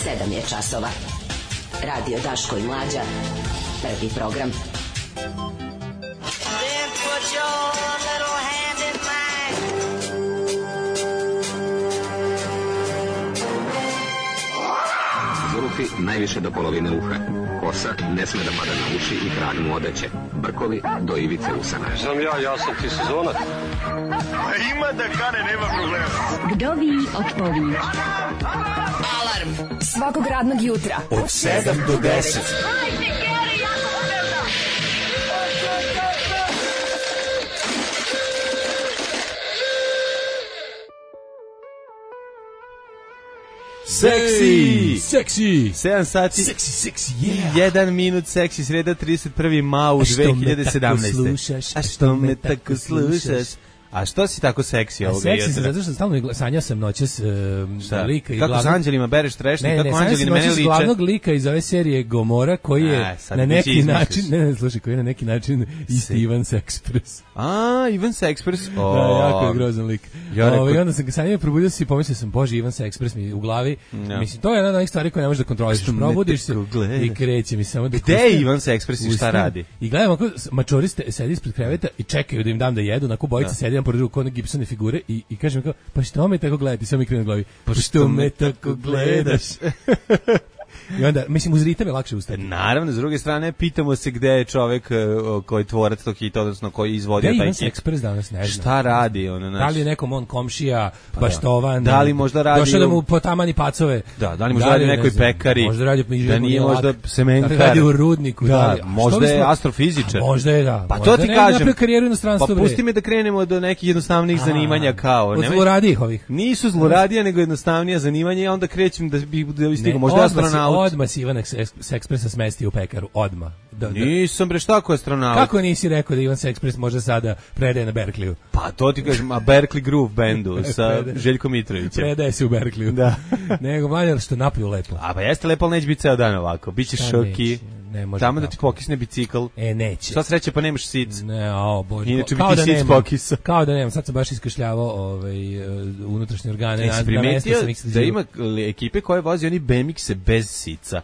7 je časova. Radio Daško i Mlađa. Prvi program. Then put your little hand in mine. Zurufi najviše do polovine uha. Kosa ne sme da pada na uši i hranu mu odeće. Brkovi do ivice usana. Znam ja sam ti sezonac. Ima da kane, nema problema. Vdovi odpovi. Alarm Svakog radnog jutra Od 7 do 10. Seksi 7 sati Seksi, i 1 minut seksi, sreda 31. mau 2017. A što me tako slušaš? A što si tako seksi ovoga jutra? Seksi sam zato što stalno sanjao sam noćas lika i kako s anđelima bereš trešnje, kako anđeli na mene liče? Glavnog lika iz ove serije Gomora koji je na neki način, slušaj, koji je na neki način isti Ivan Sexpress. Ivan Sexpress. Da, jako je grozan lik. I onda sam ga sanjao, probudio se i pomislio sam, bože, Ivan Sexpress mi u glavi. Mislim, to je jedna od onih stvari koje ne možeš da kontroliš. Probudiš se i kreće mi samo da... Gde je Ivan Sexpress i šta radi? I gledam ako mačori sedi ispred kreveta i čekaju da im dam da jedu, onako bojice sedi pored drugog kone Gibsone figure i kažem kao, pa što me tako gledati? Samo mi krenu u glavi, pa što me tako gledaš? I onda, mislim, uz ritam je lakše ustati. Naravno, s druge strane, pitamo se gde je čovek koji je tvorac tog hita, odnosno koji je izvodio taj hit. Gde je Ivan Sexpress danas, ne znam. Šta radi? Da li je nekom on komšija, baštovan? Da li možda radi... Došao da mu potamani pacove? Da li možda radi nekoj pekari? Možda radi da nije možda semenkar? Da li radi u rudniku? Da, možda je astrofizičar. Možda je, da. Pa to ti kažem. Pa pusti me da krenemo do nekih jednostavnih zanimanja kao... Od zloradijih ovih. Nisu zloradija, nego jednostavnija zanimanja i onda krećem da stigam. Možda je astronaut. Odmah si Ivan Sexpressa smesti u pekaru, odmah. Nisam bre, šta ko je astronaut? Kako nisi rekao da Ivan Sexpress može sada predaje na Berkeleyu? Pa to ti kažem, a Berkeley Groove bandu sa Željkom Mitrovićem. Predaje se u Berkeleyu. Da. Nego mlađe što napiju lepo. A pa jeste lepo, ali neće biti ceo dan ovako. Biće šoki. Tamo da ti pokisne bicikl. Neće. Sva sreće pa nemaš sic. Ne, bože. Inače bi ti sic pokisa. Kao da nemam. Sad sam baš iskašljavao unutrašnje organe. Jesi primetio da ima ekipe koje vozi oni BMX-e bez sica?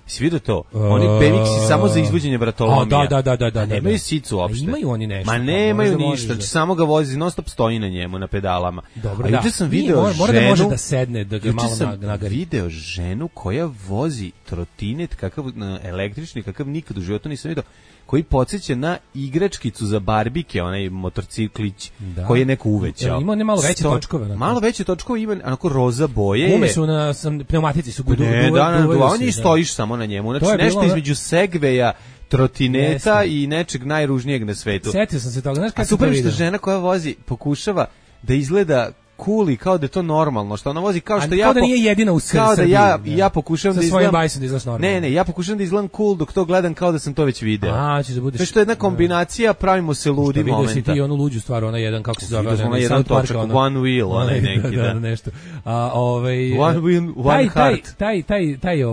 Si vidio to? Oni BMX-i samo za izvođenje vratolomija. Da. Nemaju sicu uopšte. Imaju oni nešto. Ma nemaju ništa, znači samo ga vozi, non stop stoji na njemu, na pedalama. Dobro, juče sam video ženu... Mora da može da sedne, da ga malo nagari. Juče sam video ženu koja vozi trotinet, kakav električni, kakav nikad u životu nisam vidio, koji podsjeća na igračkicu za barbike, onaj motorciklić koji je neko uvećao. Ima malo veće točkove. Malo veće točkove, ima onako roza boje. Gume su na pneumatici, su on i stojiš samo na njemu. Znači nešto između segveja, trotineta i nečeg najružnijeg na svetu. Setio sam se toga. Znaš kako super što žena koja vozi pokušava da izgleda cool i kao da je to normalno, što ona vozi kao što ja... Kao da nije jedina u Srbiji. Kao da ja pokušavam da izgledam... Sa svojim bajsom da izgledaš normalno. Ne, ja pokušavam da izgledam cool dok to gledam kao da sam to već video. Ćeš da budeš... Znači, to je jedna kombinacija, pravimo se ludi momenta. Vidio si ti onu luđu stvar, ona jedan, kako se zove... Ona jedan točak, one wheel, onaj neki, da. Nešto. One wheel, one heart. Taj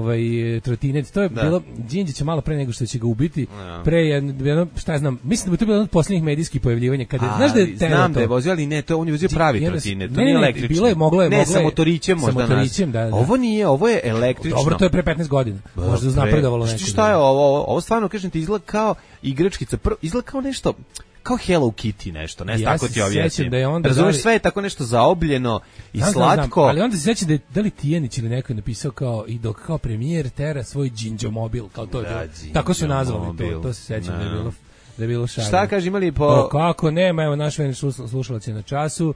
trotinet, to je bilo... Đinđića malo pre nego što će ga ubiti, pre jedno, šta ja znam, mislim da bi to bilo jedno od posljednjih medijskih pojavljivanja, kada, znaš da je znam da je vozio, ali ne, to on je vozio pravi trotinet, to nije električni. Moglo je sa motorićem možda da. Ovo nije, ovo je električno. Dobro, to je pre 15 godina. Možda uznapredovalo nešto. Šta je ovo stvarno, kažem ti, izgleda kao igračkica, izgleda kao nešto, kao Hello Kitty nešto, ne tako ti objasnim. Razumeš, sve je tako nešto zaobljeno i slatko. Ali onda se sjećam da li Tijanić ili neko je napisao kao i dok kao premijer tera svoj Džinđomobil, kao to je bilo. Tako su nazvali to se sjećam da je bilo šarno. Šta kaže, imali po... Kako nema, evo naš slušalac je na času,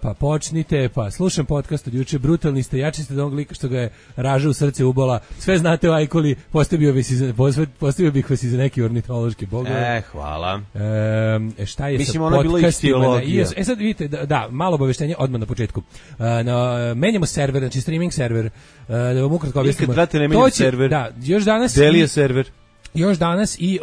pa počnite, pa slušam podcast od juče, brutalni ste, jači ste da onog lika što ga je raža u srce ubola, sve znate o Ajkuli, postavio bih vas i za neki ornitološki bogove. Hvala. Šta je mislim, sa podcastima? Sad vidite, da, malo obaveštenje odmah na početku. Menjamo server, znači streaming server, da vam ukratko objasnimo. Ikad, brate, ne menjam server. Da, još danas... Delije server. još danas i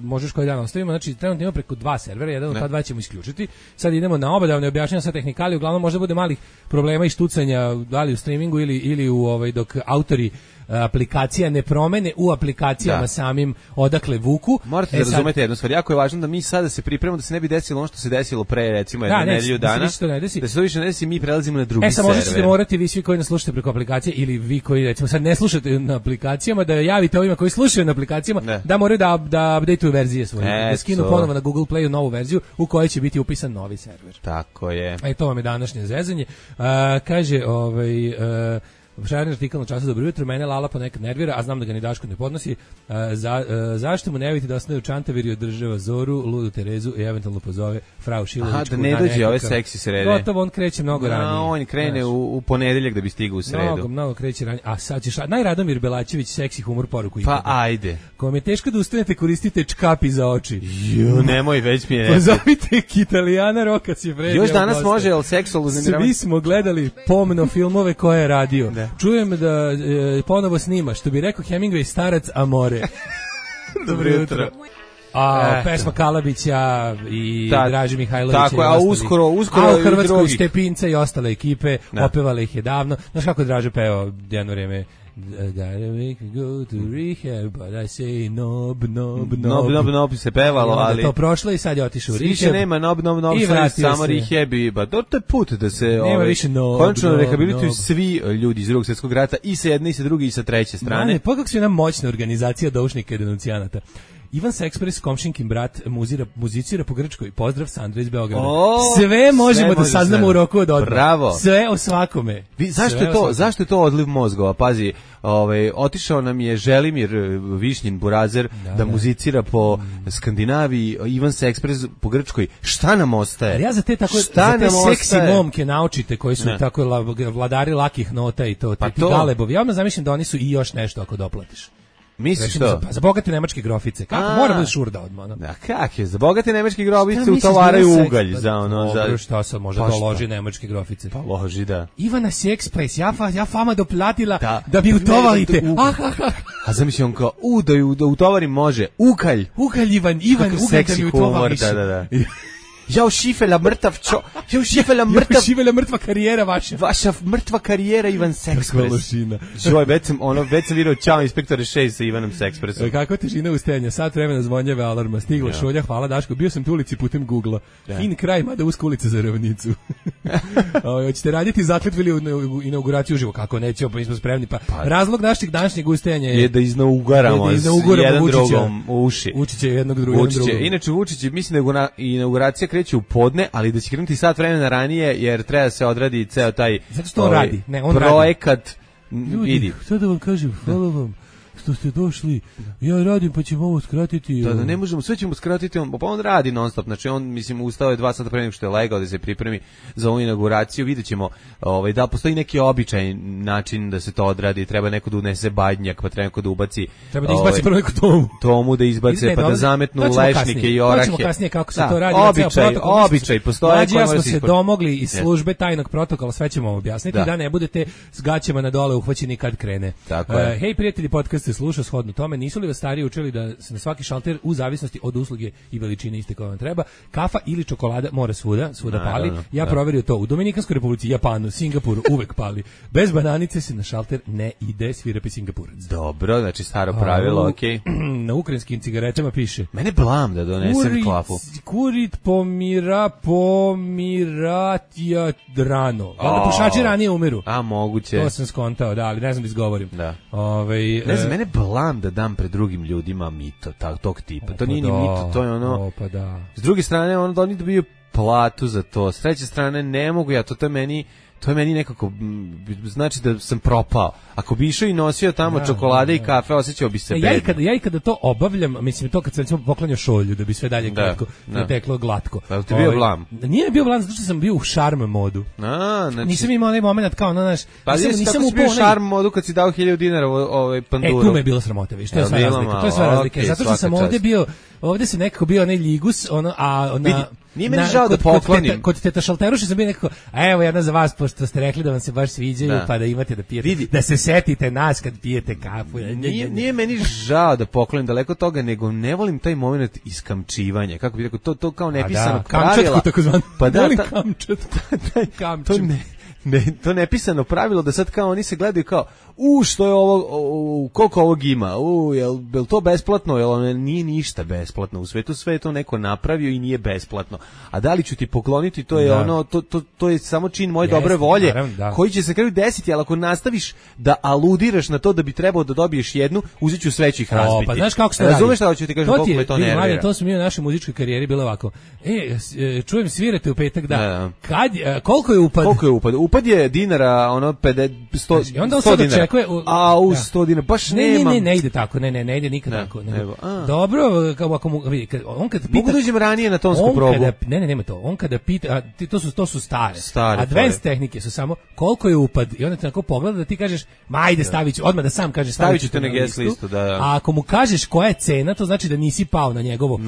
možeš koji dan ostavimo, znači trenutno ima preko 2 servera, jedan od ta 2 ćemo isključiti. Sad idemo na oba da ne objašnjavam sa tehnikali, uglavnom možda bude malih problema i štucanja da li u streamingu ili u dok autori aplikacija ne promene u aplikacijama samim odakle vuku. Morate da razumete jednu stvar, jako je važno da mi sada se pripremamo da se ne bi desilo ono što se desilo pre recimo jednu nedelju dana. Da se to više ne desi, mi prelazimo na drugi server. Možda ćete morati vi svi koji nas slušate preko aplikacije ili vi koji recimo sad ne slušate na aplikacijama da javite ovima koji slušaju na aplikacijama da moraju da updateuju verzije svoje, da skinu ponovo na Google Playu novu verziju u kojoj će biti upisan novi server. Tako je. To vam je današnje zezanje. Kaže šareni artikal na Času, dobro jutro, mene Lala ponekad nervira, a znam da ga ni Daško ne podnosi. Zašto mu ne vidite da osnovi u Čantavir i održava Zoru, Ludu Terezu i eventualno pozove Frau Šilovićku. Da ne dođe ove seksi srede. Gotovo, on kreće mnogo ranije. On krene u ponedeljak da bi stigao u sredu. Mnogo kreće ranije. A sad ćeš, Radomir Belačević, seksi humor poruku. Pa ajde. Ko mi je teško da ustanete, koristite čkapi za oči. Nemoj, već mi je. Pozovite Italijana Roka Cifredi. Još danas može, jel seksualno uznemiravanje? Svi smo gledali pomno filmove koje je radio. Čujem da ponovo snima, što bi rekao Hemingway, starac Amore. Dobro jutro. Pesma Kalabića i Draži Mihajlovića. Tako je, a uskoro u Hrvatskoj Stepinca i ostale ekipe, opevale ih je davno. Znaš kako je Draža pevao jedno vreme? Gotta make me go to rehab, but I say nob se pevalo, ali to prošlo i sad je otišao u rehab. Više nema nob, samo rehab i to je put da se konačno rehabilituju svi ljudi iz Drugog svjetskog rata i sa jedne i sa druge i sa treće strane. Pa kako su jedna moćna organizacija doušnika i denuncijanata. Ivan Sexpress, komšinkin brat, muzicira po Grčkoj. Pozdrav Sandra iz Beograda. Sve možemo da saznamo u roku od odmah. Bravo. Sve o svakome. Zašto je to odliv mozgova? Pazi, otišao nam je Želimir Višnjin Burazer da muzicira po Skandinaviji, Ivan Sexpress po Grčkoj. Šta nam ostaje? Ja za te seksi momke naučite koji su tako vladari lakih nota i to, ti galebovi. Ja vam zamišljam da oni su i još nešto ako doplatiš. Misliš to? Za bogate nemačke grofice. Kako mora biti šurda odmah? Da, kak je? Za bogate nemačke grofice utovaraju ugalj za ono. Dobro, šta sad može da loži nemačke grofice? Pa loži, da. Ivana Sexpress, ja fama doplatila da bi utovarite. A zamisli on kao, da utovarim može. Ugalj, Ivan, ugalj da mi utovariš. Da. Jao šifela mrtva karijera vaša. Vaša mrtva karijera Ivan Sexpress. Joj, već sam vidio Ćao inspektore 6 sa Ivanom Sexpressom. Kako težina ustajanja, sat vremena zvonjave alarma, stigla šolja, hvala Daško, bio sam tu ulici putem Google-a. Fin kraj, mada uska ulica za ravnicu. Hoćete raditi zakletvu ili inauguraciju uživo? Kako nećemo, pa mi smo spremni. Pa razlog našeg današnjeg ustajanja je da iznaugaramo jedan drugom uši. Vučića jednog drugog. Inače Vučić, mislim da inauguracija kreće u podne, ali da će krenuti sat vremena ranije, jer treba da se odradi ceo taj projekat. Ljudi, šta da vam kažem, hvala vam što ste došli, ja radim pa ćemo ovo skratiti. Da, ne možemo, sve ćemo skratiti, pa on radi non stop, znači on, mislim, ustao je 2 sata pre nego što je legao da se pripremi za ovu inauguraciju, vidjet ćemo da postoji neki običaj način da se to odradi, treba neko da unese badnjak, pa treba neko da ubaci treba da izbaci prvo neku tomu da izbace, pa da zametnu lešnike i orahe. To ćemo kasnije kako se to radi. Običaj postoje. Ja smo se domogli iz službe tajnog protokola, sve ćemo vam objasniti, da ne budete s gaćama na dole uhvaćeni kad krene. Hej prijatelji, podcast sluša shodno tome, nisu li vas stariji učili da se na svaki šalter u zavisnosti od usluge i veličine iste koja vam treba, kafa ili čokolada mora svuda pali. Ja proverio to u Dominikanskoj Republici, Japanu, Singapuru uvek pali. Bez bananice se na šalter ne ide, svirapi Singapurac. Dobro, znači staro pravilo, okej. Na ukrajinskim cigaretama piše. Mene blam da donesem klafu. Kurit pomiratija rano. Valjda pušači ranije umiru. A moguće. To sam skontao, da, ali ne znam da izgovorim. Da. Ne znam, mene blam da dam pred drugim ljudima mito tog tipa. To nije ni mito, to je ono. S druge strane, ono da oni dobiju platu za to. S treće strane, ne mogu ja, to je meni nekako, znači da sam propao. Ako bi išao i nosio tamo čokolade i kafe, osjećao bi se bedno. Ja i kada to obavljam, mislim to kad sam recimo poklanjao šolju, da bi sve dalje teklo glatko. Pa ti bio blam? Nije bio blam, zato što sam bio u šarm modu. Znači... Nisam imao onaj moment kao, znaš... Pa nisam bio u šarm modu kad si dao 1000 dinara panduru. Tu me je bilo sramote, viš, to je sva razlika. Zato što sam ovdje se nekako bio onaj ligus, Nije meni žao da poklonim. Kod teta Šalteruša sam bio nekako, a evo jedna za vas, pošto ste rekli da vam se baš sviđaju, pa da imate da pijete. Da se setite nas kad pijete kafu. Nije meni žao da poklonim, daleko od toga, nego ne volim taj moment iskamčivanja. Kako bi rekao, to kao nepisano pravila. Kamčatku takozvano. Pa da, volim kamčatku. To nepisano pravilo da sad kao oni se gledaju kao što je ovo, koliko ovog ima, jel to besplatno, jel nije ništa besplatno, u svetu sve je to neko napravio i nije besplatno, a da li ću ti pokloniti, to je to je samo čin moje dobre volje, koji će se kraju desiti, ali ako nastaviš da aludiraš na to da bi trebao da dobiješ jednu, uzet ću sve ću ih razbiti. Pa znaš kako se radi? Razumeš šta hoću ti kažem, koliko me to nervira? To smo mi u našoj muzičkoj karijeri bilo ovako, čujem svirate u petak, koliko je upad? Koliko je upad? Upad je dinara, 100 dinara. A u 100 dinara, baš nema. Ne ide tako, ne ide nikad tako. Dobro, ako on kad pita... Mogu da uđem ranije na tonsku probu. Nema to. On kada pita, to su stare. Advanced tehnike su samo koliko je upad i onda te tako pogleda da ti kažeš, ajde stavit ću, odmah da sam kaže stavit ću te na guest listu. A ako mu kažeš koja je cena, to znači da nisi pao na njegovo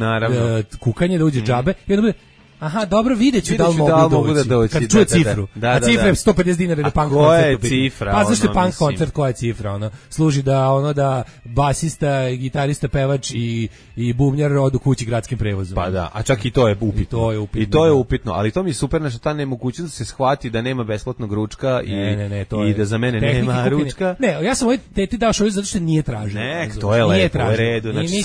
kukanje, da uđe džabe i onda bude, aha, dobro, videću da li mogu da doći. Kad čuje cifru. A cifra je 150 dinara da punk koncert. Koja je cifra? Pa zašto je punk koncert, koja je cifra? Služi da basista, gitarista, pevač i bubnjar odu kući gradskim prevozom. Pa da, a čak i to je upitno. I to je upitno, ali to mi je super, nešto ta nemogućnost da se shvati da nema besplatnog ručka i da za mene nema ručka. Ne, ja sam ovoj teti dao šoju zato što nije tražio. Ne, to je lepo, u redu. Znači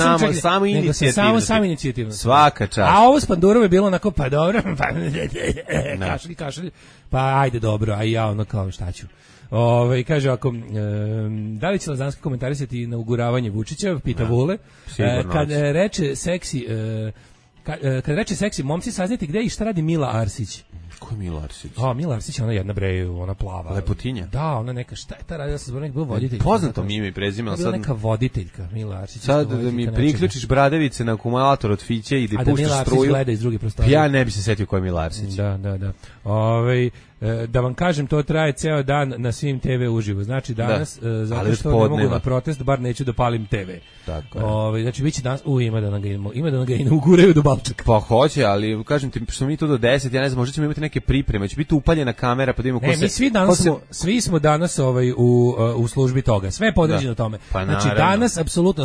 samo inicijativno. Svaka čast. A ovo s Pandurom je bilo onako, pa dobro, kašalj, pa ajde dobro, a ja kao šta ću. Kaže ako da li će Lazanski komentarisati inauguravanje Vučića, pita Vule. Kad reče seksi, momci saznajte gde i šta radi Mila Arsić. Ko je Mila Arsić? Mila Arsić, ona jedna ona plava. Lepotinja? Da, ona neka, šta je ta radila sa zbornik, bila voditeljka. Poznato mi ime i prezime, ali sad... Bila neka voditeljka, Mila Arsić. Sad da mi priključiš bradavice na akumulator od Fiće i da puštaš struju. A da Mila Arsić gleda iz druge prostorije. Ja ne bi se setio ko je Mila Arsić. Da. Da vam kažem, to traje ceo dan na svim TV uživo. Znači danas, zato što ne mogu na protest, bar neću da palim TV. Tako je. Znači biće danas, ima da ga inauguraju do Balčaka. Pa hoće, ali kažem ti, što mi tu do 10, ja ne znam, možda ćemo imati neke pripreme, će biti upaljena kamera, pa da vidimo ko se... Svi smo danas u službi toga, sve je podređeno tome. Pa znači danas, apsolutno,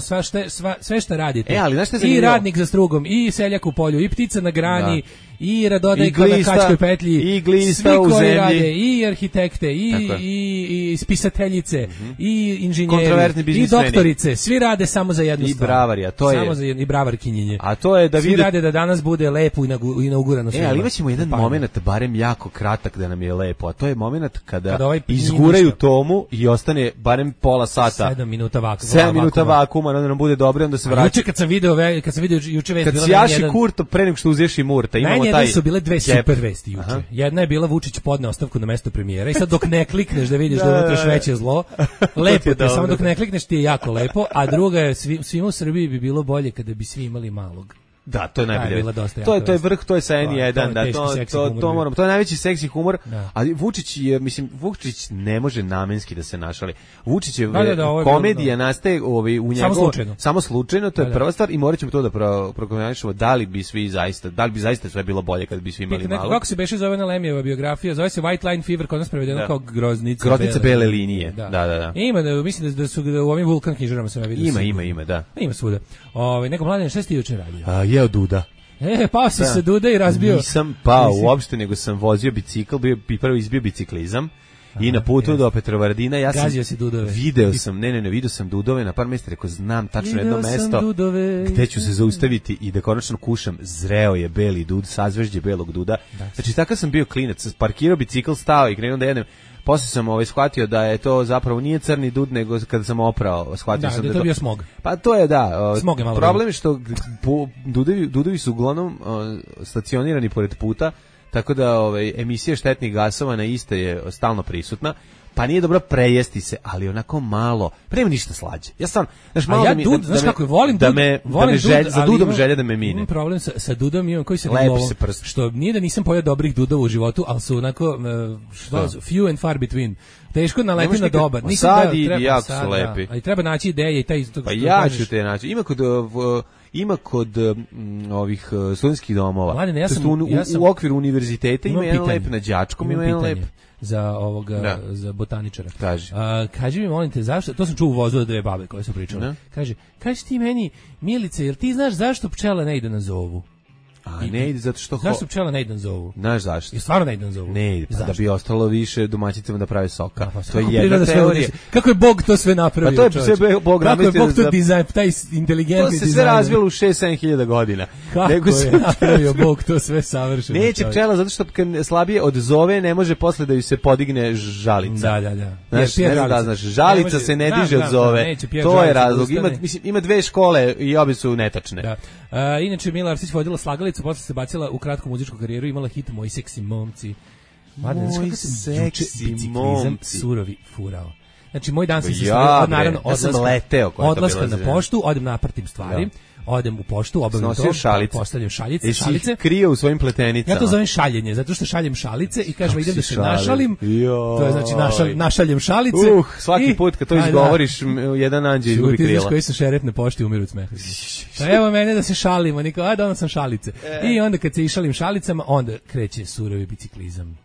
sve što radite, ali i radnik za strugom, i seljak u polju, i ptica na grani, i radodajka na kačkoj petlji, i glista u zemlji, rade, i arhitekte, i spisateljice, i inženjeri, i doktorice, svi rade samo za jednu stvar. I bravarija, to je. I bravarkinjenje. A to je da svi rade da danas bude lepo inaugurano svima. Ali imaćemo jedan moment, barem jako kratak, da nam je lepo, a to je moment kada izguraju tomu i ostane barem pola sata. 7 minuta vakuma. 7 minuta vakuma, onda nam bude dobro, onda se vraća. Juče kad sam video juče vest, kad sjaši Kurto pre nego što uzješi Murta, imamo taj. Su bile dve super vesti juče. Jedna je bila Vučić podne ostavku na mesto premijera i sad dok ne klikneš da vidiš da unutra veće zlo, lepo ti je, samo dok ne klikneš ti je jako lepo, a druga je svima u Srbiji bi bilo bolje kada bi svi imali malog. Da, to je najbolje. To je vrh, to je sa N1, da, to moramo. To je najveći seksi humor, ali Vučić ne može namenski da se našali. Vučićev komedija nastaje u njegovu samo slučajno, to je prva stvar i moraćemo to da prokomentarišemo da li bi zaista sve bilo bolje kad bi svi imali malo. Kako se beše zove na Lemijeva biografija, zove se White Line Fever, kod nas prevedeno kao groznica bele linije. Da. Ima, mislim da su u ovim Vulkan knjižarama se vidio. Ima, da. Ima svuda. Neko mladen, šta si ti juče radio? Jeo Duda. Pao si se Duda i razbio. Nisam pao uopšte, nego sam vozio bicikl, prvo izbio biciklizam i na putu do Petrovaradina ja sam video sam Dudove na par mesta, rekao znam tačno jedno mesto gde ću se zaustaviti i da konačno kušam. Zreo je beli dud, sazvežđe belog duda. Znači takav sam bio klinac, parkirao bicikl, stao i krenuo da jedem. Posle sam shvatio da je to zapravo nije crni dud, nego kada sam oprao, shvatio sam da je to bio smog. Pa to je smog je malo problem je što dudovi su uglavnom stacionirani pored puta, tako da emisija štetnih gasova na iste je stalno prisutna. Pa nije dobro prejesti se, ali onako malo. Prema ništa slađe. Ja sam, malo ja dud, znaš kako volim dud, za dudom želja da me mine. Imam problem sa dudom, imam koji se lovom, što nije da nisam pojeo dobrih dudova u životu, ali su onako few and far between. Teško naleti na dobar. Sad i jako su lepi. Ali treba naći ideje i taj... Pa ja ću te naći. ima kod ovih studentskih domova. Mladene, U okviru univerziteta ima jedan lep na Đačkom, ima jedan lep za ovoga za botaničara. Kaži. Kaži mi, molim te, zašto, to sam čuo u vozu od dve babe koje su pričale. Kaži ti meni, Milice, jer ti znaš zašto pčela ne ide na zovu? A ne ide zato što... Zašto pčela ne ide na zovu? Znaš zašto? I stvarno ne ide na zovu? Ne ide, pa da bi ostalo više domaćicama da prave soka. To je jedna teorija. Kako je Bog to sve napravio? Pa to je sve Bog napravio. Kako je Bog to dizajn, taj inteligentni dizajn. To se sve razvilo u 6-7 hiljada godina. Kako je napravio Bog to sve savršeno? Neće pčela zato što kad slabije od zove ne može posle da ju se podigne žalica. Da. Znaš, ne znam da znaš, žalica se ne diže od zove. To je razlog. Ima dve škole i obe su netačne. Inače, Mila Arsić vodila slagalicu, posle se bacila u kratku muzičku karijeru, imala hit Moji seksi momci. Moji seksi momci. Surovi furao. Znači, moj dan se sastoji od naravno odlaska na poštu, odem napratim stvari, odem u poštu, obavim to, postavljam šaljice. Jesi krio u svojim pletenicama? Ja to zovem šaljenje, zato što šaljem šalice i kažem idem da se našalim. To je znači našaljem šalice. Svaki put kad to izgovoriš, jedan anđeo izgubi krila. Šutiš koji se šerep na pošti umiru od smeha. Pa evo mene da se šalimo, niko, onda sam šalice. I onda kad se išalim šalicama, onda kreće surovi biciklizam.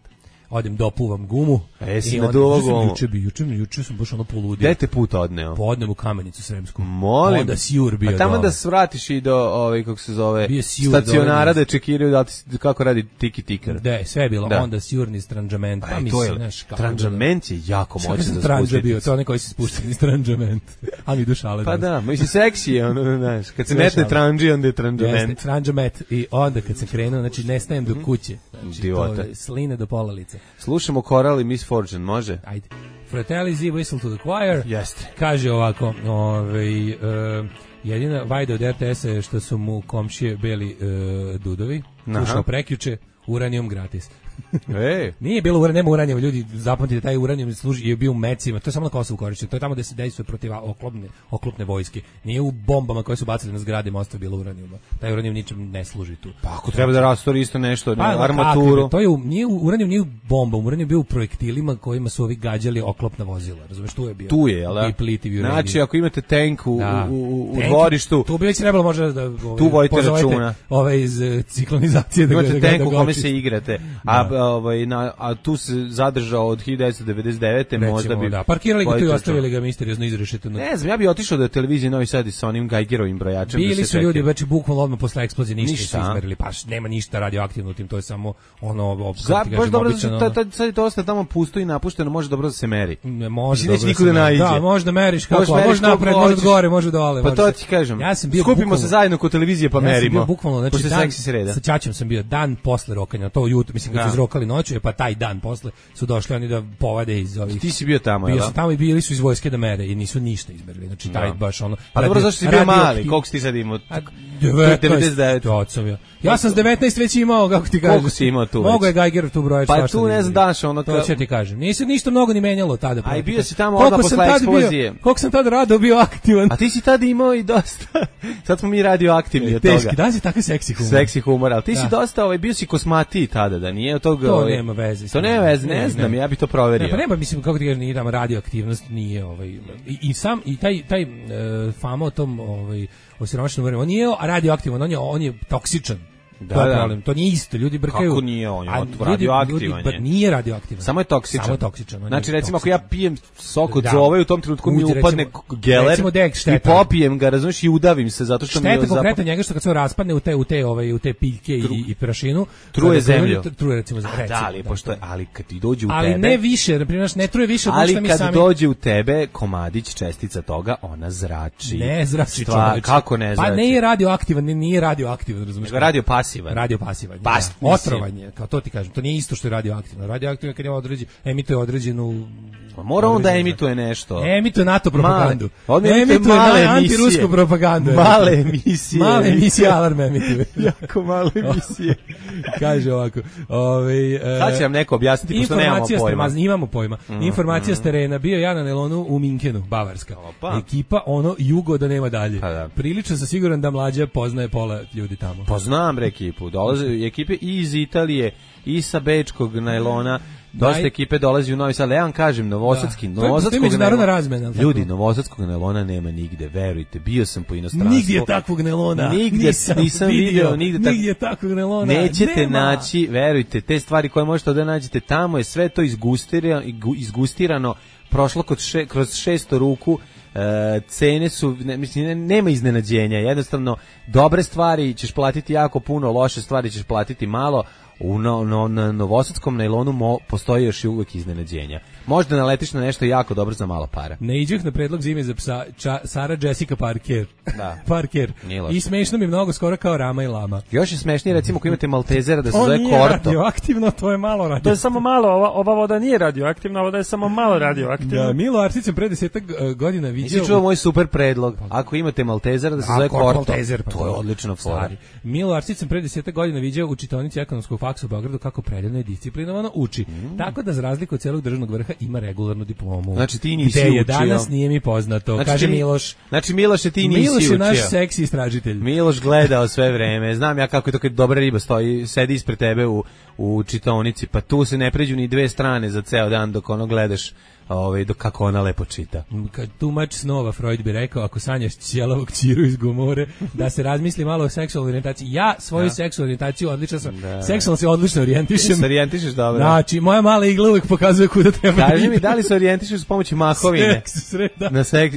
Odem dopuvam gumu. Jesi naduvao gumu? Juče sam baš ono poludio. Gde te put odneo? Odnem u Kamenicu Sremsku. Molim. Onda sjur bio. A tamo da svratiš i do kako se zove stacionara da čekiraju da kako radi tiki tikar. Da, sve je bilo. Onda sjurni stranđament. Pa mislim, stranđament je jako moćan za spustiti. To je onaj koji se spušta ni stranđament. A mi dušale. Pa da, mislim seksi je ono, znaš. Kad se metne tranđi, onda je stranđament. Stranđament. I onda kad sam krenuo, znači nestajem do kuće. Znači, sline do pola lice. Slušamo Coral i Miss Fortune, može? Ajde. Fratelli Z, Whistle to the Choir. Jeste. Kaže ovako, jedina vajda od RTS-a je što su mu komšije beli dudovi. Slušao prekjuče, uranijum gratis. Nije bilo uranijum, nema uranijum, ljudi zapamtite, taj uranijum je bio u mecima, to je samo na Kosovu korišćen, to je tamo gde se dejstvuje protiv oklopne vojske, nije u bombama koje su bacili na zgrade mosta bilo uranijuma, taj uranijum ničem ne služi tu. Pa ako treba da rastori isto nešto, armaturu. To je uranijum nije u bombama, uranijum je bio u projektilima kojima su ovi gađali oklopna vozila, razumeš, tu je bio. Tu je, jel da? Znači, ako imate tank u dvorištu, tu bi već trebalo možda da tu vojite računa. Ove iz ciklonizacije da imate tank u kome se igrate. A tu se zadržao od 1999. možda bi... Da, parkirali ga tu i ostavili ga misteriozno izrešeteno. Ne znam, ja bi otišao do televizije Novi Sad sa onim Geigerovim brojačem. Bili su ljudi, već bukvalno odmah posle eksplozije ništa su izmerili, pa nema ništa radioaktivno u tim, to je samo ono... Baš dobro, sad je to ostaje tamo pusto i napušteno, može dobro da se meri. Ne može dobro da se meri. Da, može da meriš kako, može napred, može gore, može dole. Pa to ti kažem, skupimo se zajedno kod televizije pa merimo. Ja sam bio bukvalno, znači sa ćaćom sam bio dan posle rokanja, to jutro, mislim kad su izrokali noću, pa taj dan posle su došli oni da povade iz ovih. Ti si bio tamo, Bio sam tamo i bili su iz vojske da mere i nisu ništa izmerili. Znači taj baš ono. Pa dobro, zašto si bio mali? Koliko si ti sad imao? 99. Ja sam s 19 već imao, kako ti kažeš. Koliko si imao tu? Mogu je Geiger tu brojač. Pa tu ne znam daš ono. To ću ti kažem. Nisi ništa mnogo ni menjalo tada. Aj bio si tamo odmah posle eksplozije. Koliko sam tad rado bio aktivan. A ti si tad imao i dosta. Sad smo mi radioaktivni od toga. Teški, da si tako seksi humor. Seksi humor, al ti si dosta bio si kosmatiji tada, da nije od toga. To nema veze. To nema veze, ne znam, ja bih to proverio. Pa nema, mislim, kako ti kažeš, nije tamo radioaktivnost, nije i taj fama o tom osiromašenom vremenu, on nije radioaktivan, on je toksičan. Da. To nije isto, ljudi brkaju. Kako nije on? Radioaktivan je. Nije radioaktivan. Samo je toksičan. Znači, recimo, ako ja pijem sok od zove, u tom trenutku mi upadne geler i popijem ga, razumiješ, i udavim se, zato što mi je... Šteta konkretno njega što kad se raspadne u te piljke i prašinu... Truje zemlju. Truje, recimo, zemlju. Ali kad ti dođe u tebe... Ali ne više, naprimjer, ne truje više od što mi sami... Ali kad dođe u tebe komadić, čestica toga, ona zrači. Ne zrači. Kako ne zrači? Pa ne je radioaktivan, nije radioaktivan, razumiješ? Radio pasivan. Otrovanje, kao to ti kažem. To nije isto što je radioaktivno. Radioaktivno kad je emituje određenu... Mora on da emituje nešto. Emituje NATO propagandu. Emituje antirusku propagandu. Male emisije. Male emisije alarm emituje. Jako male emisije. Kaže ovako. Sad će nam neko objasniti, pošto nemamo pojma. Imamo pojma. Informacija s terena. Bio ja na Nelonu u Minkenu, Bavarska. Ekipa, jugo da nema dalje. Prilično sam siguran da mlađa poznaje pola ljudi tamo. Poznam ekipu. Dolaze ekipe i iz Italije, i sa bečkog najlona, Dosta ekipe dolazi u Novi Sad. Ja vam kažem, novosadskog međunarodna razmena. Ljudi, novosadskog nelona nema nigde, verujte. Bio sam po inostranstvu. Nigdje takvog nelona. Nisam video. Nigdje takvog nelona. Nećete naći, verujte, te stvari koje možete da nađete tamo je sve to izgustirano, prošlo kroz 600 ruku. Cene su, nema iznenađenja, jednostavno dobre stvari ćeš platiti jako puno, loše stvari ćeš platiti malo. Na novosadskom najlonu postoji još i uvek iznenađenja. Možda naletiš na nešto jako dobro za malo para. Ne iđeh na predlog zime za psa Sara Jessica Parker. Da. Parker. I smešno mi mnogo skoro kao Rama i Lama. Još je smešnije recimo ako imate Maltezera da se zove Korto. To nije radioaktivno, to je malo radioaktivno. To je samo malo, ova voda nije radioaktivna, voda je samo malo radioaktivna. Da, Milo Arsić pre 10 godina vidio. Nisi čuo moj super predlog. Ako imate Maltezera da se zove Korto. Maltezer, to je odlično fora. Milo Arsić pre 10 godina vidio u čitaonici ekonomskog faksa u Beogradu kako preljeno i disciplinovano uči. Tako da za razliku od celog državnog vrha ima regularnu diplomu. Znači ti nisi učio. Gde danas nije mi poznato. Znači, kaže Miloš. Znači Miloše ti nisi učio. Miloš je naš seksi istražitelj. Miloš gledao sve vreme. Znam ja kako je to kad dobra riba stoji, sedi ispred tebe u čitaonici, pa tu se ne pređu ni dve strane za ceo dan dok ono gledaš dok kako ona lepo čita. Kad tumač snova Freud bi rekao, ako sanjaš ćelavog ćiru iz Gomore, da se razmisli malo o seksualnoj orijentaciji. Ja svoju seksualnu orijentaciju odlično sam. Seksualno se odlično orijentišem. Se orijentišeš dobro. Znači, moja mala igla uvek pokazuje kuda treba. Kaži mi, da li se orijentišeš s pomoću mahovine? Na seks,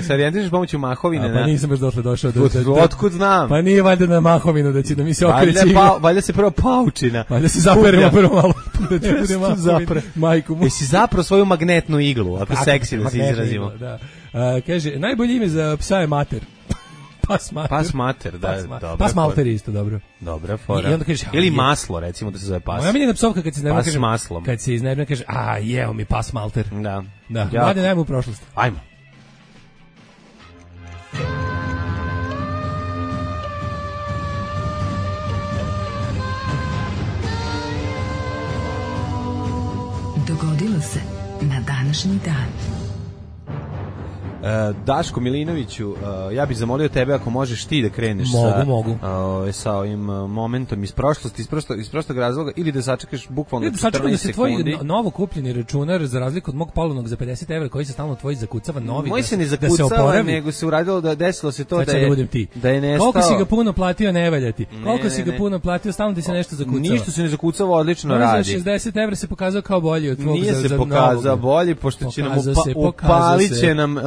se orijentišeš s pomoću mahovine? Pa nisam baš došao do... Otkud znam? Pa nije valjda na mahovinu da će da mi se okreće igla. Valjda se prvo paučina. Valjda se zaperemo prvo malo. Da ti bude mahovina. Majku mu. Jesi zapravo svoju magnetnu iglu, ako seksi da se izrazimo. Da. Kaže, najbolje ime za psa je mater. Pas mater. Pas mater, da, dobro. Pas malter isto, dobro. Dobra fora. I onda kaže, ili maslo, recimo da se zove pas. Moja miljena psovka kad se iznebne kaže, maslom. Kad se iznebne kaže, jeo mi pas malter. Da. Da, mlade najmo u prošlost. Ajmo. Dogodilo se na današnji dan. Daško Milinoviću, ja bih zamolio tebe ako možeš ti da kreneš sa ovim momentom iz prošlosti, iz prostog razloga, ili da sačekaš bukvalno 14 sekundi. Da se tvoj novo kupljeni računar, za razliku od mog polovnog za 50 € koji se stalno tvoji zakucava, novi moj se ne zakucava, nego se uradilo desilo se to da je nestao. Koliko si ga puno platio, ne valja ti. Koliko si ga puno platio, stalno ti se nešto zakucava. Ništa se ne zakucava, odlično radi. Za 60 € se pokazao kao bolji od tvog. Nije se pokazao bolji, pošto će nam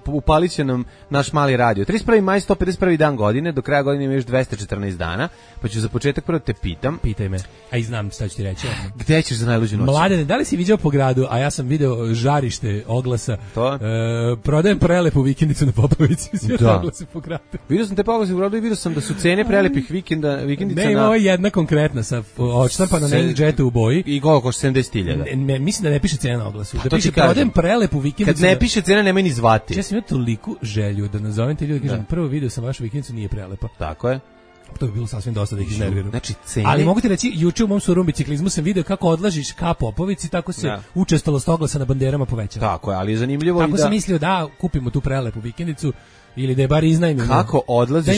upalit će nam naš mali radio. 31. maj, 151. dan godine, do kraja godine ima još 214 dana, pa ću za početak prvo te pitam. Pitaj me, a i znam šta ću ti reći. Gde ćeš za najluđu noć? Mladene, da li si viđao po gradu, a ja sam video žarište oglasa, prodajem prelepu vikendicu na Popovici, svi oglase po gradu. Vidio sam te oglase po gradu i vidio sam da su cene prelepih vikendica ne, ima ovo jedna konkretna sa odštampana na inkjetu u boji. I koliko košta 70.000? Mislim da ne piše cena na oglasu. Da piše prodajem prelepu vikendicu. Kad ne piše cena, nemoj ni zvati. Ja sam imao toliku želju da nazovem te ljudi, kažem, prvo video sam vašu vikendicu, nije prelepa. Tako je. To bi bilo sasvim dosta da ih iznerviram. Znači, cene... Ali mogu ti reći, juče u mom surom biciklizmu sam video kako odlažiš ka Popovici, tako se učestalost oglasa na banderama povećava. Tako je, ali je zanimljivo tako sam mislio da kupimo tu prelepu vikendicu, ili da je bar iznajmimo. Kako odlaziš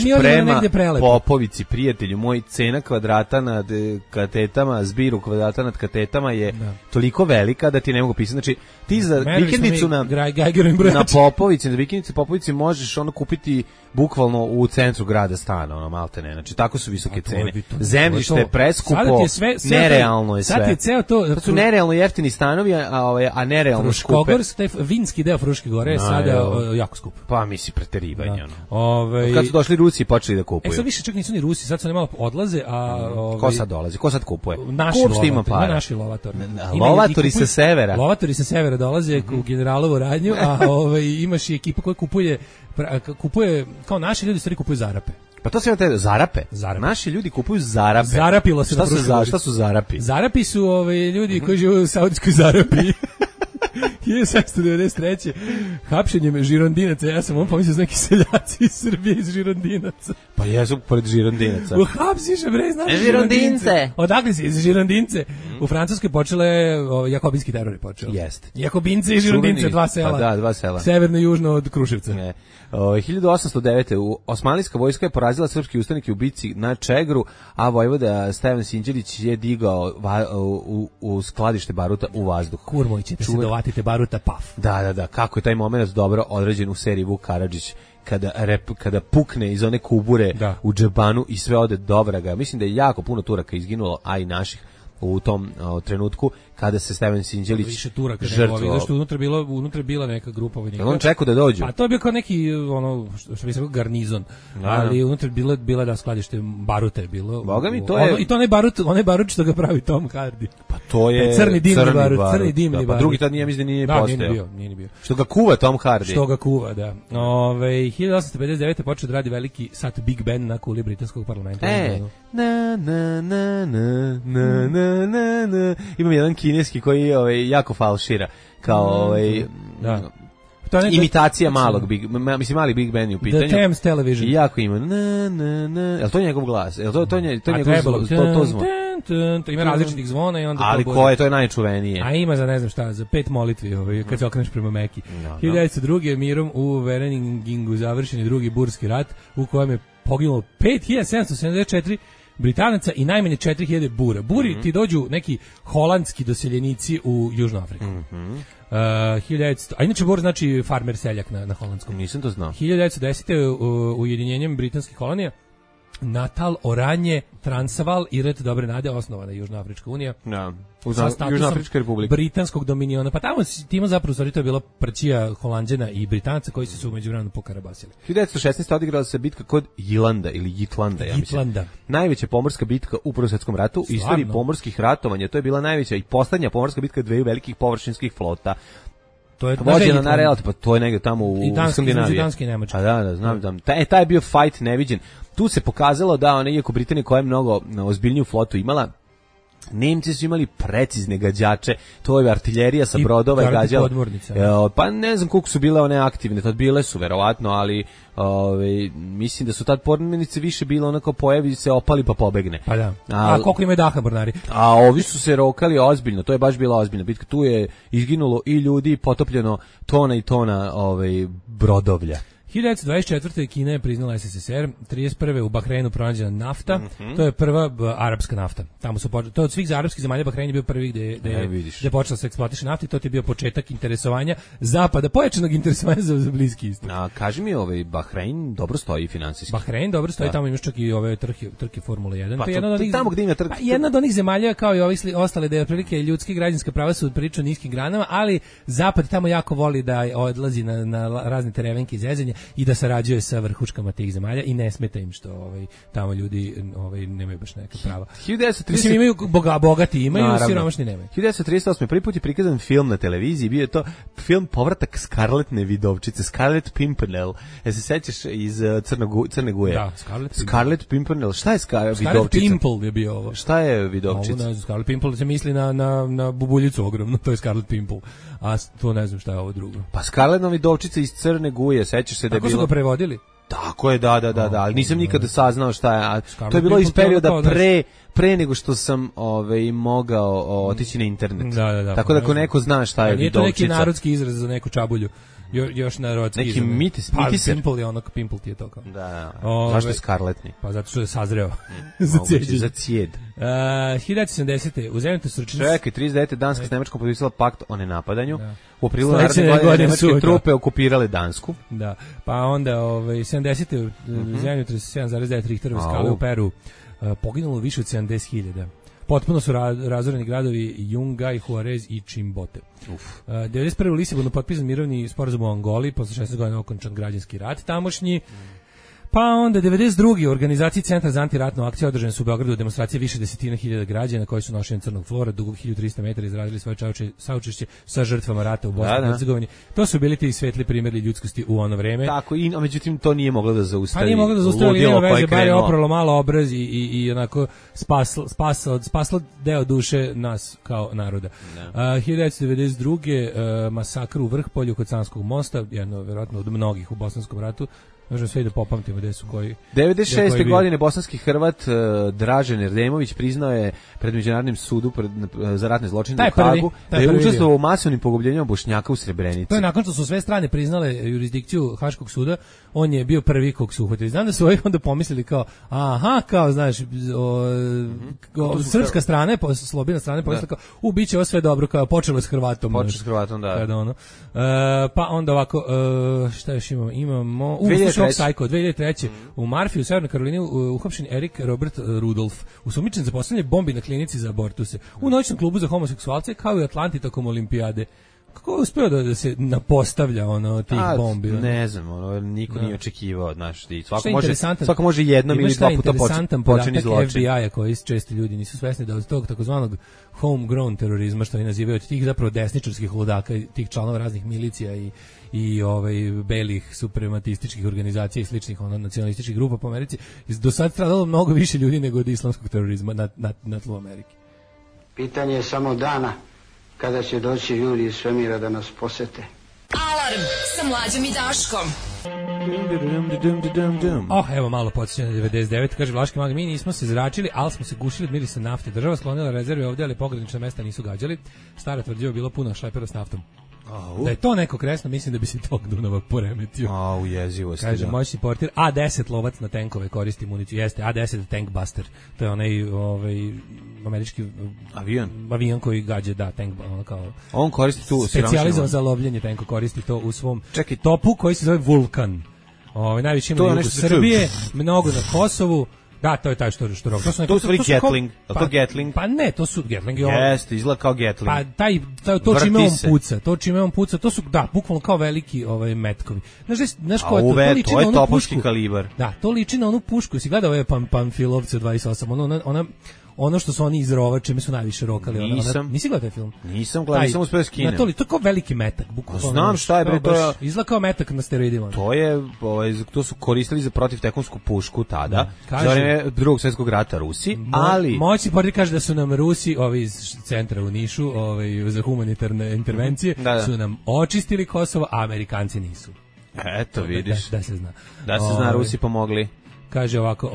prema Popovici, prijatelju moj, cena kvadrata nad katetama, zbiru kvadrata nad katetama je toliko velika da ti ne mogu pisati. Znači, ti za vikendicu na Popovici, na vikendicu Popovici možeš ono kupiti bukvalno u centru grada stana, ono maltene. Znači, tako su visoke cene. Zemljište je preskupo, nerealno je sve. Sad je ceo to... Sad su nerealno jeftini stanovi, a nerealno skupe. Fruškogorsk, taj vinski deo Fruške gore je sada jako skup. Pa misli preterivanje. Kad su došli Rusi i počeli da kupuju. Sad više čak nisu ni Rusi, sad su ne malo odlaze, a... Ko sad dolazi? Ko sad kupuje? Naši lovatori. Lovatori sa severa. Lovatori sa severa dolaze u Generalovu radnju, a imaš i ekipa koja kupuje, kao naši ljudi stvari kupuju zarape. Pa to se te zarape. Naši ljudi kupuju zarape. Zarapilo se šta su zarapi? Zarapi su ljudi koji žive u Saudijskoj Zarapiji. 1793. Hapšenjem Žirondinaca, ja sam on pomislio neki seljaci iz Srbije iz Žirondinaca. Pa jesu pored Žirondinaca. Uhapsiše, bre, znaš Žirondince. Odakle si, iz Žirondince? U Francuskoj počele, jakobinski teror je počeo. Jeste. Jakobince i Žirondince, dva sela. Pa da, dva sela. Severno i južno od Kruševca. Ne. 1809. Osmanlijska vojska je porazila srpski ustanike u bici na Čegru, a vojvoda Stevan Sinđelić je digao u skladište baruta u vazduh. Kurmoj ćete se dovatite baruta, paf. Da, kako je taj moment dobro odrađen u seriji Vuk Karadžić, kada pukne iz one kubure u džebanu i sve ode do vraga. Mislim da je jako puno Turaka izginulo, a i naših u tom trenutku kada se Stevan Sinđelić više Turaka žrtvovao. Što unutra je bila neka grupa vojnika. On čekao da dođu. Pa to je bio kao neki ono što bi se rekao garnizon, ali unutra je bila da skladište baruta je bilo. Boga mi to je. I to onaj barut što ga pravi Tom Hardy. Pa to je crni dimni barut. Pa drugi tad nije mislim da nije postojao. Nije ni bio. Što ga kuva Tom Hardy. Što ga kuva, da. 1859 počeo da radi veliki sat Big Ben na kuli britanskog parlamenta. Imam jedan kineski koji jako falšira kao imitacija malog mali Big Ben u pitanju. The Thames Television. I jako ima Jel to njegov glas? Jel to njegov to zvon? Ima različitih zvona i onda ali koje to je najčuvenije? A ima za ne znam šta, za 5 molitvi kad se okreneš prema Meki. 1902. mirom u Vereningingu završen je drugi burski rat u kojem je poginulo 5774 Britanaca i najmanje 4000 bura. Buri ti dođu neki holandski doseljenici u Južnu Afriku. 1900, a inače bur znači farmer seljak na holandskom. Nisam to znao. 1910. Ujedinjenjem britanskih kolonija Natal, Oranje, Transvaal i Rt Dobre Nade osnovana Južnoafrička unija. Da. Južnoafrička republika. Britanskog dominiona. Pa tamo zapravo stvari to je bila prćija Holanđana i Britanaca koji su se u međuvremenu pokarabasili. 1916. odigrala se bitka kod Jilanda ili Jitlanda, ja mislim. Najveća pomorska bitka u Prvom svjetskom ratu u istoriji pomorskih ratovanja. To je bila najveća i poslednja pomorska bitka dveju velikih površinskih flota. To je vođena na relati, pa to je negdje tamo u Skandinaviji. Danski i Nemački. Da, znam. Taj je bio fight neviđen. Tu se pokazalo da iako Britanija koja je mnogo ozbiljniju flotu imala, Nemci su imali precizne gađače, to je artiljerija sa brodova i gađala. Pa ne znam koliko su bile one aktivne, tad bile su verovatno, ali mislim da su tad podmornice više bile onako pojavi se opali pa pobegne. Pa da. A koliko imaju daha mornari? A ovi su se rokali ozbiljno, to je baš bila ozbiljna bitka. Tu je izginulo i ljudi, potopljeno tona i tona brodovlja. 1924. Kina je priznala SSSR, 31. u Bahreinu pronađena nafta, to je prva arapska nafta. Tamo su to od svih arapskih zemalja Bahrein je bio prvi gde je počela se eksploatiše nafta i to je bio početak interesovanja zapada, pojačanog interesovanja za Bliski istok. A kaži mi, Bahrein dobro stoji finansijski. Bahrein dobro stoji, tamo imaš čak i ove trke Formule 1. Pa tamo gde ima trke. Jedna od onih zemalja kao i ovi ostale da je otprilike ljudski i građanska prava su prilično niskim granama, ali zapad tamo jako voli da odlazi na razne terevenke i zezanje i da sarađuje sa vrhuškama tih zemalja i ne smeta im što tamo ljudi nemaju baš neka prava. 1930 Mislim imaju bogati imaju, siromašni nemaju. 1938. prvi put je prikazan film na televiziji, bio je to film Povratak Scarletne vidovčice, Scarlet Pimpernel. Se sećaš iz Crne Guje? Da, Scarlet Pimpernel. Šta je vidovčica? Scarlet Pimple je bio ovo. Šta je vidovčica? Ovo Scarlet Pimple se misli na bubuljicu ogromno, to je Scarlet Pimple. A to ne znam šta je ovo drugo. Pa Scarletna vidovčica iz Crne Guje, sećaš se da je bilo... Tako su ga prevodili? Tako je, da, ali nisam nikada saznao šta je. To je bilo iz perioda pre nego što sam mogao otići na internet. Da. Tako da ako neko zna šta je vidovčica. Nije to neki narodski izraz za neku čabulju. Još narodski neki mitis. Pimple je onak, pimple ti je to kao. Da. Zašto je skarletni? Pa zato što je sazreo. Za cijed. 1970. u zemlju Srčinac. Čekaj, 39. Danska s Nemačkom potpisala pakt o nenapadanju. U aprilu naredne godine nemačke trupe okupirale Dansku. Da. Pa onda 70. u zemlju 37,9 Richterove skale u Peru poginulo više od 70.000. Potpuno su razoreni gradovi Yungay, Juarez i Chimbote. 91. u Lisabonu potpisan mirovni sporazum u Angoli, posle 16 godina okončan građanski rat tamošnji. Pa onda 92. u organizaciji Centra za antiratnu akciju održane su u Beogradu demonstracije više desetina hiljada građana koji su nošeni crnog flora dugog 1300 metara izrazili svoje saučešće sa žrtvama rata u Bosni i Hercegovini. To su bili ti svetli primjeri ljudskosti u ono vreme. Tako, a međutim to nije moglo da zaustavi. Pa nije moglo da zaustavi, nema veze, bar je opralo malo obraz i onako spaslo deo duše nas kao naroda. 1992. Masakr u Vrhpolju kod Sanskog mosta, jedno verovatno od mnogih u Bosanskom ratu. Možemo sve i da popamtimo gde su koji. 96. godine bosanski Hrvat Dražen Erdemović priznao je pred Međunarodnim sudu za ratne zločine u Hagu da je učestvovao u masovnim pogubljenjima Bošnjaka u Srebrenici. To je nakon što su sve strane priznale jurisdikciju Haškog suda, on je bio prvi kog su uhvatili. Znam da su ovi onda pomislili kao, kao znaš, srpska strana, slobodna strana pomislila kao, biće ovo sve dobro, kao počelo s Hrvatom. Počelo s Hrvatom, da. Kada ono. Pa onda ovako, šta još imamo? Imamo... 2003. U Marfi u Severnoj Karolini uhapšen Erik Robert Rudolf, usumničen za postavljanje bombi na klinici za abortuse, u noćnom klubu za homoseksualce, kao i Atlanti tokom olimpijade. Kako je uspeo da se napostavlja tih bombi? Ne znam, niko nije očekivao od nas. Svako može jednom ili dva puta počini zločin. FBI-a koji često ljudi nisu svesni da od tog takozvanog homegrown terorizma, što oni nazivaju, od tih zapravo desničarskih ludaka, tih članova raznih milicija i belih suprematističkih organizacija i sličnih nacionalističkih grupa po Americi, do sad stradalo mnogo više ljudi nego od islamskog terorizma na tlu Amerike. Pitanje je samo dana kada će doći ljudi iz svemira da nas posete. Alarm sa Mlađom i Daškom. Evo malo podsjeća na 99, kaže Vlaški mag, mi nismo se zračili, ali smo se gušili od mirisa nafte. Država sklonila rezerve ovdje, ali pogranična mesta nisu gađali. Stara tvrđava bilo puno šlepera s naftom. Da je to neko kresno, mislim da bi se tog Dunava poremetio. Ujezivosti. Kaže, moćni portir, A10 lovac na tenkove koristi municiju. Jeste, A10 tank buster. To je onaj američki avion koji gađa, tank, kao... On koristi tu... Specijalizovan za lovljenje tenko, koristi to u svom topu koji se zove Vulkan. Najviše ima na jugu Srbije, mnogo na Kosovu. Da, to je taj što robi. To su Gatling. To Gatling? Pa ne, to su Gatling. Jeste, izgleda kao Gatling. Pa to čime on puca, to su, bukvalno kao veliki metkovi. Znaš ko je to? To je topovski kalibar. Da, to liči na onu pušku. Si gledao ove Pamfilovce od 28, ono što su oni izrova, čime su najviše rokali. Nisi gledao taj film? Nisam gledao, nisam uspeo skinem. To je kao veliki metak. Znam šta je, bre, to je... Izgleda kao metak na steroidima. To su koristili za protivtekonsku pušku tada, za vreme Drugog svjetskog rata Rusi, ali... Moćni portir kaže da su nam Rusi, ovi iz centra u Nišu, za humanitarne intervencije, su nam očistili Kosovo, a Amerikanci nisu. Eto, vidiš. Da se zna. Da se zna, Rusi pomogli. Kaže ovako,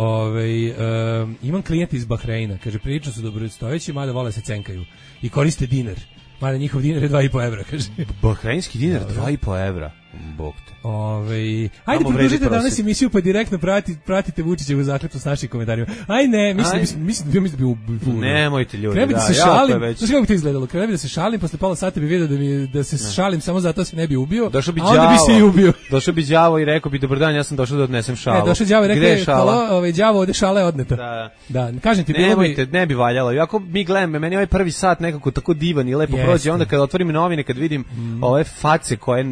imam klijent iz Bahreina, kaže, prilično su dobrostojeći, mada vole se cenkaju i koriste dinar. Mada njihov dinar je 2,5 evra, kaže. Bahreinski dinar 2,5 evra. Bog te. Ajde, pridružite danas emisiju pa direktno pratite Vučićevu zakletvu s našim komentarima. Mislim da bi nemojte ljudi, da se šalim. Znaš kako bi to izgledalo? Krebi da se šalim, posle pola sata bi vidio da se šalim samo zato se ne bi ubio, a onda bi se i ubio. Došao bi đavo i rekao bi, dobar dan, ja sam došao da odnesem šalu. Došao đavo i rekao, đavo, ovde šala je odneta. Da, kažem ti, nemojte, ne bi valjalo. Iako mi gledamo, meni ovaj prvi sat nekako tako divan i lepo prođe, onda kad otvorim novine, kad vidim ove face koje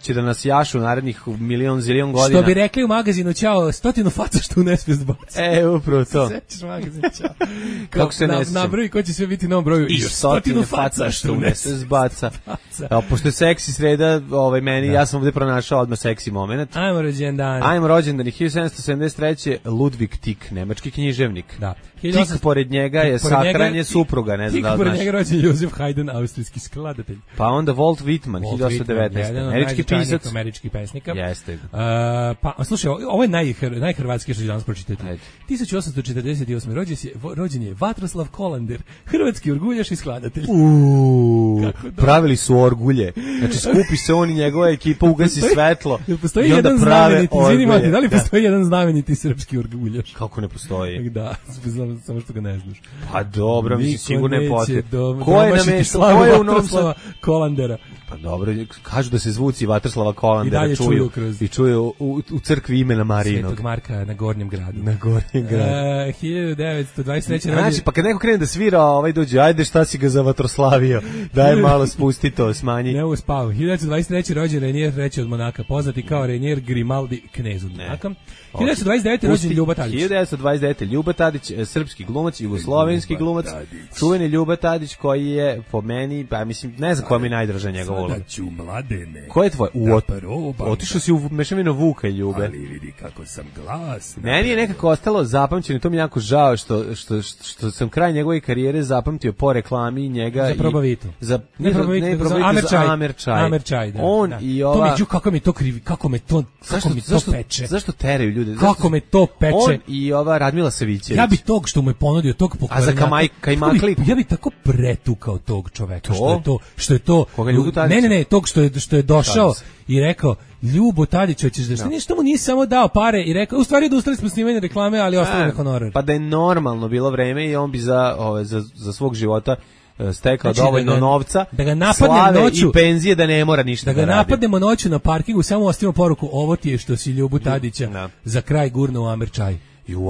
će da nas jašu narednih milion zilion godina. Što bi rekli u magazinu, ćao, 100 faca što u nesvijest baci. Upravo to. Sećaš magazin, ćao. Kako se ne sećam? Na broju koji će sve biti na ovom broju. I 100 faca što u nesvijest baca. Pošto je seksi sreda, ja sam ovdje pronašao odmah seksi moment. Ajmo rođendan. 1773. Ludvig Tieck, nemački književnik. Da. Tik pored njega je sahranje supruga, ne znam da li znaš. Tik pored njega rođen Josef Haydn, austrijski skladatelj. Pa onda Walt Whitman, 1819. Američki pisac. Američki pesnika. Jeste. Pa, slušaj, ovo je najhrvatski što ću danas pročitati. 1848. rođen je Vatroslav Kolander, hrvatski orguljaš i skladatelj. Pravili su orgulje. Znači, skupi se on i njegova ekipa, ugasi svetlo. Postoji jedan znameniti, izvinimati, da li postoji jedan znameniti srpski orguljaš? Kako ne postoji? Da, samo što ga ne znaš. Pa dobro, mislim, sigurno je potreb. Ko je namestio? Ko je u Vatroslava Kolandera? Pa dobro, kažu da se zvuci Vatrslava I Kolandera dalje čuju kroz- i čuju u crkvi imena Marinog. Svetog Marka na Gornjem gradu. Na Gornjem gradu. 1923. Znači, pa kad neko krene da svira, dođe, ajde šta si ga za vatroslavio, daj malo spusti to, smanji. Ne mogu spavu. 1923. rođen Renier III od Monaka, poznati kao Renier Grimaldi, knez od Monaka. 1929. rođen Ljuba Tadić. 1929. Ljuba Tadić, srpski glumac, jugoslovenski glumac, čuveni Ljuba Tadić koji je po meni, pa mislim, ne znam koja mi je najdraža njegova uloga. Sada ću mladene. Ko je tvoj? Otišao si u mešavinu Vuka i Ljube. Ali vidi kako sam glas. Meni je nekako ostalo zapamćeno, to mi je jako žao što sam kraj njegove karijere zapamtio po reklami njega. Za Probavito. Ne Probavito, za Amer Čaj. Da, on da. i ova... To mi, kako mi to krivi, kako me to peče. Zašto teraju ljude? Kako me to peče. On i ova Radmila Savićević. Ja bi tog što mu je ponudio, tog pokvarenjaka. A za Kajmakli? Ja bi tako pretukao tog čoveka. Što je to... Koga, Ljubu Tadića? Ne, tog što je došao i rekao, Ljubo Tadić, hoćeš da ništa mu nije samo dao pare i rekao, u stvari odustali smo snimanje reklame, ali ostalo na honorar. Pa da je normalno bilo vreme i on bi za svog života stekao dovoljno novca, da ga napadnem slave noću, i penzije da ne mora ništa da ga radi. Napadnemo noću na parkingu, samo ostavimo poruku, ovo ti je što si Ljubu Tadića za kraj gurno u Amer Čaj.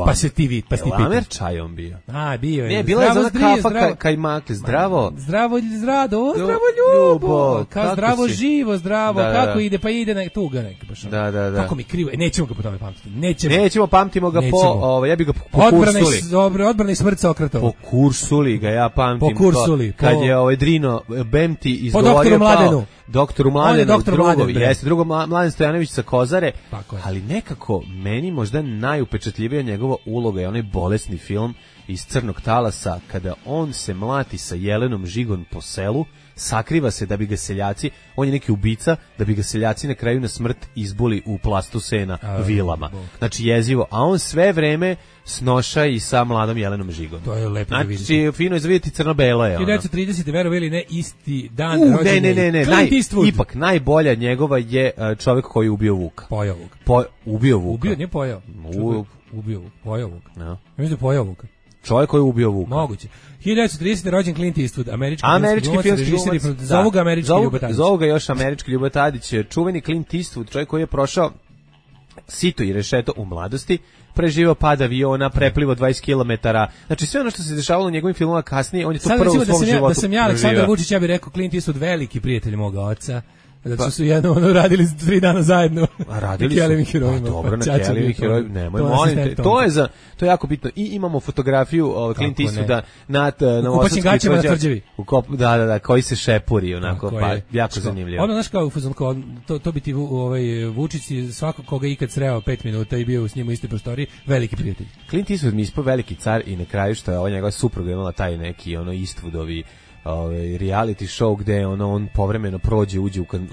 Pa se ti vidi, pa ti pitam. Amer Čaj on bio. Bio je. Ne, bila je za kafa Kajmakli, zdravo. Zdravo Ljubo. Kao zdravo živo, zdravo. Kako ide? Pa ide tuga neka baš. Da. Kako mi krivo. Nećemo ga po tome pamtiti. Nećemo, pamtimo ga po, ja bih ga po kursuli. Odbrana i smrt Sokratova. Po kursuli ga ja pamtim. Po kursuli. Kad je Drino Bemti izgovorio po doktoru Mladenu. Doktoru Mladenu, drugo Mladen Stojanović sa Kozare, ali nekako meni možda najupečatljivija njegova uloga je onaj bolesni film iz Crnog talasa, kada on se mlati sa Jelenom Žigon po selu, sakriva se da bi ga seljaci, on je neki ubica, da bi ga seljaci na kraju na smrt izbuli u plastu sena vilama. Znači jezivo, a on sve vreme snoša i sa mladom Jelenom Žigom. To je lepo da vidite. Znači, fino je za vidjeti crno-belo je. 1930. verovali ne, isti dan rođenja. Ne. Ipak najbolja njegova je čovjek koji je ubio Vuka. Pojao Vuka. Ubio Vuka. Ubio, nije pojao. Ubio Vuka. Pojao Vuka. Ja mislim da pojao Vuka. Čovjek koji je ubio Vuka. Moguće. 1930. rođen Clint Eastwood, američki filmski glumac. Zovu ga američki Ljuba Tadić. Zovu ga još američki Ljuba Tadić. Čuveni Clint Eastwood, čovjek koji je prošao sito i rešeto u mladosti, preživao pad aviona, preplivo 20 km. Znači sve ono što se dešavalo u njegovim filmovima kasnije, on je to prvo u svom životu. Da sam ja Aleksandar Vučić, ja bih rekao Clint Eastwood veliki prijatelj moga oca. Zato su jedno radili 3 dana zajedno. A radili su. Dobro, na Kellyvim herojima. Nemoj, molim te. To je jako bitno. I imamo fotografiju Clint Eastwooda na Novosadskoj gaćama na Tvrđavi. Da, koji se šepuri, onako, pa jako zanimljivo. Ono, znaš kao, to bi ti Vučić svako koga ikad sreo 5 minuta i bio s njim u istoj prostoriji, veliki prijatelj. Clint Eastwood mi ispao veliki car i na kraju što je ova njegova supruga imala taj neki Eastwoodovi reality show gde on povremeno prođe, uđe u kaže,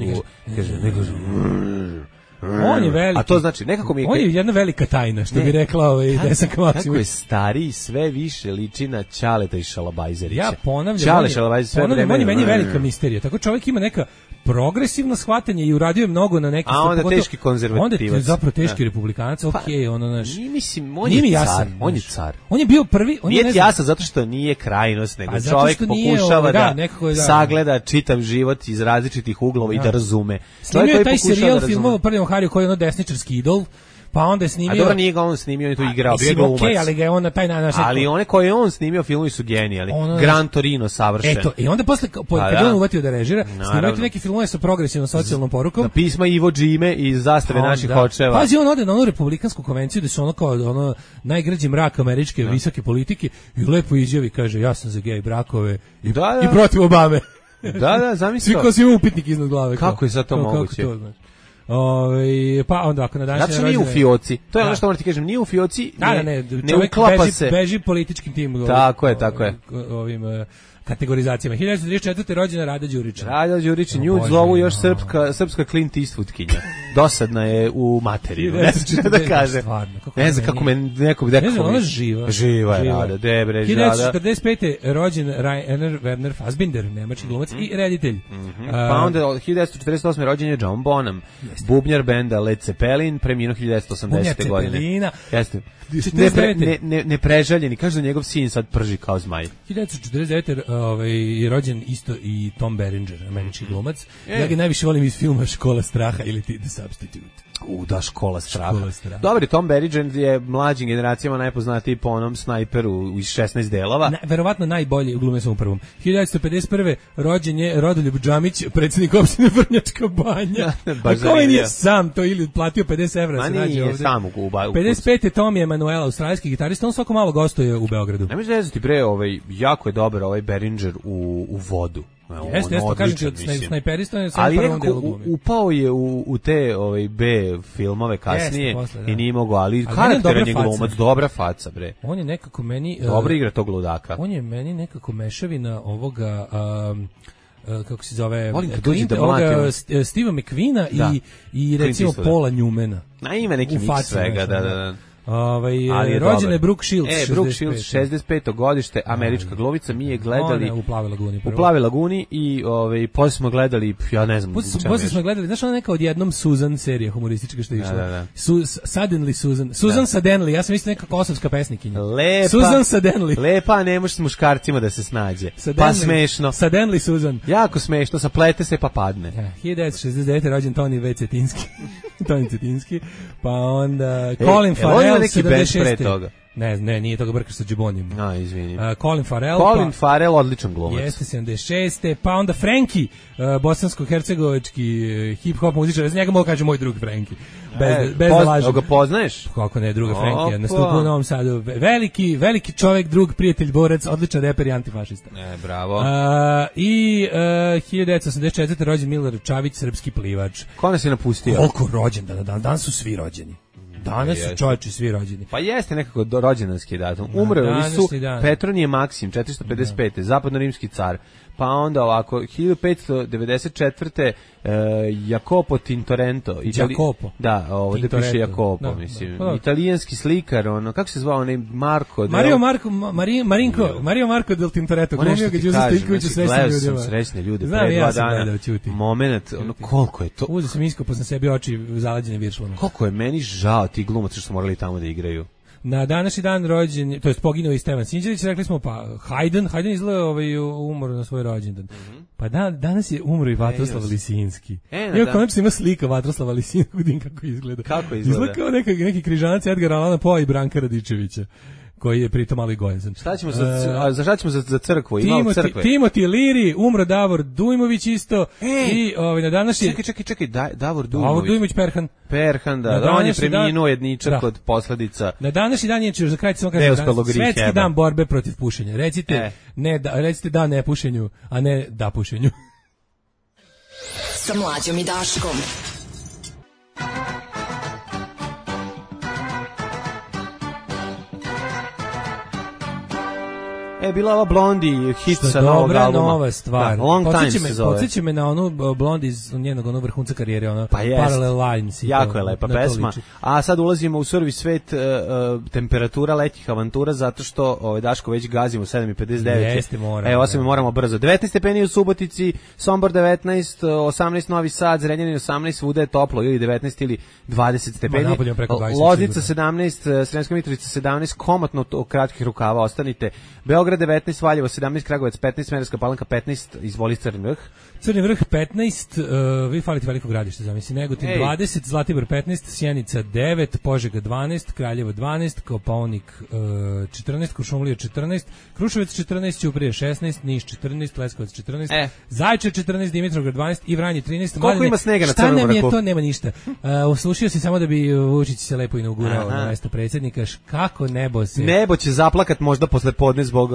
on je veliki. A to znači, nekako mi je... On je jedna velika tajna, što bi rekla Desanka Maksimović. Kako je stariji, sve više liči na Ćaleta i Šalabajzerića. Ja ponavljam, on je meni velika misterija. Tako čovjek ima neka progresivno shvatanje i uradio je mnogo na neki... A onda teški konzervativac. Onda je zapravo teški republikanac, ono naš... Mislim, on je car. On je car. On je bio prvi... Nije ti jasan zato što nije krajnost, nego čovjek pokušava da sagleda čitav život iz različitih uglova i da razume. Snimio je taj serijal filmova Prljavom Hariju koji je ono desničarski idol, pa onda je snimio... A dobro, nije ga on snimio, on je tu igrao, bio je glumac. Ali ga je on na taj način... Ali one koje je on snimio, filmovi su genijalni. Gran Torino, savršen. Eto, i onda posle, kad on uvatio da režira, snimio neki filmove sa progresivnom socijalnom porukom. Pisma Ivo Džime iz Zastave naših očeva. Pazi, on ode na onu republikansku konvenciju, gde su ono kao najgrađi mrak američke visoke politike i lepo izjavi, kaže, ja sam za gej brakove i protiv Obame. Da, zamisli. Svi ko si ima upitnik iznad glave. Kako je sad to moguće? Pa onda ako na današnji znači nije u fioci. To je ono što moram ti kažem, nije u fioci. Ne uklapa se. Beži političkim timom. Tako je. Ovim kategorizacijama. 1934. rođena Rada Đurić. Rada Đurić, nju zovu još srpska Clint Eastwoodkinja. Dosadna je u materiju, ne znam da kaže. Ne znam kako me neko bi rekao. Ona živa. Živa je Rada, debre Rada. 1945. rođen Rainer Werner Fassbinder, nemački glumac i reditelj. Pa onda 1948. rođen je John Bonham, bubnjar benda Led Zeppelin, preminuo 1980. godine. Jeste. Ne prežaljeni, kaže da njegov sin sad prži kao zmaj. 1949. je rođen isto i Tom Berenger, američki glumac. Ja ga najviše volim iz filma Škola straha ili The Substitute. Da, Škola straha. Dobar, Tom Berenger je mlađim generacijama najpoznatiji po onom snajperu iz 16 delova. Verovatno najbolji glume sam u prvom. 1951. rođen je Rodoljub Džamić, predsjednik opštine Vrnjačka Banja. A ko je sam to ili platio 50 evra? Ma nije sam u 55. Tom Emanuela, australijski gitarista, on svako malo gostuje u Beogradu. Ne možeš rezati bre, jako je dobar ovaj Berenger u vodu. Jeste, kažem ti od snajperista je samo prvom delu glumi. Upao je u te B filmove kasnije i nije mogao, ali karakteran je glumac, dobra faca bre. On je nekako meni... Dobro igra tog ludaka. On je meni nekako mešavina ovoga... kako se zove... Steva McQueena i recimo Paula Newmana. Na ima neki miks svega, da. Rođen je Brooke Shields. Brooke Shields, 65. godište, američka glumica, mi je gledali u Plavoj laguni. U Plavoj laguni i posle smo gledali, ja ne znam. Posle smo gledali, znaš ona neka odjednom Susan serija humoristička što je išla. Da. Suddenly Susan. Susan Suddenly, ja sam mislio neka kosovska pesnikinja. Lepa. Susan Suddenly. Lepa, ne može s muškarcima da se snađe. Pa smešno. Suddenly Susan. Jako smešno, saplete se pa padne. 1969. rođen Toni V. Cetinski. Toni Cetinski. Pa onda Colin Farrell. Neki band pre toga. Ne, nije toga brkaš sa Džibonijem. Izvini. Colin Farrell. Colin Farrell, odličan glumac. Jeste 76. Pa onda Frankie, bosansko-hercegovački hip-hop muzičar. Za njega mogu kažem moj drug Frankie. Bez da lažem. Ga poznaješ? Kako ne, druga Frankie. Nastupu u Novom Sadu. Veliki čovjek, drug, prijatelj, borac, odličan reper i antifašista. Bravo. I 1984. rođen Milorad Čavić, srpski plivač. Ko nas je napustio? Koliko rođen danas su svi rođeni. Danas su čovječi svi rođeni. Pa jeste nekako rođendanski datum. Umrli su Petronije Maksim, 455. Zapadno-rimski car. Pa onda ovako, 1594. Jacopo Tintorento. Jacopo? Da, ovdje piše Jacopo, mislim. Italijanski slikar, kako se zvao onaj Marko? Mario Marco del Tintoretto. Glumio ga Đuza Stojković u Srećnim ljudima. Gledao sam Srećne ljude pre 2 dana. Moment, koliko je to... Uzeo sam iskopao sam sebi oči zalađene viršlama. Koliko je meni žao ti glumaca što su morali tamo da igraju. Na današnji dan rođen, to jest poginuo i Stevan Sinđelić, rekli smo pa Haydn izgleda umro na svoj rođendan. Pa danas je umro i Vatroslav Lisinski. Konačno ima slika Vatroslava Lisinskog, kako izgleda. Kako izgleda? Izgleda kao neki križanac Edgara Allana Poe i Branka Radičevića, koji je pritom malo i gojazan. Šta ćemo za crkvu? Timothy Leary, umro Davor Dujmović isto. I na današnji... Čekaj, Davor Dujmović. Perhan, da on je preminuo jedničak od posledica. Na današnji dan je, za kraj samo kažem, svetski dan borbe protiv pušenja. Recite da ne pušenju, a ne da pušenju. Sa Mlađom i Daškom. Bila ova Blondie hit sa novog albuma. Dobra nova stvar. Da, Long Time se zove. Podsjeća me na onu Blondie iz njenog onog vrhunca karijere, ono Parallel Lines. Jako je lepa pesma. A sad ulazimo u survi svet temperatura letnjih avantura, zato što Daško već gazimo 7:59. Jeste, moramo. Evo, moramo brzo. 19 stepeni u Subotici, Sombor 19, 18 Novi Sad, Zrenjanin 18, svuda je toplo, ili 19 ili 20 stepeni. Loznica 17, Sremska Mitrovica 17, komotno kratkih rukava ostanite. Beograd 19, Valjevo 17, Kragujevac 15, Smederevska Palanka 15, izvoli Crni Vrh. Crni Vrh 15, vi falite Veliko Gradište, zamisli, Negotin 20, Zlatibor 15, Sjenica 9, Požega 12, Kraljevo 12, Kopaonik 14, Kuršumlija 14, Kruševac 14, Ćuprije 16, Niš 14, Leskovac 14, Zaječar 14, Dimitrovgrad 12 i Vranje 13. Koliko ima snega na Crnom Vrhu? Šta nam je to? Nema ništa. Uslušio si samo da bi Vučić se lepo inaugurao na mesto predsjednika. Kako nebo se... Nebo će zaplakat možda posle podne zbog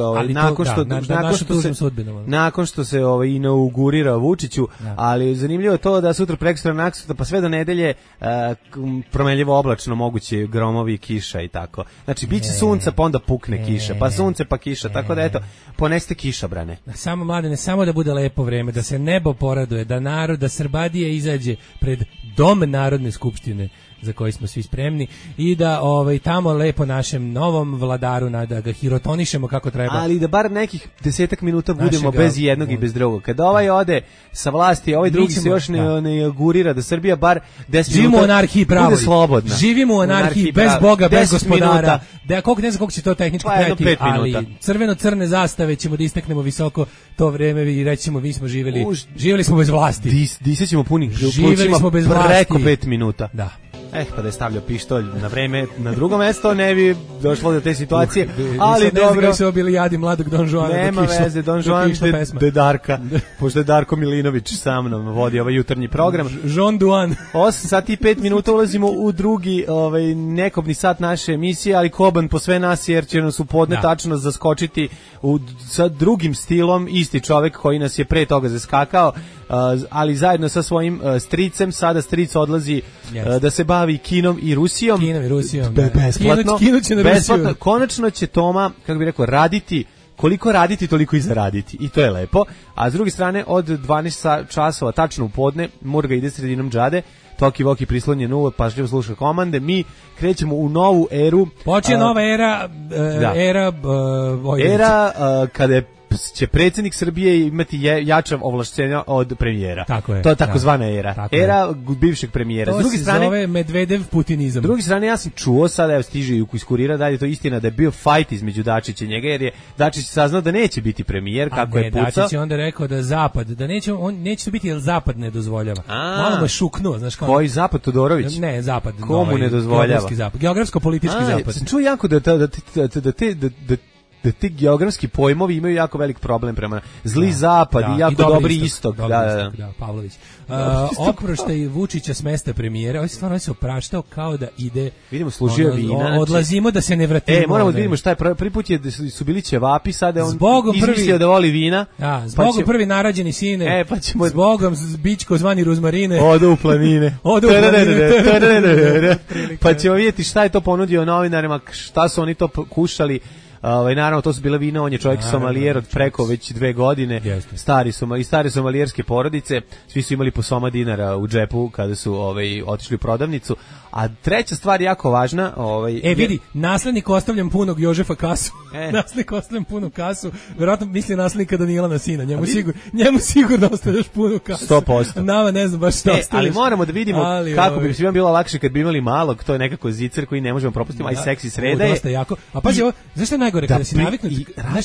nakon što se inaugurira Vučiću, ali zanimljivo je to da sutra prekstra naksutra pa sve do nedelje promenljivo oblačno, moguće gromovi, kiša i tako. Znači biće sunca pa onda pukne kiša, pa sunce pa kiša, tako da eto, poneste kišobrane. Samo mladene, samo da bude lepo vreme, da se nebo poraduje, da narod, da Srbadija izađe pred dom Narodne skupštine za koji smo svi spremni i da tamo lepo našem novom vladaru da ga hirotonišemo kako treba. Ali da bar nekih 10 minuta budemo Našega, bez jednog i bez drugog. Kada ovaj ode sa vlasti, ovaj drugi se još ne gurira da Srbija bar 10 Živimo minuta u anarhiji pravo. bude slobodna. Živimo u anarhiji bez pravo. Boga, bez 10 gospodara. minuta. Da koliko ne znam koliko će to tehnički Pa, jedno trajati, 5 minuta. ali crveno-crne zastave ćemo da istaknemo visoko to vreme i rećemo mi smo živjeli smo bez vlasti. Disećemo punih Živjeli smo bez vlasti. preko 5 minuta. Da. Pa da je stavljao pištolj na vreme na drugo mesto, ne bi došlo do te situacije, ali dobro. Ne znam bili jadi mladog Don Juana. Nema veze, Don Juan de Darka, pošto je Darko Milinović sa mnom vodi ovaj jutarnji program. Jean Duan. 8 sati i 5 minuta ulazimo u drugi nekobni sat naše emisije, ali Koban po sve nas, jer će nas u podne tačno zaskočiti sa drugim stilom, isti čovek koji nas je pre toga zaskakao, ali zajedno sa svojim stricem. Sada stric odlazi da se bavi kinom i Rusijom. Besplatno. Kino će na Rusiju. Konačno će Toma, kako bih rekao, raditi, koliko raditi, toliko i zaraditi. I to je lepo. A s druge strane, od 12 časova tačno u podne, Murga ide sredinom džade, Toki Voki prislonjen u, pažljivo sluša komande, mi krećemo u novu eru. Počinje nova era kada će predsjednik Srbije imati jača ovlašćenja od premijera. Tako je. To je takozvana era. Era bivšeg premijera. To se zove Medvedev putinizam. S druge strane, ja sam čuo, sada evo stiže iz Kurira, da je to istina da je bio fajt između Dačića i njega, jer je Dačić saznao da neće biti premijer, kako je pucao. Dačić je onda rekao da Zapad, da neće to biti jer Zapad ne dozvoljava. Malo me šuknuo, znaš kao. Koji Zapad, Todorović? Ne, Zapad. Komu ne dozvoljava? Geografsko-politički Zapad. Sam čuo jako da ti geografski pojmovi imaju jako velik problem prema zli zapad i jako dobri istok. Da, Pavlović. Oproštaj Vučića s mesta premijera, ovaj stvarno se opraštao kao da ide. Vidimo, služio vina. Odlazimo da se ne vratimo. Moramo da vidimo šta je prvi put su bili ćevapi, sada on izmislio da voli vina. Da, zbogom prvi narađeni sine. Pa ćemo zbogom bićko zvani Ruzmarine. Odu u planine. Pa ćemo vidjeti šta je to ponudio novinarima, šta su oni to kušali. Naravno, to su bile vina, on je čovjek somalijer od preko već 2 godine, stare somalijerske porodice, svi su imali po soma dinara u džepu kada su otišli u prodavnicu. A treća stvar jako važna, vidi, naslednik ostavljam punog Jožefa kasu. Naslednik ostavljam punu kasu. Verovatno misli naslednika Danilana sina. Njemu sigurno ostavljaš punu kasu. 100%. Nama ne znam baš šta ostavljaš. Ali moramo da vidimo kako bi svima bilo lakše kad bi imali malog, to je nekako zicer koji ne možemo propustiti, a i seksi sreda je. Dosta jako. A pazi, zašto je najgore kada si naviknut?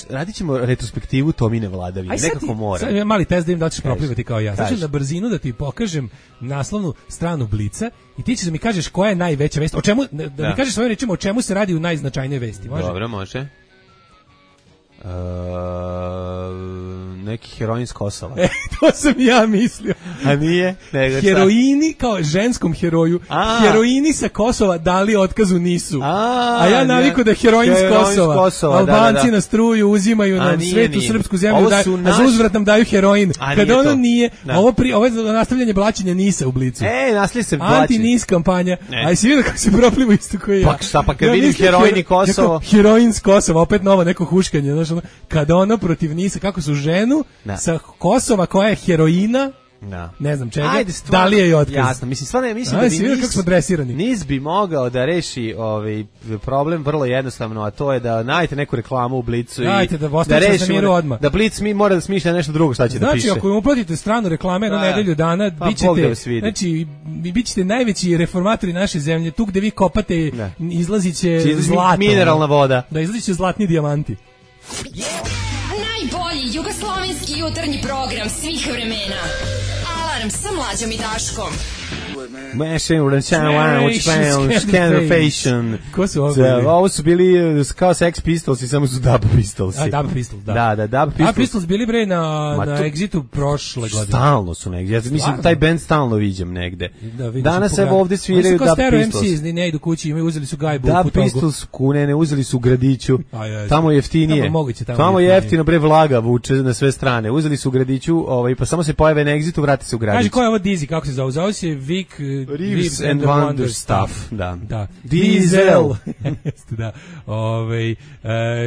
Radit ćemo retrospektivu Tomine vladavine. Nekako mora. Sad mali test da im da ćeš proplivati kao ja. Znači na brzinu da ti pokažem naslovnu stranu Blica i ti ćeš da mi kažeš koja je najveća vest. O čemu da mi kažeš svojim rečima o čemu se radi u najznačajnijoj vesti, može? Dobro, može. Neki heroin s Kosova. To sam ja mislio. A nije? Heroini kao ženskom heroju. Heroini sa Kosova dali otkazu nisu. A ja naviku da heroin s Kosova. Albanci na struju uzimaju nam svetu srpsku zemlju, a za uzvrat nam daju heroin. Kada ono nije, ovo je nastavljanje blaćenja Nisa u Blicu. Nastavlja se blaćenje. Anti-Nis kampanja. A si vidio kako se proplivu isto koji ja. Pa kad vidim heroin i Kosovo. Heroin s Kosova, opet novo neko huškanje. Kada ono protiv Nisa, kako su ženu sa Kosova koja je heroina, ne znam čega, da li je i otkaz? Jasno, mislim da bi kako smo dresirani. Nis bi mogao da reši problem vrlo jednostavno, a to je da najdete neku reklamu u Blicu i da reši odmah. Da Blic mora da smišlja nešto drugo šta će da piše. Znači, ako im uplatite stranu reklame jednu nedelju dana, bićete najveći reformatori naše zemlje, tu gde vi kopate izlazit će zlato. Mineralna voda. Da, izlazit će zlatni dijamanti. Najbolji jugoslovenski jutarnji program svih vremena. Alarm sa Mlađom i Daškom. Ko su ovo? Ovo su bili kao Sex Pistols i samo su Dub Pistols. Dub Pistols, da. Dub Pistols bili bre na Exitu prošle godine. Stalno su negdje. Ja mislim taj band stalno viđem negde. Danas evo ovde sviraju Dub Pistols. MC ne idu kući, uzeli su gajbu. Dub Pistols ne uzeli su u Gradiću. Tamo je jeftinije. Tamo je jeftino bre vlaga vuče na sve strane. Uzeli su u Gradiću, pa samo se pojave na Exitu, vrate se u Gradić. Kaži ko je ovo Dizi, kako se zove? Zove se Vic Reeves and Wonder stuff. Da. Diesel. Da.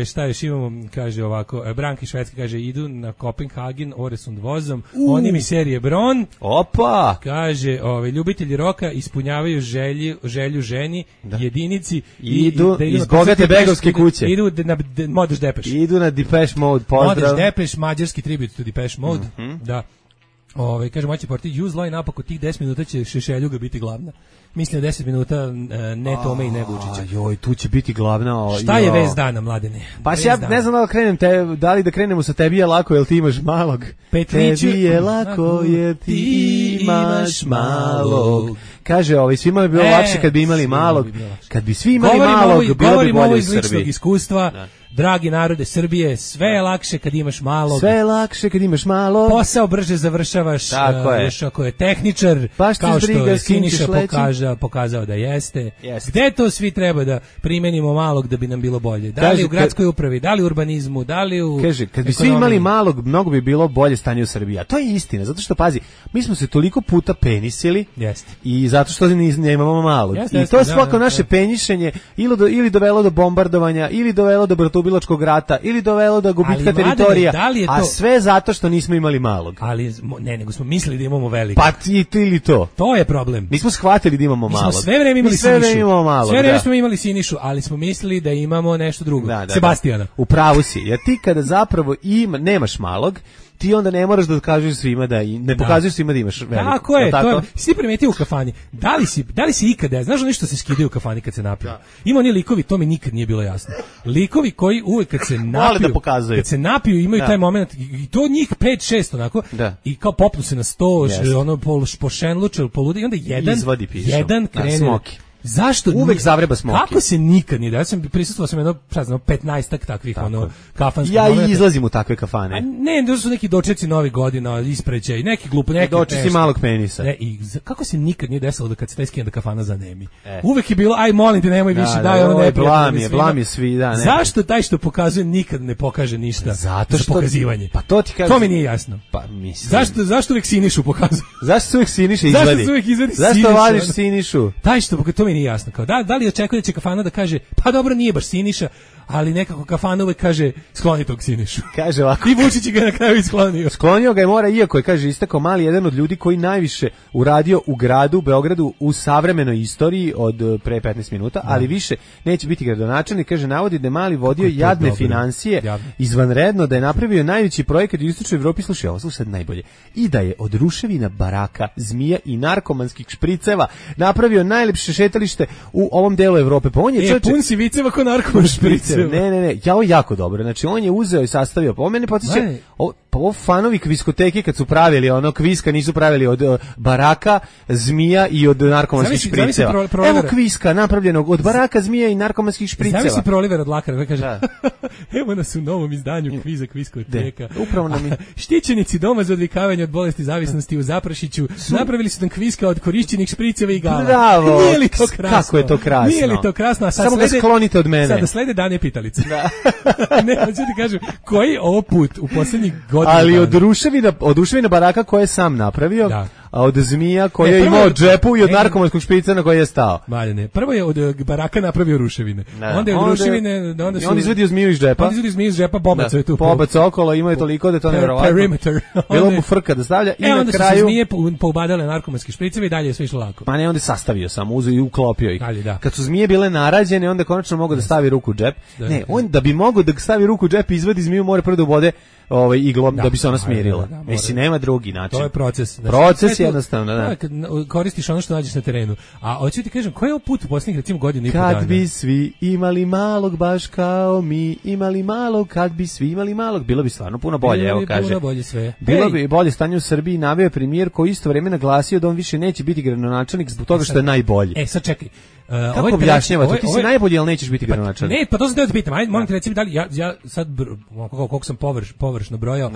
Šta još imamo, kaže ovako, Branka iz Švedske kaže, idu na Kopenhagen Oresund vozom, oni mi serije Bron. Opa! Kaže, ljubitelji roka ispunjavaju želju ženi, jedinici. Idu iz bogate begovske kuće. Idu na Modeš Depeš. Idu na Depeche Mode, pozdrav. Modeš Depeš, mađarski tribut to Depeche Mode. Da. Kaže, moći porti, use line up, ako tih 10 minuta će Šešeljuga biti glavna. Mislim 10 minuta ne Tome i ne Vučića. Joj, tu će biti glavna. Šta je vez dana, Mladene? Pa ja ne znam da li da krenemo sa tebi je lako, jel ti imaš malog? Petriću, tebi je lako, jer ti imaš malog. Kaže, svima bi bilo lakše kad bi imali malog. Kad bi svi imali malog, bilo bi govorimo bolje ovo u iz ličnog Srbiji. Iskustva. Da. Dragi narode Srbije, sve je lakše kad imaš malog. Sve je lakše kad imaš malog. Posao brže završavaš, još ako je tehničar, kao što je Siniša pokazao da jeste. Gde to svi treba da primenimo malog da bi nam bilo bolje? Da li u gradskoj upravi, da li u urbanizmu, da li u Kaže, kad bi svi imali malog, mnogo bi bilo bolje stanje u Srbiji. A to je istina, zato što, pazi, mi smo se toliko puta penisili i zato što nemamo malog. I to je svako naše penjišenje ili dovelo do bombardovanja, ili dovelo do bratoubilačkog rata, ili dovelo do gubitka teritorija, a sve zato što nismo imali malog. Ali, nego smo mislili da imamo veliko. Pa ili to. To je problem. Mi smo shvatili da imamo malog. Mi smo sve vreme imali Sinišu. Sve vreme da. smo imali Sinišu, ali smo mislili da imamo nešto drugo. Sebastijana. U pravu si, jer ti kada zapravo nemaš malog, ti onda ne moraš da kažeš svima ne pokazuješ svima da imaš veliko. Tako je, to je. Si primetio u kafani. Da li si ikada, znaš nešto se skidaju u kafani kad se napiju? Ima oni likovi, to mi nikad nije bilo jasno. Likovi koji uvek kad se napiju imaju taj moment i to njih 5-6 onako i kao popnu se na sto, ono pošenluče, poludi i onda jedan krene. Zašto? Uvek zavreba smoki. Kako se nikad nije da? Ja sam prisustvovao jedno 15-ak takvih kafanskih momenta. Ja i izlazim u takve kafane. Ne, to su neki dočeci Novih godina, isprećaj, neki glup, neki dočeci malog penisa. Ne, i kako se nikad nije desilo da kad se taj skida kafana zanemi. Uvek je bilo, aj molim te, nemoj više, daj ono neprijatno. Blam je svi, da. Zašto taj što pokazuje nikad ne pokaže ništa? Zato što pokazivanje. Pa to ti kažem. To mi nije jasno. Pa mislim. Zašto uvek Sinišu pokazuje? Zašto se uvek Siniša izvadi? Zašto vadiš Sinišu? Taj što to mi nije jasno. Kao da li očekuje da će kafana da kaže pa dobro nije baš Siniša, ali nekako kafana uvek kaže skloni tog Sinišu. Kaže ovako. I Vučić ga na kraju isklonio. Sklonio ga je mora, iako je, kaže, istakao mali jedan od ljudi koji najviše uradio u gradu, Beogradu, u savremenoj istoriji od pre 15 minuta, ali više neće biti gradonačelnik. Kaže, navodi da je mali vodio jadne financije, izvanredno, da je napravio najveći projekat u istočnoj Evropi, slušaj, ovo sad najbolje, i da je od ruševina, baraka, zmija i narkomanskih špriceva napravio najlepše šetalište u ovom delu Evrope. Pa on je pun si viceva ko narkoman špriceva. Ne, ovo je jako dobro. Znači, on je uzeo i sastavio. Pa on mene podsjeća, ovo fanovi kviskoteke kad su pravili kviska, nisu pravili od baraka, zmija i od narkomanskih špriceva. Evo kviska napravljenog od baraka, zmija i narkomanskih špriceva. Zamisli Proliver od Lakara, kaže, evo nas u novom izdanju kviza kviskoteka. Upravo nam je. Štićenici doma za odvikavanje od bolesti zavisnosti u Zaprašiću napravili su nam kviska od korišćenih špriceva i gala. Bravo! Nije li to krasno? Kako je to krasno? Nije li to krasno? Samo ga sklonite od mene. Sada slede dane pitalice. Da. Ne, hoću ti kažem, koji ovo put u posljednjih godina... Ali od ruševina baraka koje je sam napravio, a od zmija koje je imao džepu i od narkomanskog šprica na koji je stao. Ne. Prvo je od baraka napravio ruševine. Onda je od ruševine... On izvedio zmiju iz džepa. Bobaco je tu. Bobac okolo, imao je toliko da je to nevjerovatno. Perimeter. Bilo mu frka da stavlja i na kraju... Onda su se zmije poubadale narkomanski špriceve i dalje je sve išlo lako. Pa ne, onda je sastavio sam, uzeo i uklopio ih. Kad su zmije bile narađene, onda konačno mogao da stavi ruku u džep. Ne, on da bi mogao da stavi ruku u džep i izvadi zmiju, mora prvo da ubode iglom da bi se ona smirila. Mislim, nema drugi način. To je proces. Proces jednostavno, da. Kad koristiš ono što nađeš na terenu. A hoću ti kažem, koji je ovo put u posljednjih recimo godinu i po dana? Kad bi svi imali malog baš kao mi imali malog, kad bi svi imali malog, bilo bi stvarno puno bolje, evo kaže. Puno bolje sve. Bilo bi bolje stanje u Srbiji, naveo je premijer koji isto vrijeme naglasio da on više neće biti gradonačelnik zbog toga što je najbolji. Sad čekaj. Kako objašnjava to? Ti si najbolji, ali nećeš biti gradonačelnik. Ne, pa to sam teo da pitam. Ajde, molim te reci mi da li ja sad koliko sam površno brojao,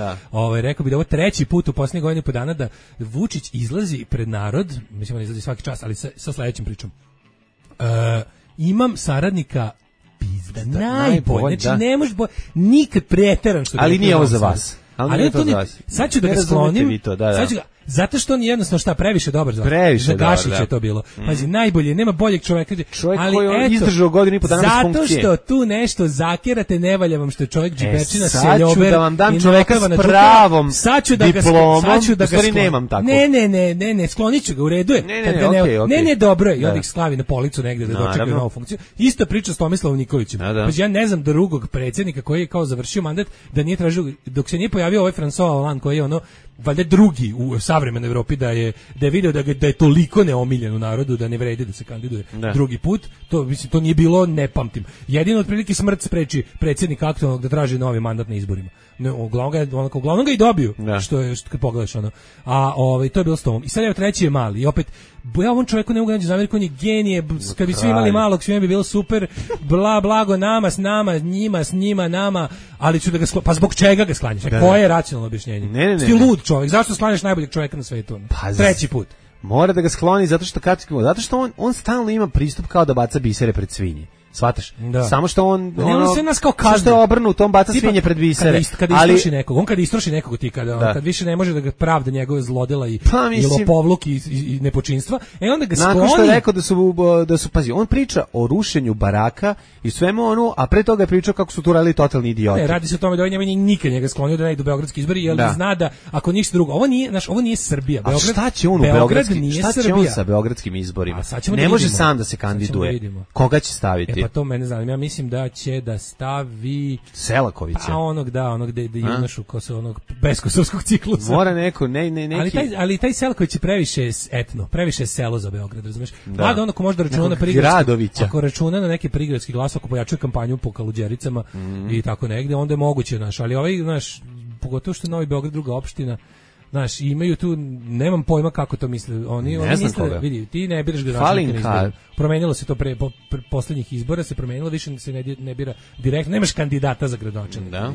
rekao bih da ovo treći put u posljednjih godinu i po dana da Vučić izlazi pred narod, mislim da izlazi svaki čas, ali sa sledećim pričom. Imam saradnika pizda, najbolje. Znači ne možeš nikad preteran što. Ali nije ovo za vas. Ali to sad ću da ga sklonim. Zato što on je jednostavno previše dobar za Previše Gašića dobar, je to bilo. Pazi, najbolje, nema boljeg čoveka. Čovjek ali koji je eto, izdržao godinu i po dana bez funkcije. Zato što tu nešto zakirate, ne valja vam što je čovjek džibečina, sad ću seljober. da vam dam čoveka s pravom diplomom, u stvari nemam tako. Ne, sklonit ću ga, u redu je. Ne, dobro je, i onda ih slavi na policu negde da dočekaju novu funkciju. Isto priča s Tomislavom Nikolićem. Pazi, ja ne znam drugog predsjednika koji je kao završio mandat da nije tražio, dok se nije pojavio ovaj François Hollande koji je ono valjda drugi u savremenoj Evropi da je video da je toliko neomiljen u narodu da ne vredi da se kandiduje drugi put. To mislim to nije bilo, ne pamtim. Jedino otprilike smrt spreči predsjednika aktualnog da traži novi mandat na izborima. Ne, uglavnom ga i dobiju. Što je kad pogledaš ono. A to je bilo s tom. I sad evo treći je mali. I opet ja ovom čovjeku ne mogu naći zamjerku, on je genije. Kad bi svi imali malog, svima bi bilo super. Blago nama, s nama, njima, s njima, nama. Ali ću da ga pa zbog čega ga sklanjaš? Koje je racionalno objašnjenje? Ne. Ti lud čovjek. Zašto sklanjaš najboljeg čovjeka na svetu? Treći put. Mora da ga skloni zato što on stalno ima pristup kao da baca bisere pred svinje. Shvataš? Samo što on sve nas kao kazne. Što je obrnut, on baca svinje pred bisere. Kad istroši nekog ti, kad više ne može da ga pravda njegove zlodela i lopovluk i nepočinstva, onda ga skloni. Nakon što je rekao da su pazi, on priča o rušenju baraka i svemu ono, a pre toga je pričao kako su tu radili totalni idioti. Ne, radi se o tome da ovaj nikad njega sklonio da ne ide u beogradski izbori, jer zna da ako ništa drugo, ovo nije Srbija. Beograd, šta će on u beogradskim? Šta će on sa beogradskim izborima? Ne može sam da se kandiduje. Koga će staviti? Pa to mene zanima. Ja mislim da će da stavi Selakovića. Pa onog da junašu ko se onog beskosovskog ciklusa. Mora neko, neki. Ali taj Selaković je previše etno, previše selo za Beograd, razumeš? Mada ono ko može da računa na prigradski, ako računa na neki prigradski glas, ako pojačuje kampanju po Kaluđericama i tako negde, onda je moguće, ali pogotovo što je Novi Beograd druga opština. Znaš, imaju tu, nemam pojma kako to misle. Oni misle, vidi, ti ne biraš gradonačelnika na izboru. Promenilo se to pre poslednjih izbora, se promenilo, više se ne bira direktno, nemaš kandidata za gradonačelnika,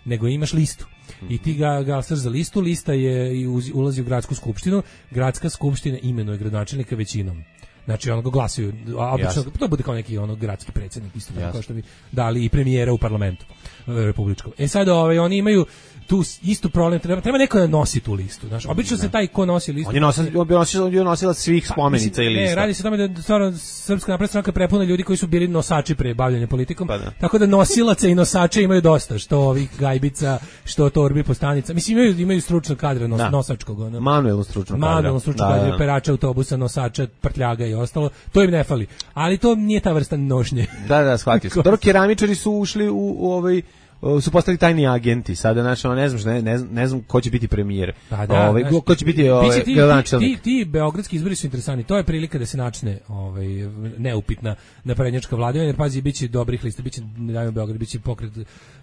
nego imaš listu. I ti ga glasaš za listu, lista je ulazi u gradsku skupštinu, gradska skupština imenuje gradonačelnika većinom. Znači on ga glasaju, obično to bude kao neki gradski predsjednik isto tako kao što bi dali i premijera u parlamentu republičkom. Sad oni imaju tu istu problem, treba neko da nosi tu listu, znaš. Obično se taj ko nosi listu. On je nosilac svih spomenica ili lista. Ne, radi se o tome da stvarno Srpska napredna stranka prepuna ljudi koji su bili nosači pre bavljenja politikom. Tako da nosilaca i nosača imaju dosta, što ovih gajbica, što torbi po stanica. Mislim imaju stručnog kadra nosačkog, manuelno stručnog kadra, perača autobusa, nosača, prtljaga i ostalo. To im ne fali. Ali to nije ta vrsta nošnje. Da, shvatio sam. Dobro, keramičari su ušli su postali tajni agenti. Sada ne znam ko će biti premijer. Ko će biti gradonačelnik. Ti beogradski izbori su interesantni. To je prilika da se načne neupitna naprednjačka vladavina, jer pazi, biće dobrih lista, biće Dajmo Beograd, biće Pokret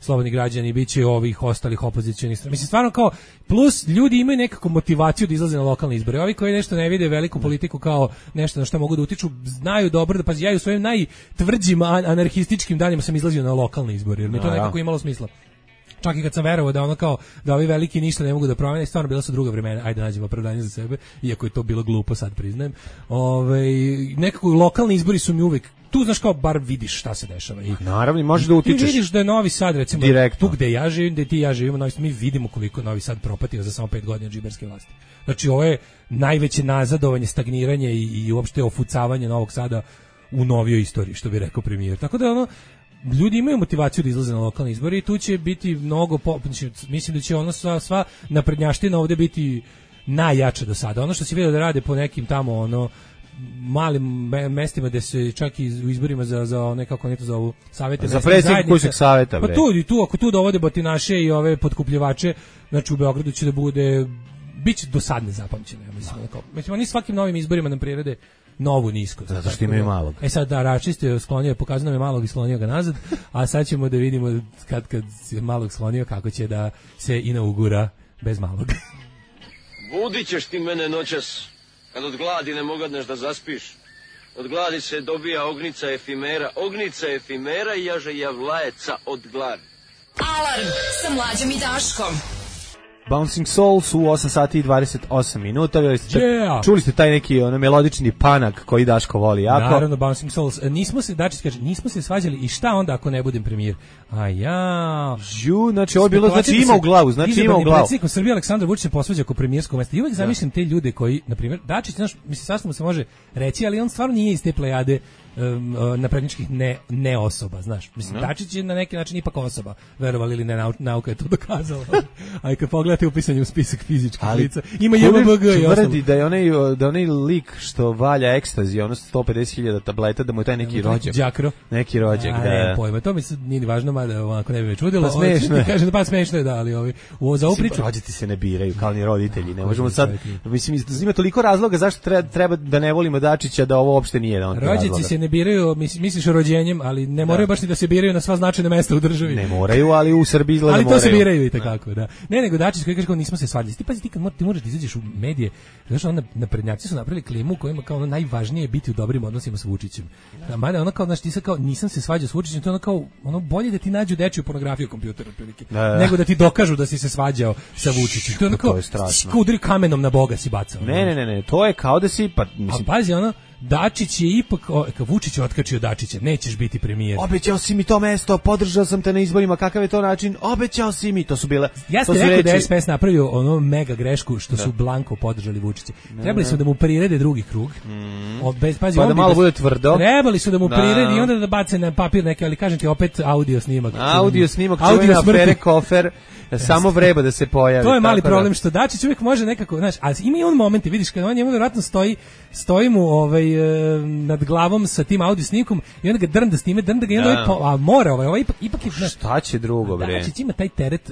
slobodni građani, biće ovih ostalih opozicionih. Mislim stvarno kao plus ljudi imaju nekakvu motivaciju da izlaze na lokalne izbore. Ovi koji nešto ne vide veliku politiku kao nešto na što mogu da utiču, znaju dobro da pazi, ja u svojim najtvrđim anarhističkim danima sam izlazio na lokalne izbore, jer mi to nekako imalo smisla. Čak i kad sam verovao da kao da ovi veliki ništa ne mogu da promene, stvarno bila su druga vremena, ajde nađemo opravdanje za sebe, iako je to bilo glupo, sad priznajem. Nekako lokalni izbori su mi uvek tu, znaš, kao bar vidiš šta se dešava. Naravno, možeš da utičeš. Ti vidiš da je Novi Sad, recimo, direktno. Tu gde ja živim, gde ti ja živimo, mi vidimo koliko Novi Sad propatio za samo 5 godina džiberske vlasti. Znači, ovo je najveće nazadovanje, stagniranje i uopšte ofucavanje Novog Sada u novijoj istoriji, što bi rekao premijer. Tako da ljudi imaju motivaciju da izlaze na lokalne izbore i tu će biti mnogo, mislim da će sva naprednjaština ovdje biti najjača do sada. Ono što si vidio da rade po nekim tamo malim mestima gde se čak i u izborima za nekako ne to zovu savete za predsjednik kućnog saveta, pa tu ako tu dovode batinaše i ove potkupljivače, znači u Beogradu će da bude biće dosadne zapamćeno, ja mislim oni svakim novim izborima nam prirede novu nisko. Zato što imaju malog. Sad račiste sklonio, pokazao nam je malog i sklonio ga nazad, a sad ćemo da vidimo kad je malog sklonio kako će da se inaugura bez malog. Budit ćeš ti mene noćas, kad od gladi ne mogadneš da zaspiš. Od gladi se dobija ognica efimera i jaže javlajeca od gladi. Alarm sa Mlađom i Daškom. Bouncing Souls u 8 sati i 28 minuta. Yeah. Čuli ste taj neki melodični panak koji Daško voli jako. Naravno, Bouncing Souls. Dačić kaže, nismo se svađali i šta onda ako ne budem premijer? A ja... Znači, ovo je bilo, znači ima u glavu, Predsjednikom Srbije Aleksandar Vučić se posvađa oko premijerskog mesta. I uvijek zamišljam te ljude koji, na primjer, Dačić, znaš, mislim, sasvim se može reći, ali on stvarno nije iz te plejade napredničkih ne osoba, znaš. Mislim, Dačić je na neki način ipak osoba, verovali ili ne, nauka je to dokazala. A i kad pogledate upisanje u spisak fizičkih lica, ima JMBG i ostalo. Da je onaj lik što valja ekstazi, ono 150.000 tableta, da mu je taj neki rođak. Đakro. Neki rođak, da. Ne, pojma, to mi se nije ni važno, mada ako ne bi me čudilo. Pa smešno je. Kažem, pa smešno je, da, ali za ovu priču... Rođaci se ne biraju, kao ni roditelji, ne možemo sad... Mislim, ima toliko razloga zašto treba da ne volimo Dačića, da ovo uopšte nije jedan od razloga. Rođaci se ne biraju, misliš rođenjem, ali ne moraju baš ni da se biraju na sva značajna mesta u državi. Ne moraju, ali u Srbiji izgleda moraju. Ali to se biraju i takako, da. Ne, nego Dačić koji kaže kao nismo se svađali. Ti pazi, ti kad moraš da izađeš u medije, znači onda naprednjaci su napravili klimu u kojima kao ono najvažnije biti u dobrim odnosima sa Vučićem. Mada ono kao, znači ti sad kao nisam se svađao s Vučićem, to je ono kao ono bolje da ti nađu dečiju pornografiju kompjutera otprilike, nego da ti dokažu da si se svađao sa Vučićem. To je ono kao udri kamenom na Boga si bacao. Ne, to je kao da si mislim, pazi ono Dačić je ipak, Vučić je otkačio Dačića, nećeš biti premijer. Obećao si mi to mesto, podržao sam te na izborima, kakav je to način, obećao si mi, to su bile... Ja ste rekao da je SPS napravio ono mega grešku što su blanko podržali Vučića. Trebali su da mu prirede drugi krug, pazi, pa da malo bude tvrdo. Trebali su da mu prirede i onda da bace na papir neke, ali kažem ti opet audio snimak. Čuvena afere Kofer, samo vreba da se pojavi. To je mali problem što Dačić uvijek može nekako, znaš, ali ima i on momenti, vidiš, kad on njemu vjerojatno stoji mu nad glavom sa tim audio snimkom i onda ga drnda snime, drnda ga i onda a mora ipak je, znaš, šta će drugo, bre? Dačić ima taj teret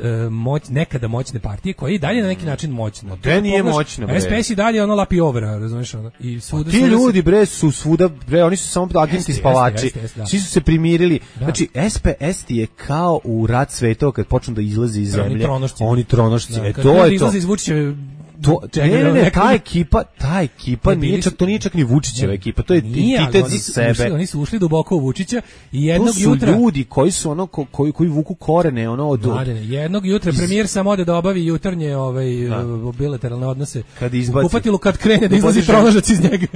nekada moćne partije koja je i dalje na neki način moćna. To nije moćno, bre. SPS i dalje ono lapi overa, razumiješ ono. I svuda ti ljudi, bre, su svuda, bre, oni su samo agenti spavači. Svi su se primirili. Znači, SPS je kao u rat svetova kad počnu da izlaze iz zemlje. Oni tronošci. To je to. Izlaze iz Vučićeve Ne, ta ekipa nije čak ni Vučićeva ekipa, to je identitet za sebe. Oni su ušli duboko u Vučića i jednog jutra... To su ljudi koji su ono, koji vuku korene, ono od... Jednog jutra premijer sam ode da obavi jutarnje bilateralne odnose u kupatilu kad krene da izlazi tronožac iz njega.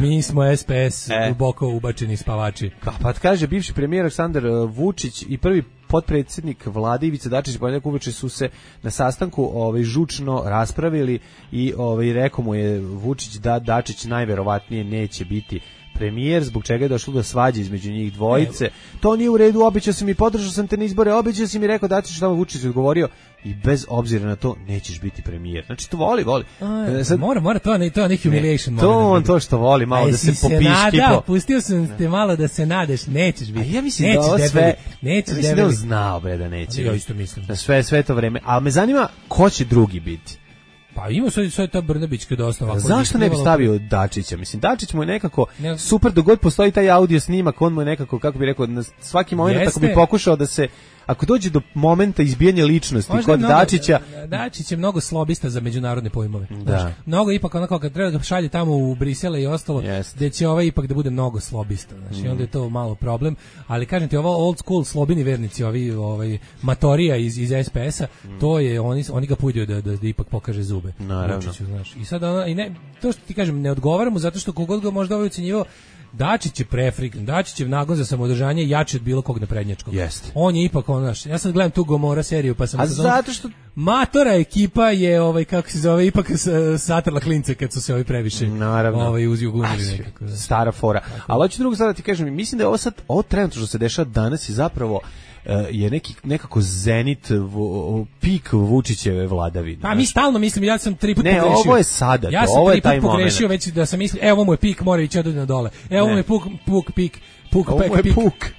Mi smo SPS, duboko ubačeni spavači. Pa kaže bivši premijer Aleksandar Vučić i prvi potpredsjednik vlade Ivica Dačić i ponedjeljak uveče su se na sastanku žučno raspravili i rekao mu je Vučić da Dačić najverovatnije neće biti premijer, zbog čega je došlo do svađe između njih dvojice. To nije u redu, obećao sam i podržao sam te na izbore, obećao sam i rekao Dačić, šta mu Vučić odgovorio i bez obzira na to nećeš biti premijer. Znači to voli. Mora, to je humiliation. To što voli, malo da se popiški. Pustio sam te malo da se nadeš, nećeš biti. A ja mislim da ovo sve, mislim da on znao da neće. Ja isto mislim. Sve to vreme. A me zanima ko će drugi biti. Pa ima sve ta Brnabićka dosta ovako. Zašto ne bi stavio Dačića? Mislim, Dačić mu je nekako super, dok god postoji taj audio snimak, on mu je nekako, kako bi rekao, na svaki moment ako bi pokušao da se, ako dođe do momenta izbijanja ličnosti kod Dačića... Dačić je mnogo slobista za međunarodne pojmove. Da. Mnogo ipak onako kad treba da šalje tamo u Brisele i ostalo, gde će ipak da bude mnogo slobista. Znači, i onda je to malo problem. Ali kažem ti, ovo old school slobini vernici, matorija iz SPS-a, to je, oni ga puđuju da ipak pokaže zube. Naravno. I sad to što ti kažem, ne odgovara mu zato što kogod ga možda ocenjivao, Dačić je Dačićev nagon za samoodržanje jači od bilo kog naprednjačkog. On je ipak ja sad gledam tu Gomora seriju pa sam zato što matora ekipa je kako se zove ipak satrla klince kad su se previše uzjugunili nekako. Stara fora. Ali hoću drugo sada ti kažem, mislim da je ovo trenutno što se dešava danas i zapravo je nekako zenit pik Vučićeve vladavine. Pa mi stalno mislim, ja sam 3 puta pogrešio. Ne, ovo je sada, ja sam 3 puta pogrešio već da sam mislio, ovo mu je pik, mora ići na dole. Ovo mu je pik.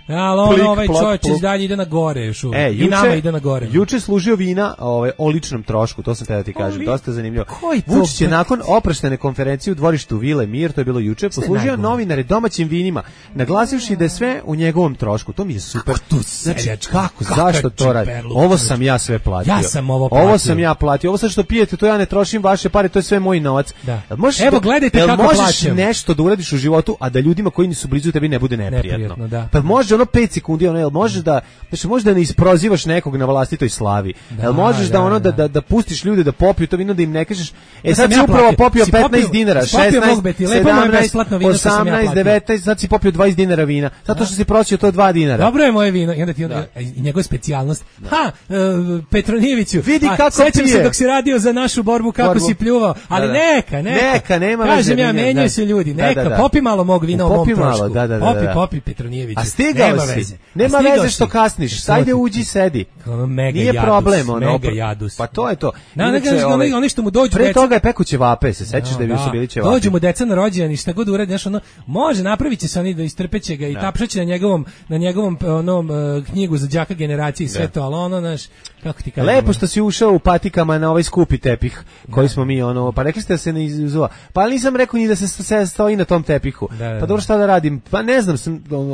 Ali ovaj čovječ dalje ide na gore još uvijek. I nama ide na gore. Juče služio vina o ličnom trošku, to sam te da ti kažem, dosta zanimljivo. Vučić je nakon oproštene konferencije u dvorištu Vile Mir, to je bilo juče, poslužio novinare domaćim vinima, naglasivši da je sve u njegovom trošku. To mi je super. Znači, zašto to radi? Ovo sam ja sve platio. Ja sam ovo platio. Ovo sam ja platio. Ovo sad što pijete, to ja ne trošim vaše pare, to je sve moj novac. Evo gledajte kako plaćam. Možeš nešto da uradiš u životu, a da ljudima koji nisu blizu tebi ne bude nepravda. neprijatno. Da. Pa može ono 5 sekundi, ono, jel možeš da, znači možeš da ne isprozivaš nekog na vlastitoj slavi. Jel možeš da ono da pustiš ljude da popiju to vino, da im ne kažeš, sad si upravo popio 15 dinara, 16, 17, 18, 19, sad si popio 20 dinara vina, zato što si prosio to 2 dinara. Dobro je moje vino, i onda ti i njegova specijalnost. Petronijeviću, vidi kako sećam se dok si radio za našu borbu kako si pljuvao, ali neka, nema veze. Kažem ja, menjaju se ljudi, neka, popi malo mog vina u mom trošku. Popi Petronijeviću. A stigao si. Nema veze što kasniš, sajde uđi sedi. Nije problem, ono. Mega jadus. Pa to je to. Oni što mu dođu pre toga je pekuće vape, se sećaš da su bili ćevapi. Dođu mu deca na rođendan i šta god uradi, znači ono može napraviće se oni da istrpeće ga i tapšaće na njegovom onom knjigu za đaka generacije i sve to, al ono naš kako ti kažem. Lepo što si ušao u patikama na ovaj skupi tepih koji smo mi ono, pa rekli ste da se ne izuzova. Pa nisam rekao ni da se stoji na tom tepihu. Pa dobro, šta da radim? Pa ne znam,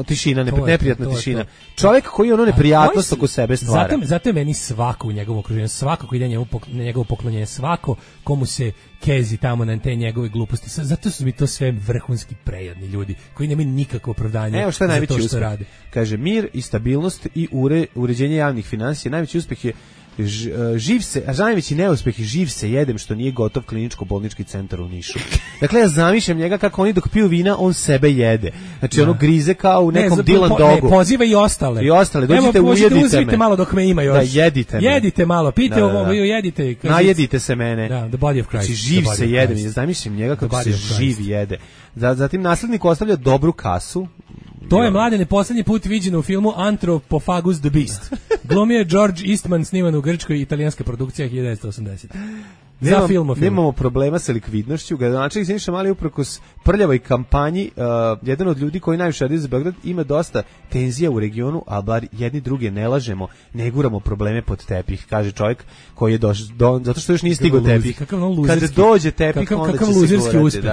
tišina, neprijatna tišina. Čovjek koji ono neprijatnost oko sebe stvara. Zato je meni svako u njegovom okruženju, svako ko ide na njegovo poklonjenje, svako komu se kezi tamo na te njegove gluposti. Zato su mi to sve vrhunski prejadni ljudi koji nemaju nikakvo opravdanje. Evo šta je najveći uspeh. Što rade. Kaže, mir i stabilnost i uređenje javnih finansija. Najveći uspeh je najveći neuspeh je živ se jedem što nije gotov kliničko-bolnički centar u Nišu. Dakle, ja zamišljam njega kako oni dok piju vina, on sebe jede. Znači, ono grize kao u nekom Dylan Dogu. Ne, poziva i ostale. Dođite, ujedite me. Malo dok me ima još. Da, jedite me. Jedite malo, pijte ovo, jedite. Najedite se mene. Da, the body of Christ. Znači, živ se jedem. Ja zamišljam njega kako se živ jede. Zatim, naslednik ostavlja dobru kasu. To je Mladene poslednji put viđeno u filmu Anthropophagus the Beast. Glumio je George Eastman, sniman u Grčkoj, italijanska produkcija 1980. Nemamo problema sa likvidnošću. Gradonačelnik Siniša Mali uprkos prljavoj kampanji, jedan od ljudi koji najviše radi za Beograd, ima dosta tenzija u regionu, a bar jedni druge ne lažemo, ne guramo probleme pod tepih, kaže čovjek koji je došao, zato što još nije stigao tepih. Kada dođe tepih, onda će se govoriti.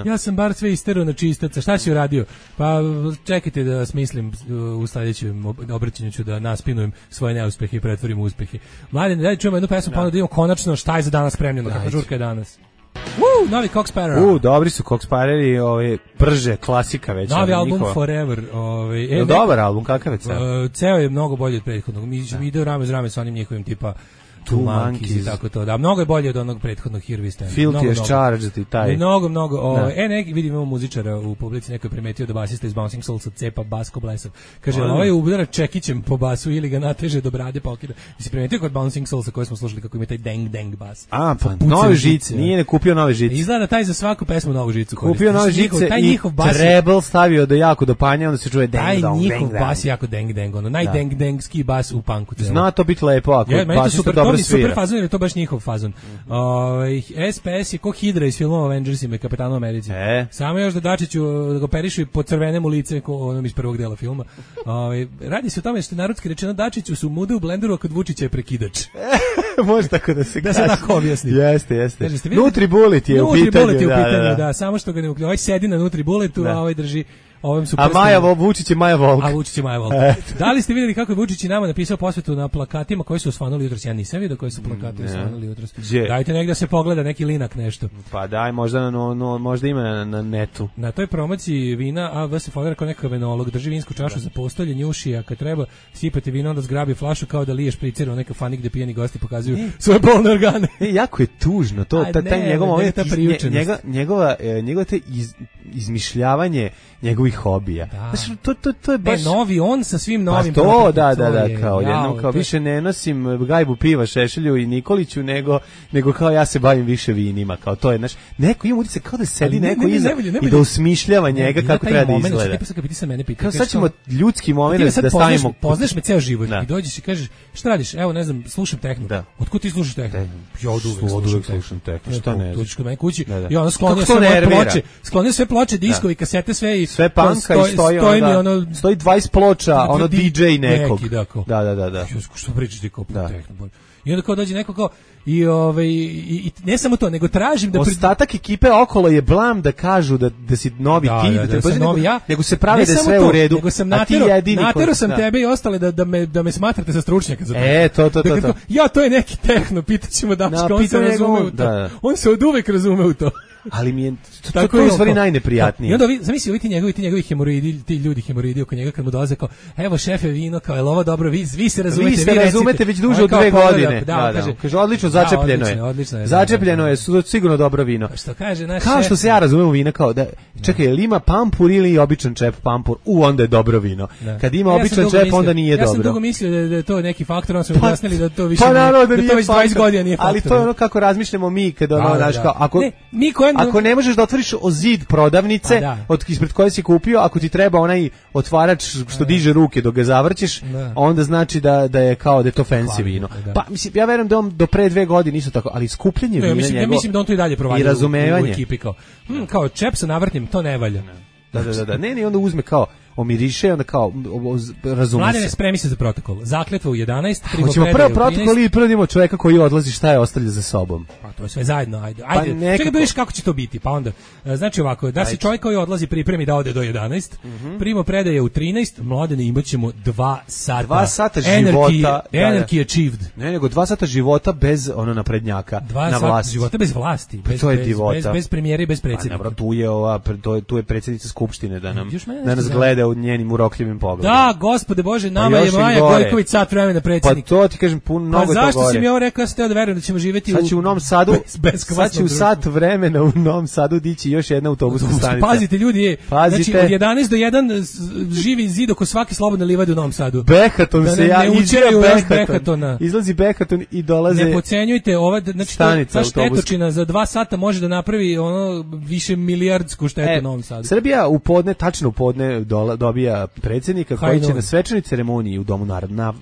Ja sam bar sve isterao na čistaca. Šta si uradio? Pa čekajte da smislim, u sledećem obraćanju ću da naspinujem svoje neuspehe i pretvorim u uspehe. Mladen, daj čujemo jednu pesmu, pa onda da imamo konačno šta je za danas spremljeno, kakva žurka je danas. Novi Cock Sparrow. Dobri su Cock Sparrowi, prže, klasika već. Novi album Forever. Dobar album, kakav je ceo? Ceo je mnogo bolji od prethodnog. Mi ide rame uz rame sa onim njihovim tipa Two Monkeys i tako to. Da, mnogo je bolje od onog prethodnog Here We Stand. Filthy as Charged i taj. Mnogo. Neki vidim imamo muzičara u publici, neko je primetio da basista iz Bouncing Souls cepa bas ko blesav. Kaže, ovaj udara čekićem po basu ili ga nateže do brade pa okida. Si primetio kod Bouncing Soulsa koji smo slušali kako ima taj deng bas. Pa nove žice. Nije ne kupio nove žice. Izgleda taj za svaku pesmu novu žicu koristi. Kupio nove žice i treble stavio do jako do panja, onda se čuje deng dong. Taj njihov bas jako deng, ono najdeng-dengski bas u punku. Zna to biti lepo ako basista dobro super fazon, jer je to baš njihov fazon. SPS je ko Hydra iz filmova Avengersima i Kapetanu Americi. Samo još da Dačiću da ga operišu i pocrvenem u lice ko onom iz prvog dela filma. Radi se o tome što je narodski rečeno Dačiću su mude u blenderu, a kod Vučića je prekidač. Može tako da se kaže. Da se tako objasni. Jeste. Nutribullet je u pitanju. Da, samo što ga ne uključuje. Ovaj sedi na Nutribulletu, a ovaj drži Vučić je Maja Volk. Da li ste vidjeli kako je Vučić i nama napisao posvetu na plakatima koji su osvanuli jutros? Ja nisam vidio koji su plakati osvanuli jutros. Dajte negdje da se pogleda neki linak nešto. Pa daj, možda ima na netu. Na toj promociji vina AV se fodera kao nekakav enolog, drži vinsku čašu za postolje, njuši, a kad treba sipati vino, onda zgrabi flašu kao da liješ pricer u neka fanik gde pijeni gosti pokazuju svoje polne organe. Jako je tužno to, njegova te izmišljavanje njegovih hobija. To je baš novi on sa svim novim. Pa to da, kao jednom kao više ne nosim gajbu piva Šešelju i Nikoliću nego kao ja se bavim više vinima, kao to je neko ima utisak kao da sedi neko iza i da usmišljava njega kako treba da izgleda. Kad ti se mene pita, kao sad ćemo ljudski moment da stavimo. Poznaš me ceo život i dođeš i kažeš šta radiš? Evo ne znam, slušam tehno. Otkud ti slušaš tehno? Ja oduvek slušam tehno. Šta ne? Dođeš kod mene kući i ona skloni sve ploče, diskovi, kasete, sve panka i stoji 20 ploča, ono DJ nekog. Da. Što pričaš ti kao tehno? I onda kao dođe neko kao i ne samo to, nego tražim da ostatak ekipe okolo je blam da kažu da si novi ti, nego se prave da je sve u redu. Nego sam natero sam tebe i ostale da me smatrate za stručnjaka za to. Ja, to je neki tehno, pitaćemo Daška, on se razume u to. On se oduvek razume u to. ali mi je to je u stvari najneprijatnije. I onda zamisli ovi ti njegovi hemoroidi, ti ljudi hemoroidi oko njega kad mu dolaze kao, evo šefe vino, kao je ovo dobro, vi se razumete, vi razumete već duže od 2 godine. Kaže odlično, začepljeno je. Začepljeno je, sigurno dobro vino. Što kaže naš kao što se ja razumem u vina, kao da čekaj, ili ima pampur ili običan čep pampur, onda je dobro vino. Kad ima običan čep, onda nije dobro. Ja sam dugo mislio da je to neki faktor, on su mi objasnili da to više da to već 20 godina nije faktor. Ali to je ono kako razmišljamo mi kad ono znaš kao ako ne možeš da otvoriš o zid prodavnice ispred koje si kupio, ako ti treba onaj otvarač što diže ruke dok ga zavrćeš, onda znači da je kao da je to fancy vino. Pa mislim ja verujem da on do pre 2 godine isto tako, ali skupljenje vina njegovo. Ja mislim da on to i dalje provadi i razumevanje u ekipi kao čep sa navrtnim, to ne valja. Da. Ne, onda uzme kao omiriše, onda kao razume Mladene, se. spremi se za protokol. Zakletva u 11, hoćemo prvo protokol i prvo idemo čoveka koji odlazi, šta je ostavlja za sobom. Pa to je sve zajedno, ajde. Čekaj da vidiš kako će to biti, pa onda. Znači ovako, da se čovjek koji odlazi pripremi da ode do 11, primo predaje u 13, Mladene, imaćemo 2 sata. 2 sata života. Energy achieved. Ne, nego 2 sata života bez naprednjaka na vlasti. Života bez vlasti, bez premijera i bez predsjednika. Pa tu je predsjednica skupštine da nas gleda u njenim urokljivim pogledom. Da, gospode Bože, nama je Maja Gojković sat vremena predsjednik. Pa to ti kažem mnogo toga. Pa zašto si mi ovo rekao, ja sam teo da verujem da ćemo živjeti sad će u Novom Sadu, sad će u sat vremena u Novom Sadu dići još jedna autobuska stanica. Pazite ljudi, znači od 11 do 1 živi zid oko svake slobodne livade u Novom Sadu. Behaton se Behatona. Izlazi Behaton i dolaze. Ne podcenjujte, znači ta štetočina za 2 sata može da napravi ono više milijardsku štetu u Novom Sadu. Srbija tačno u podne dobija predsjednika koji će na svečanoj ceremoniji u Domu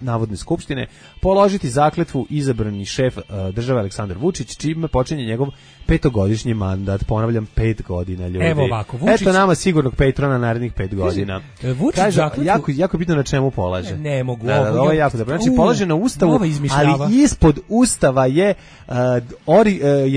Narodne skupštine položiti zakletvu izabrani šef države Aleksandar Vučić, čime počinje njegov 5-godišnji mandat. Ponavljam, 5 godina, ljudi. Evo ovako, Vučić... Eto nama sigurnog patrona narednih 5 godina. Vučić kaže, zakletvu... jako bitno na čemu polaže. Ne mogu. Ovo je jako dobro. Znači, polaže na Ustavu, ali ispod Ustava je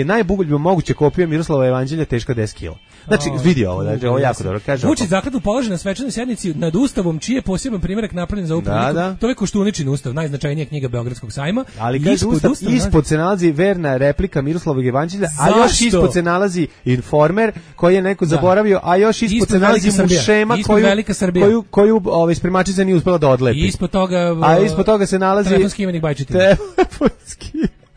najbolje moguće kopija Miroslavova evanđelja teška 10 kg. Znači, vidi ovo, znači, ovo jako dobro. Kaže Vučić zakletvu polaže na svečanoj sjednici nad Ustavom, čiji je poseban primjerak napravljen za upravu. To je Koštuničin Ustav, najznačajnija knjiga Beogradskog sajma. Ali kaže ispod se nalazi verna replika Miroslavovog evanđelja, a još ispod se nalazi Informer koji je neko zaboravio, a još ispod se nalazi Mušema koju spremačica nije uspela da odlepi. Ispod toga se nalazi telefonski imenik Bajčetin.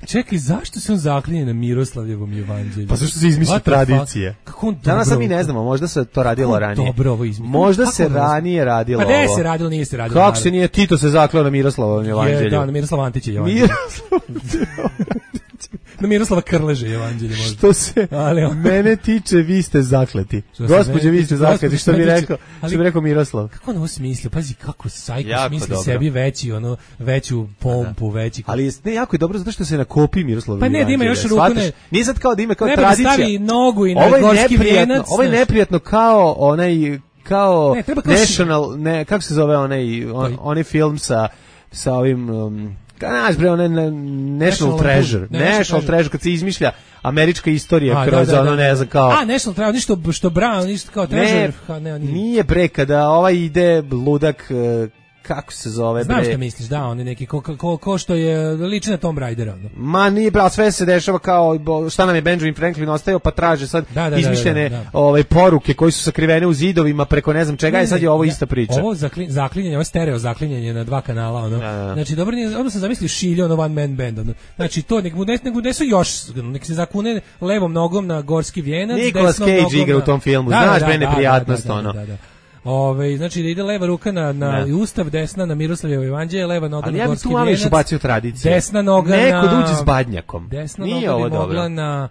Čekaj, zašto se on zaklinje na Miroslavljevom evanđelju? Pa zašto se izmišlja tradicije? Danas mi ne znamo, možda se to radilo ranije. Dobro ovo izmišlja. Možda se ranije radilo ovo. Pa se radilo, nije se radilo. Kako se nije Tito se zaklao na Miroslavovom evanđelju? Da, na Miroslava Antića evanđelju. Na Miroslava Krleže evanđelje možda. Što se mene tiče, vi ste zakleti. Gospođe, vi ste zakleti, što bi rekao Miroslav. Kako on ovo smislio? Pazi kako sajko smisli sebi veću pompu, veći. Ali jako je dobro zato što se na kopiji Miroslava. Pa ne, da ima još ruku, ne. Nije sad kao da ima kao tradicija. Stavi nogu i na gorski vijenac. Ovo je neprijatno kao onaj kako se zove onaj film sa ovim Znaš bre, National Treasure. National Treasure, kad se izmišlja američka istorija kroz ono, ne znam, kao... National Treasure, ništo što Brown, ništo kao Treasure. Nije bre, kada ide ludak... Kako se zove, bre? Znam što misliš, da, on je neki ko što je liči na Tom Raidera. Ma nije, bre, sve se dešava kao šta nam je Benjamin Franklin ostavio, pa traže sad izmišljene poruke koji su sakrivene u zidovima preko ne znam čega, i sad je ovo ista priča. Ovo zaklinjanje, ovo stereo zaklinjanje na 2 kanala, ono. Znači, dobro, odmah sam zamislio Šiljo, ono one man band, ono. Znači, to, nek su još, nek se zakune levom nogom na gorski vijenac, Nicolas Cage igra u tom filmu, znaš, bre, neprijatnost, ono. Znači da ide leva ruka na Ustav, desna na Miroslavljevo evanđelje, leva noga na gorski vijenac. Ali ja bi tu malo ubacio tradiciju. Desna noga neko da uđe s badnjakom. Desna noga bi mogla na...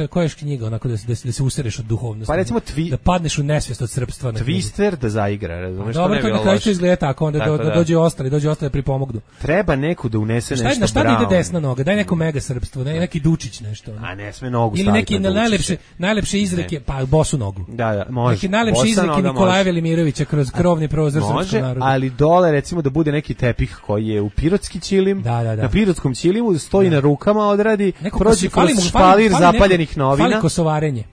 koja je knjiga onako da se usereš od duhovnosti? Pa recimo da padneš u nesvijest od srpstva. Twister da zaigra, razumeš, što ne bi bilo loše. Dobro, to izgleda tako, onda dođe ostali da pripomognu. Treba neku da unese nešto na šta ide desna noga? Daj neko mega srpstvo, neki Dučić nešto. A ne sme nogu staviti. Ili neki najlepše izreke, pa bosu nogu. Da, može. Neki najlepše izreke Nikolaja Velimirovića kroz krovni prozor srpskog naroda. Ali dole recimo da bude neki tepih koji je u pirotski ćilim, na pirotskom ćilimu stoji na rukama, odradi, prođe kroz špalir zapaljenih novina. Fali kosovarenje.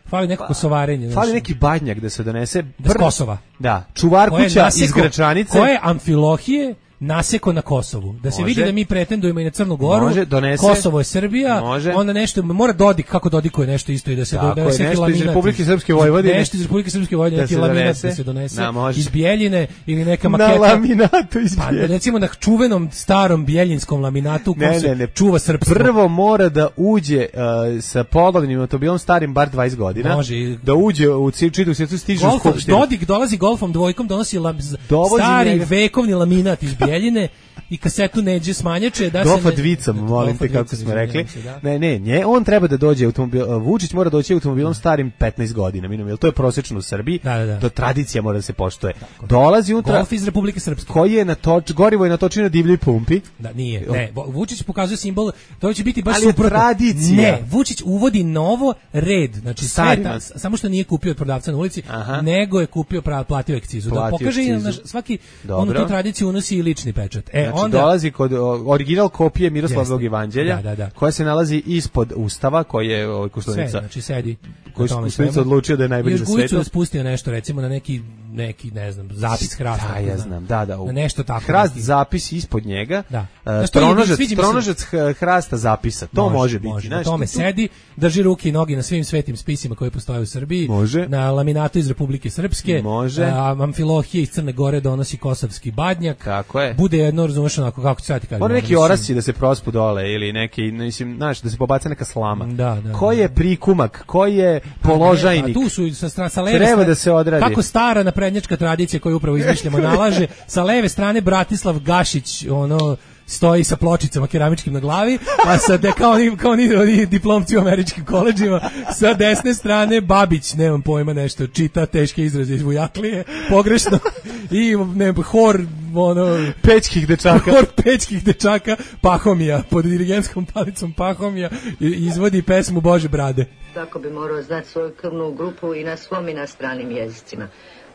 Fali neko kosovarenje. Fali neki badnjak da se donese. S Kosova. Da, čuvar kuća iz Gračanice. Koje Amfilohije naseko na Kosovu. Da se Može. vidi da mi pretendujemo i na Crnu Goru. Može, donese. Kosovo je Srbija. Može. Onda nešto mora Dodik kako Dodikuje nešto isto i da se Tako je, donese nešto iz laminat. Republike Srpske Vojvodine. Nešto iz Republike Srpske Vojvodine, Da neki se laminat donese. da se donese. Da, može. Iz Bjeljine ili neka Na maketa. laminatu iz Pa, Bjeljine. recimo na čuvenom starom bjeljinskom laminatu u kom se čuva srpstvo. Prvo mora da uđe sa polovnim automobilom starim bar 20 godina. Može. Da uđe u čitavu svijetu, stiže u skupštinu. Dodik dolazi golfom dvojkom, donosi Dovozi stari njega. vekovni laminat iz Bjeljine i kasetu Neđe Smanjače da Dofa se dvicam, molim te, kako smo rekli. izvinjavam se, da. Ne, on treba da dođe Vučić mora doći automobilom starim 15 godina, minimum, to je prosečno u Srbiji. Da. To tradicija mora da se poštuje. Dolazi unutra Golf iz Republike Srpske. koji je gorivo je natočeno na divljoj pumpi. Da, nije. Ne, Vučić pokazuje simbol, to će biti baš Ali je suprotno. tradicija. Ne, Vučić uvodi novo red, znači Sarima. samo što nije kupio od prodavca na ulici, Aha. nego je kupio platio akcizu. Da Platio pokaže i akcizu. svaki Dobro. onu tu tradiciju unosi i lični pečat. Znači, Onda dolazi kod original kopije Miroslavog Jeste. evanđelja, Da. koja se nalazi ispod Ustava, koji je sve, Koštunica. znači sedi. Koji na tome Koštunica svemu. odlučio da je najbolji Još za Gujicu svetu. da spustio nešto, recimo na neki ne znam, zapis hrasta. Da, ja znam, da. Na nešto tako. Hrast neki. zapis ispod njega. Da. Znaš, to je, sviđa mi se. Tronožac hrasta zapisa. To može biti. Na Znaš, tome tu- sedi, drži ruke i noge na svim svetim spisima koji postoje u Srbiji. Može. Na laminatu iz Republike Srpske. Može. Amfilohije iz Crne Gore donosi kosovski badnjak. Kako je? Bude jedno, razumeš, onako, kako ću sad ti kažem. Mora neki mislim, orasci da se prospu dole ili neki, mislim, znaš, da se pobaca neka slama. Da. Ko je prikumak, ko je položajnik? A tu su sa leve Treba strane, da se odradi. Kako stara naprednjačka tradicija koju upravo izmišljamo nalaže, sa leve strane Bratislav Gašić, stoji sa pločicama keramičkim na glavi, a sa kao oni diplomci u američkim koledžima, sa desne strane Babić, nemam pojma, nešto čita teške izraze iz Vujaklije, pogrešno, i hor Pećkih dečaka. Hor pećkih dečaka Pahomija, pod dirigentskom palicom Pahomija izvodi pesmu Bože brade. Tako bi morao znati svoju krvnu grupu i na svom i na stranim jezicima.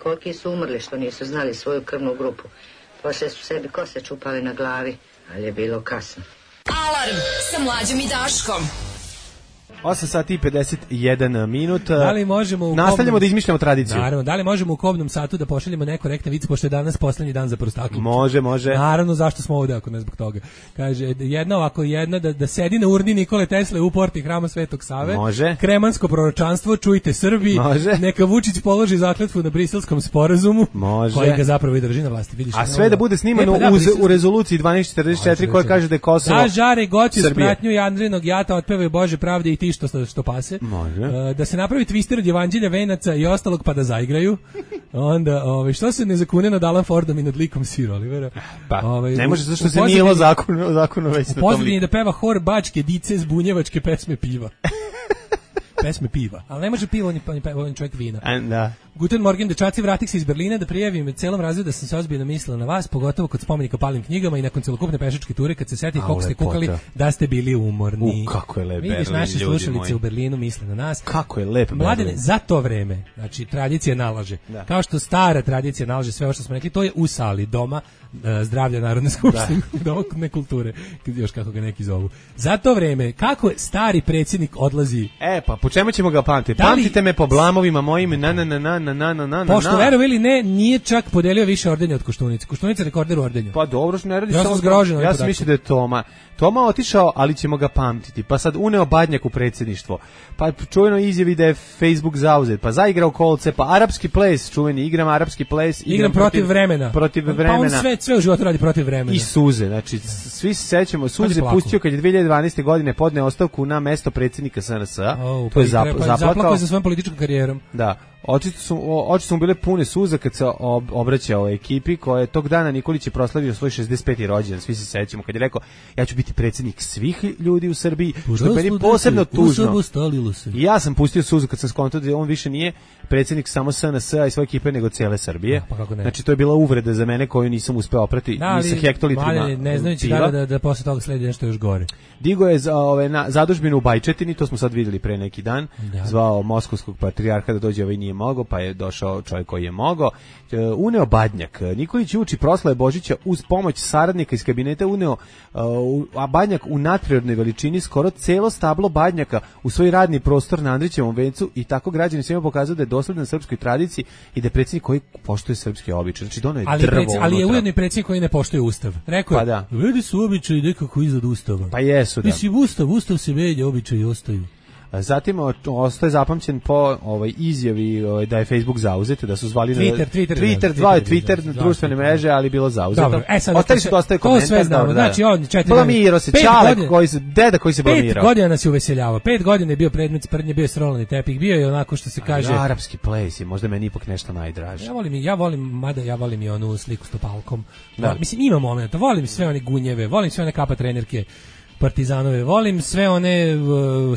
Koliki su umrli što nisu znali svoju krvnu grupu. Poslije su sebi kose čupali na glavi, ali je bilo kasno. Alarm sa Mlađom i Daškom. 8 sati i 51 minut. Da li možemo nastavljamo da izmišljamo tradiciju? Naravno, da li možemo u kobnom satu da pošaljemo nekorektne vice, pošto je danas poslednji dan za prostaklicu? Može. Naravno, zašto smo ovde, ako ne zbog toga. Kaže, jedna da sedi na urni Nikole Tesle u porti Hrama Svetog Save. Može. Kremansko proročanstvo, čujte Srbi. Može. Neka Vučić položi zakletvu na Briselskom sporazumu. Može. Koji ga zapravo i drži na vlasti. Vidiš, A sve da bude snimano u rezoluciji 1244 koja kaže da je Kosovo da žare goće s Srbije. pratnju i Andrinog jata otpevaju Bože pravde i ti što pase. Može. Da se napravi twister od Evanđelja, venaca i ostalog pa da zaigraju. Onda, što se ne zakune nad Alan Fordom i nad likom Sir Olivera? Pa, ne može zašto se nije zakonu već na tom pozadini da peva hor bačke dice zbunjevačke pesme piva. Pesme piva. Ali ne može piva, on je čovjek vina. Da. Guten Morgen, dečaci, vratih se iz Berlina da prijavim celom razredu da sam se ozbiljno mislila na vas, pogotovo kod spomenika palim knjigama i nakon celokupne pešačke ture, kad se seti koliko ste kukali da ste bili umorni. Kako je lep Berlin, vidiš, naše ljudi slušalice moji. U Berlinu misle na nas. Kako je lep Berlin. Mladene, za to vreme, znači tradicija nalaže. Da. Kao što stara tradicija nalaže sve ovo što smo rekli, to je u sali doma zdravlja Narodne skupštine, doma kulture, još kako ga neki zovu. Za to vreme, kako stari predsjednik odlazi? Pa po čemu ćemo ga pamtiti? Pamtite me po blamovima mojim, Pošto verovi ili ne, nije čak podelio više ordenja od Koštunice. Koštunica je rekorder u ordenju. Pa dobro, što ne radi ja samo zgrožen. Ja sam mislio da je Toma otišao, ali ćemo ga pamtiti. Pa sad uneo Badnjak u predsjedništvo. Pa čujeno izjavi da je Facebook zauzet. Pa zaigrao kolce, pa arapski ples, čuveni, igram arapski ples. Igram protiv vremena. Pa on sve u životu radi protiv vremena. I suze, znači svi se sećamo, suze pustio kad je 2012. godine podneo ostavku na mesto predsjednika SNS-a. To je zaplakao za svojom političkom karijerom. Da. Oči su mu bile pune suza kad se obraćao ekipi koja je tog dana Nikolić je proslavio svoj 65. rođendan, svi se sećamo, kad je rekao ja ću biti predsjednik svih ljudi u Srbiji, što je meni posebno tužno. I ja sam pustio suzu kad sam skontao da on više nije predsjednik samo SNS-a i svoje ekipe, nego cijele Srbije. Znači to je bila uvreda za mene koju nisam uspeo oprati ni sa hektolitrima. Ne znajući da posle toga sledi nešto još gore. Digo je zadužbinu u Bajčetini, to smo sad vidjeli pre neki dan, zvao moskovskog patrijarha da dođe, ovaj nije mogao, pa je došao čovjek koji je mogao. Uneo Badnjak. Nikolić uči proslave Božića uz pomoć saradnika iz kabineta uneo a Badnjak u nadprirodnoj veličini skoro celo stablo Badnjaka u svoj radni prostor na Andrićevom vencu i tako građani svima pokazao da je dosledan srpskoj tradiciji i da je predsjednik koji poštuje srpske običaje. Znači dono je drvo. Ali je ujedno i predsjednik koji ne poštuje ustav. Rekao je, vidi su običaji nekako iznad ustava. Pa jesu, da. Mislim, ustav se menja, običaji ostaju. Zatim ostaje zapamćen po izjavi da je Facebook zauzet, da su zvali Twitter, društvene mreže, ali bilo zauzeto. Ostali su dosta komentar. To sve znamo. Znači, on 4 blamirao se, čale, deda koji se blamirao. 5 godina nas je uveseljavao. 5 godina je bio predmet sprdnje, bio je srolani tepih, bio je onako što se kaže. Arapski ples je možda meni ipak nešto najdraže. Ja volim i onu sliku s topalkom. Mislim, ima momenta. Volim sve one gunjeve, volim sve one kapa trenerke. Partizanove, volim sve one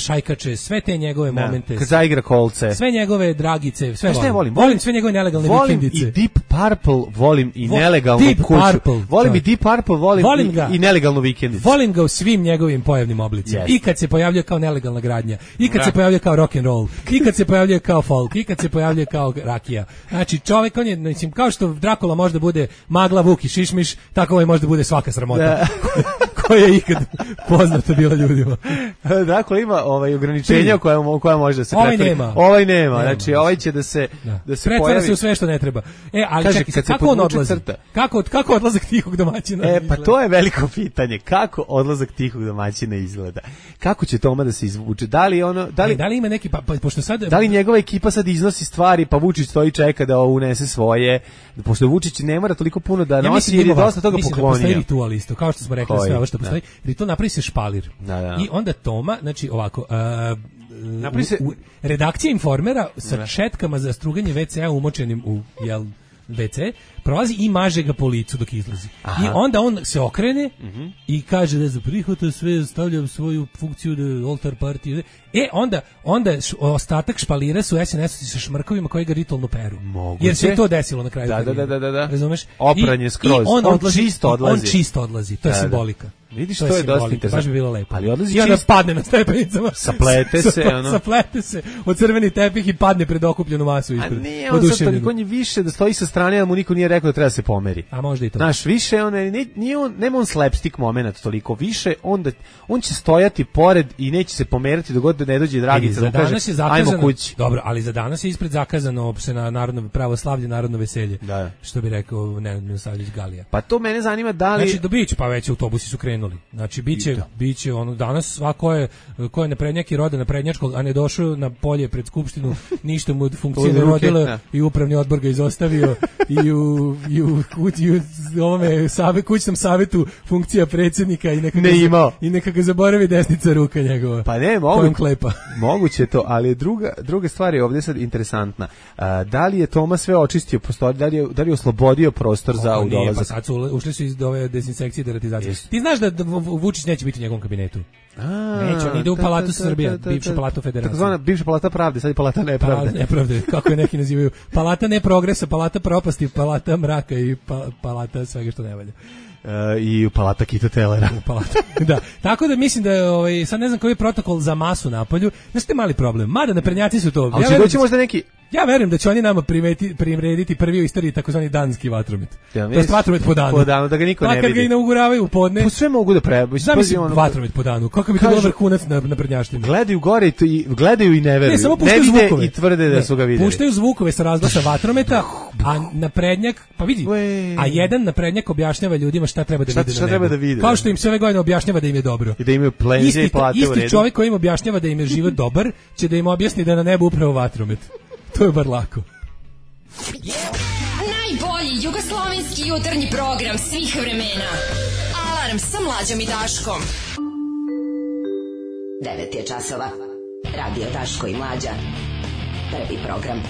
šajkače, sve te njegove momente. Kad zaigra kolce. Sve njegove dragice, sve volim. Volim sve njegove nelegalne vikendice. Volim i Deep Purple, volim i nelegalnu kuću. Volim i Deep Purple, volim i nelegalnu vikendicu. Volim ga u svim njegovim pojavnim oblicima. I kad se pojavljuje kao nelegalna gradnja, i kad se pojavljuje kao rock and roll, i kad se pojavljuje kao folk, i kad se pojavljuje kao rakija. Znači, čovjek, on je, mislim, kao što Drakula možda bude Magla, Vuk i Šišmiš, tako ovaj možda bude svaka sramota koja je ikad poznato bila ljudima. Dakle, ima ograničenja koja može da se pretvori. Ovaj nema. Znači, ovaj će da se pretvara pojavi. se u sve što ne treba. Ali kaže, čekaj, kako on odlazi? Kako odlazak tihog domaćina izgleda? Pa to je veliko pitanje. Kako odlazak tihog domaćina izgleda? Kako će Toma da se izvuče? Da li ima neki, pošto sad... Da li njegova ekipa sad iznosi stvari, pa Vučić stoji čeka da unese svoje? Pošto Vučić ne mora toliko puno da nosi, jer je dosta toga poklonio. Mislim da postoji ritual isto, kao što smo rekli, sve ovo što postoji. Ritual napravi se špalir. I onda Toma, znači ovako, redakcija Informera sa šetkama za struganje WC-a umočenim u WC, prolazi i maže ga po licu dok izlazi. I onda on se okrene i kaže da za prihvata sve, stavljam svoju funkciju da oltar partije. Onda ostatak špalira su SNS-ovci sa šmrkovima koji ga ritualno peru. Moguće. Jer se je to desilo na kraju. Da. Razumeš? Opranje skroz. On čisto odlazi. To je simbolika. Vidiš, to je dosta interesantno. Baš bi bilo lepo. Ali odlazi i onda padne na stepenicama. Saplete se od crveni tepih i padne pred okupljenu masu ispred. A nije, on sad toliko više da stoji sa strane, a mu niko nije rekao da treba se pomeri. A možda i to. Znaš, više nema on slapstick moment toliko. Više on će stojati pored i neće se pomerati dok god ne dođe Dragica da kaže ajmo kući. Dobro, ali za danas je ispred zakazano se na narodno pravoslavlje, narodno veselje. Da. Što bi rekao Nenad Milosavljević Galija. Pa to mene zanima da li... Znači, biće, pa već autobusi su krenuli. Znači, biće ono, danas svako je naprednjak i roda naprednjačkog, a ne došao na polje pred skupštinu, ništa mu od funkcije ne rodila i upravni odbor ga izostavio i u kućnom savjetu funkcija predsjednika i neka ga zaboravi desnica ruka njegova. Pa ne, moguće to, ali druga stvar je ovdje sad interesantna. Da li je Toma sve očistio prostor, da li je oslobodio prostor za udolazak? Pa sad ušli su iz ove dezinsekcije i deratizacije. Ti znaš da Vučić neće biti u njegovom kabinetu. Neće, on ide u Palatu Srbija, bivša Palatu Federacije. Takozvana bivša Palata pravde, sad je Palata nepravde. Nepravde, kako je neki nazivaju. Palata neprogresa, Palata propasti, Palata mraka i Palata svega što ne valja. I u Palata Kito Telera. Da. Tako da mislim da je, sad ne znam koji je protokol za masu napolju, znaš te mali problem. Mada naprednjaci su to. Ali će doći možda neki... Ja verujem da će oni nama primrediti prvi u istoriji takozvani danski vatromet. To je vatromet po danu. Po danu, da ga niko ne vidi. Kad ga inauguravaju u podne. Pa sve mogu da prebavi. Zamislim vatromet po danu. Kako bi to bilo vrhunac na prednjaštini. Gledaju gore i gledaju i ne veruju. Ne vide zvukove. I tvrde da su ga videli. Puštaju zvukove sa razglasa vatrometa, a naprednjak, pa vidi, a jedan naprednjak objašnjava ljudima šta treba da vide na nebu. Kao što im se ove godine objašnjava da im je dobro. I da imaju penzije i plate u redu. Isti čovjek koji im objašnjava da im je život dobar, će da im objasni da na nebu upravo vatromet. To je bar lako. Najbolji jugoslovenski jutarnji program svih vremena. Alarm sa Mlađom i Daškom. 9 je časova. Radio Daško i Mlađa. Prvi program.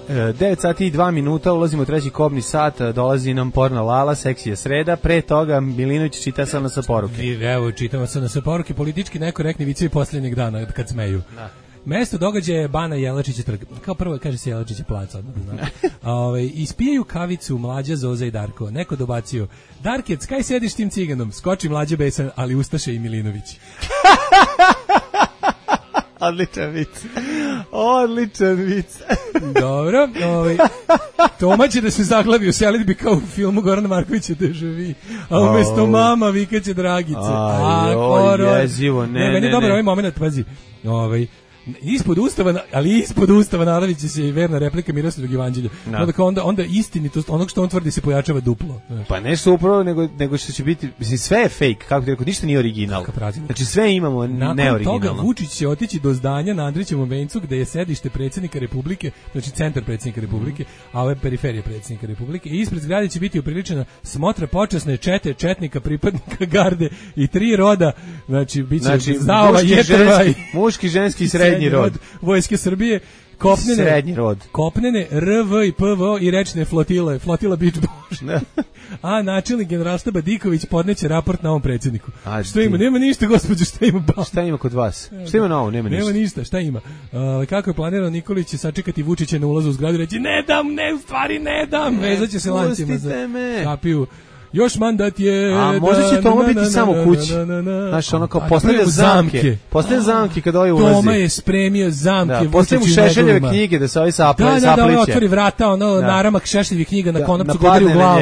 9 sati i 2 minuta, ulazimo u treći kobni sat, dolazi nam porno Lala, seksija sreda, pre toga Milinović čita sa poruke. Evo, čitamo sa poruke, politički nekorektni vicevi posljednjeg dana kad smeju. Da. Mesto događaja je Bana Jelačića trg. Kao prvo kaže se Jelačića plac, odmah da znam. Ispijaju kavicu Mlađa, Zoza i Darko. Neko dobacio: Darkec, kaj sediš tim ciganom? Skoči Mlađa besan, ali ustaše i Milinović. Odličan vic. Odličan vic. Dobro, Toma će da se zaglavi u selidbi kao u filmu Gorana Markovića Deja Vu, a umesto mama vikaće Dragice. Jezivo, ne. Meni je dobar ovaj moment, pazi, ispod ustava naravit će se i verna replika Miroslavog evanđelja. Onda istinitost onog što on tvrdi se pojačava duplo. Pa nešto upravo, nego što će biti, mislim, sve je fake, kako ti rekao, ništa nije original. Znači sve imamo neoriginalno. Nakon toga Vučić će otići do zdanja na Andrićevom vencu gde je sedište predsjednika Republike, znači centar predsjednika Republike, a ove periferije predsjednika Republike. I ispred zgrade će biti upriličena smotra počasne čete, četnika, pripadnika garde i 3 roda, znači biće stavova jetrva i muški, ženski i srednji rod Vojske Srbije, kopnene RV i PVO i rečne flotila Beach Bož. A načelnik generalštaba Diković podneće raport na ovom predsjedniku. Što ima? Nema ništa, gospođo, šta ima? Šta ima kod vas? Šta ima na ovo? Nema ništa, šta ima? Kako je planirano, Nikolić će sačekati Vučića na ulazu u zgradu i reći ne dam, vezaće se lancima za kapiju. Još mandat je... A možda će Toma biti samo u kući. Znaš, ono kao postavlja zamke. Postavlja zamke kad ovaj ulazi. Toma je spremio zamke. Postavlja mu Šešeljeve knjige da se ovaj sapliće. Da, otvori vrata, naramak Šešeljevih knjiga na konopcu godari u glavu.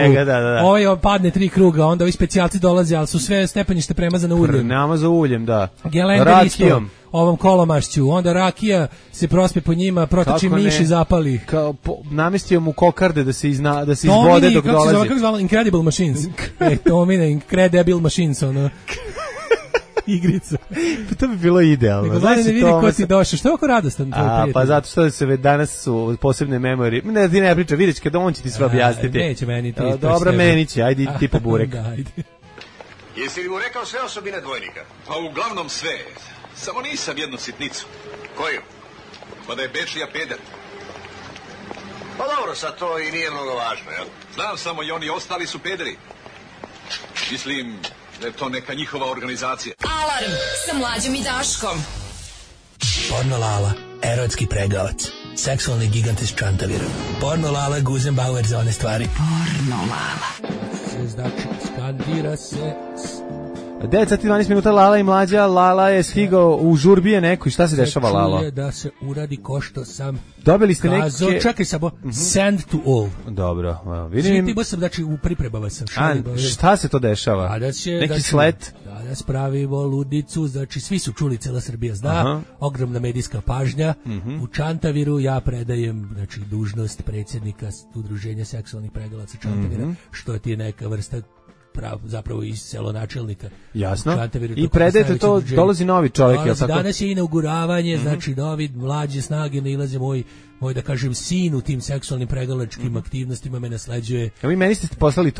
Ovaj padne 3 kruga, onda ovi specijalci dolaze, ali su sve stepenište premazane uljem. Namaza uljem, da. Gelender isto. Ovom kolomašću, onda rakija se prospe po njima, protoči miš i zapali. Namestio mu kokarde da se izvode dok dolazi. Kako se zvala? Incredible Machines. Tomine, Incredible Machines, igrica. To bi bilo idealno. Nego ne vidi ko ti došao. Što je ovako radostan tvoj prijatelj? Pa zato što se danas su posebne memorije. Ne, ti ne priča, vidjet će kada on će ti sve objasniti. Neće meni ti. Dobro, meni će, ajde ti po burek. Jesi li mu rekao sve osobine dvojnika? Pa uglavnom sve. Samo nisam jednu sitnicu. Koju? Pa da je Bečija peder. Pa dobro, sad to i nije mnogo važno, jel? Znam samo i oni ostali su pederi. Mislim da je to neka njihova organizacija. Alarm sa Mlađom i Daškom. Porno Lala, erotski pregavac. Seksualni gigant iz Čantavira. Porno Lala, Guzenbauer za one stvari. Porno Lala. Znači, skandira se... 9 sati 12 minuta, Lala i Mlađa. Lala je stigao u žurbije neko i šta se dešava, Lalo? Čuje da se uradi ko što sam dobili ste kazao, neke... Čekaj samo, send to all. Dobro, vidim. Svi sam, znači, u pripremama sam. Šta se to dešava? Neki slet? Danas pravimo ludicu, znači svi su čuli, cela Srbija zna, ogromna medijska pažnja. U Čantaviru ja predajem, znači, dužnost predsjednika Udruženja seksualnih pregalaca Čantavira, što ti je neka vrsta zapravo iz celonačelnika. Jasno. I predajete to, dolazi novi čovjek. Danas je inauguravanje, znači novi mlađe snage nailaze moj da kažem sin u tim seksualnim pregalačkim aktivnostima me nasleđuje. A vi meni ste poslali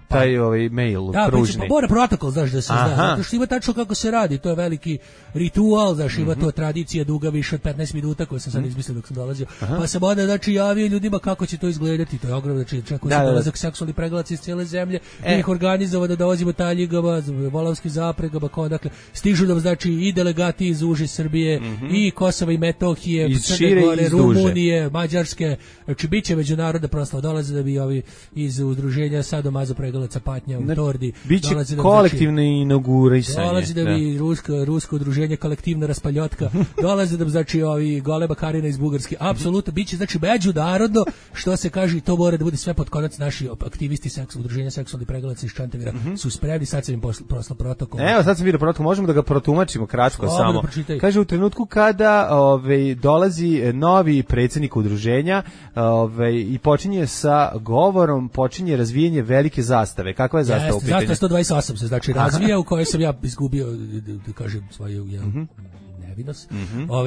taj ovaj mail pružni. Da, mora protokol, znaš, da se zna. Zato što ima tačno kako se radi, to je veliki ritual, znaš, ima to tradicija duga više od 15 minuta koju sam sad izmislio dok sam dolazio. Pa sam onda, znači, javio ljudima kako će to izgledati, to je ogromno, znači, čekao se dolazak seksualnih pregalaca iz cijele zemlje, ih organizovao da dolazimo taljigama, volavskim zapregama, dakle, stižu nam, znači, i delegati iz uže Srbije, i Kosova i Metohije, Crne Gore, Rumunije, Mađarske, znači bit će međunarodna proslava, dolaze da bi ovi iz udruženja Sadomazo pregalaca Patnja u Tordi. Biće kolektivno inaugurisanje. Dolaze da bi rusko udruženje kolektivna raspaljotka, dolaze da bi, znači, ovi Goleba Karina iz Bugarske, apsolutno, bit će, znači, međunarodno, što se kaže, to mora da bude sve pod konac. Naši aktivisti udruženja seksualnih pregalaca iz Čantavira su spremni, sad sam im poslao protokol. Evo, sad sam vidio protokol, možemo da ga protumačimo kratko samo. Kaže, u trenutku kada dolazi novi predsjednik udruženja i počinje sa govorom, počinje razvijanje velike zastave. Kakva je zastava u pitanju? Zastava 128 se, znači, razvija, u kojoj sam ja izgubio, da kažem, svoju nevinost.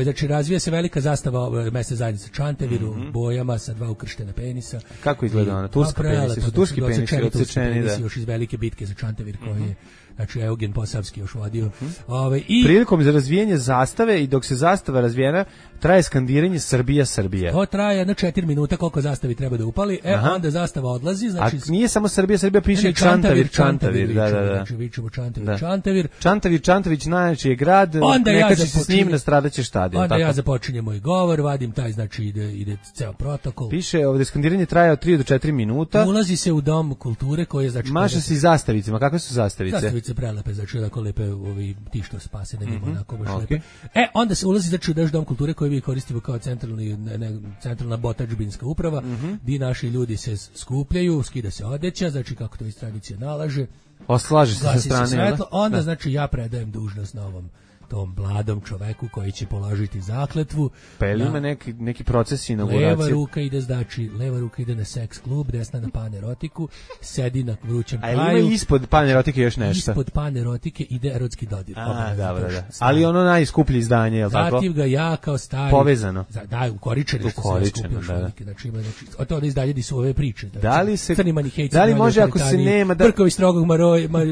Znači, razvija se velika zastava mesne zajednice Čantaviru, bojama sa 2 ukrštena penisa. Kako izgleda ona? Turska penisa? Su turski penisi odsečeni, da. Još iz velike bitke za Čantavir koji je, znači, Eugen Posavski još vodio. Prilikom za razvijanje zastave i dok se zastava razvijena, traje skandiranje Srbija, Srbija. To traje na 4 minuta koliko zastavi treba da upali. Onda zastava odlazi. Znači, a nije samo Srbija, Srbija piše Čantavir. Da. Znači, vičemo Čantavir. Čantavić najjači je grad, neka će se s njim nastradaće štadion. Onda ja započinjem moj govor, vadim taj, znači, ide ceo protokol. Piše ovdje skandiranje traje od 3 do 4 minuta. Ulazi se u dom kulture koji je, znači... Maša se i zastavicama. Kakve su zastavice? Majice prelepe, znači onako lepe ovi ti što se pase na njima, onako baš lepe. Onda se ulazi znači u naš dom kulture koji mi koristimo kao centralna botačbinska uprava, gdje naši ljudi se skupljaju, skida se odeća, znači kako to iz tradicije nalaže. Oslaže se sa strane. Svetlo, onda znači ja predajem dužnost novom tom mladom čoveku koji će položiti zakletvu. Pa je li ima neki proces inauguracije? Leva ruka ide na seks klub, desna na panerotiku, sedi na vrućem čaju. A ima ispod panerotike još nešto? Ispod panerotike ide erotski dodir. Dobro, da. Ali ono najskuplje izdanje, je li tako? Zatim ga ja kao stari... Povezano. Da, ukoričeno što se skupio šolike. Znači ima, to izdanje di su ove priče. Da li može ako se nema... Brkovi strogog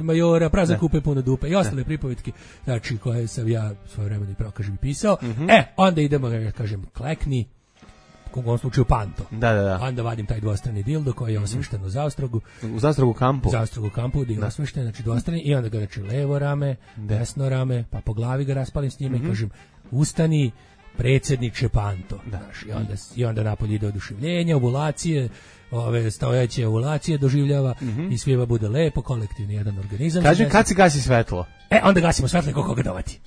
majora, prazan kupe puno dupe i ostale pripovetke, znači koje sam ja svoje vremena i prokažem i pisao. Onda idemo, kažem, klekni, u ovom slučaju panto. Da. Onda vadim taj dvostrani dildo koji je osvešten u Zaostrogu. U Zaostrogu kampu? U Zaostrogu kampu, gdje je osvešten, znači dvostrani, i onda ga znači levo rame, desno rame, pa po glavi ga raspalim s njime i kažem, ustani, predsjedniče panto. I onda napolje ide oduševljenje, ovulacije, stojeće ovulacije doživljava i svima bude lepo, kolektivni jedan organizam. Kažem, kad se gasi svetlo? Onda gasimo svetlo i koliko ga dovati.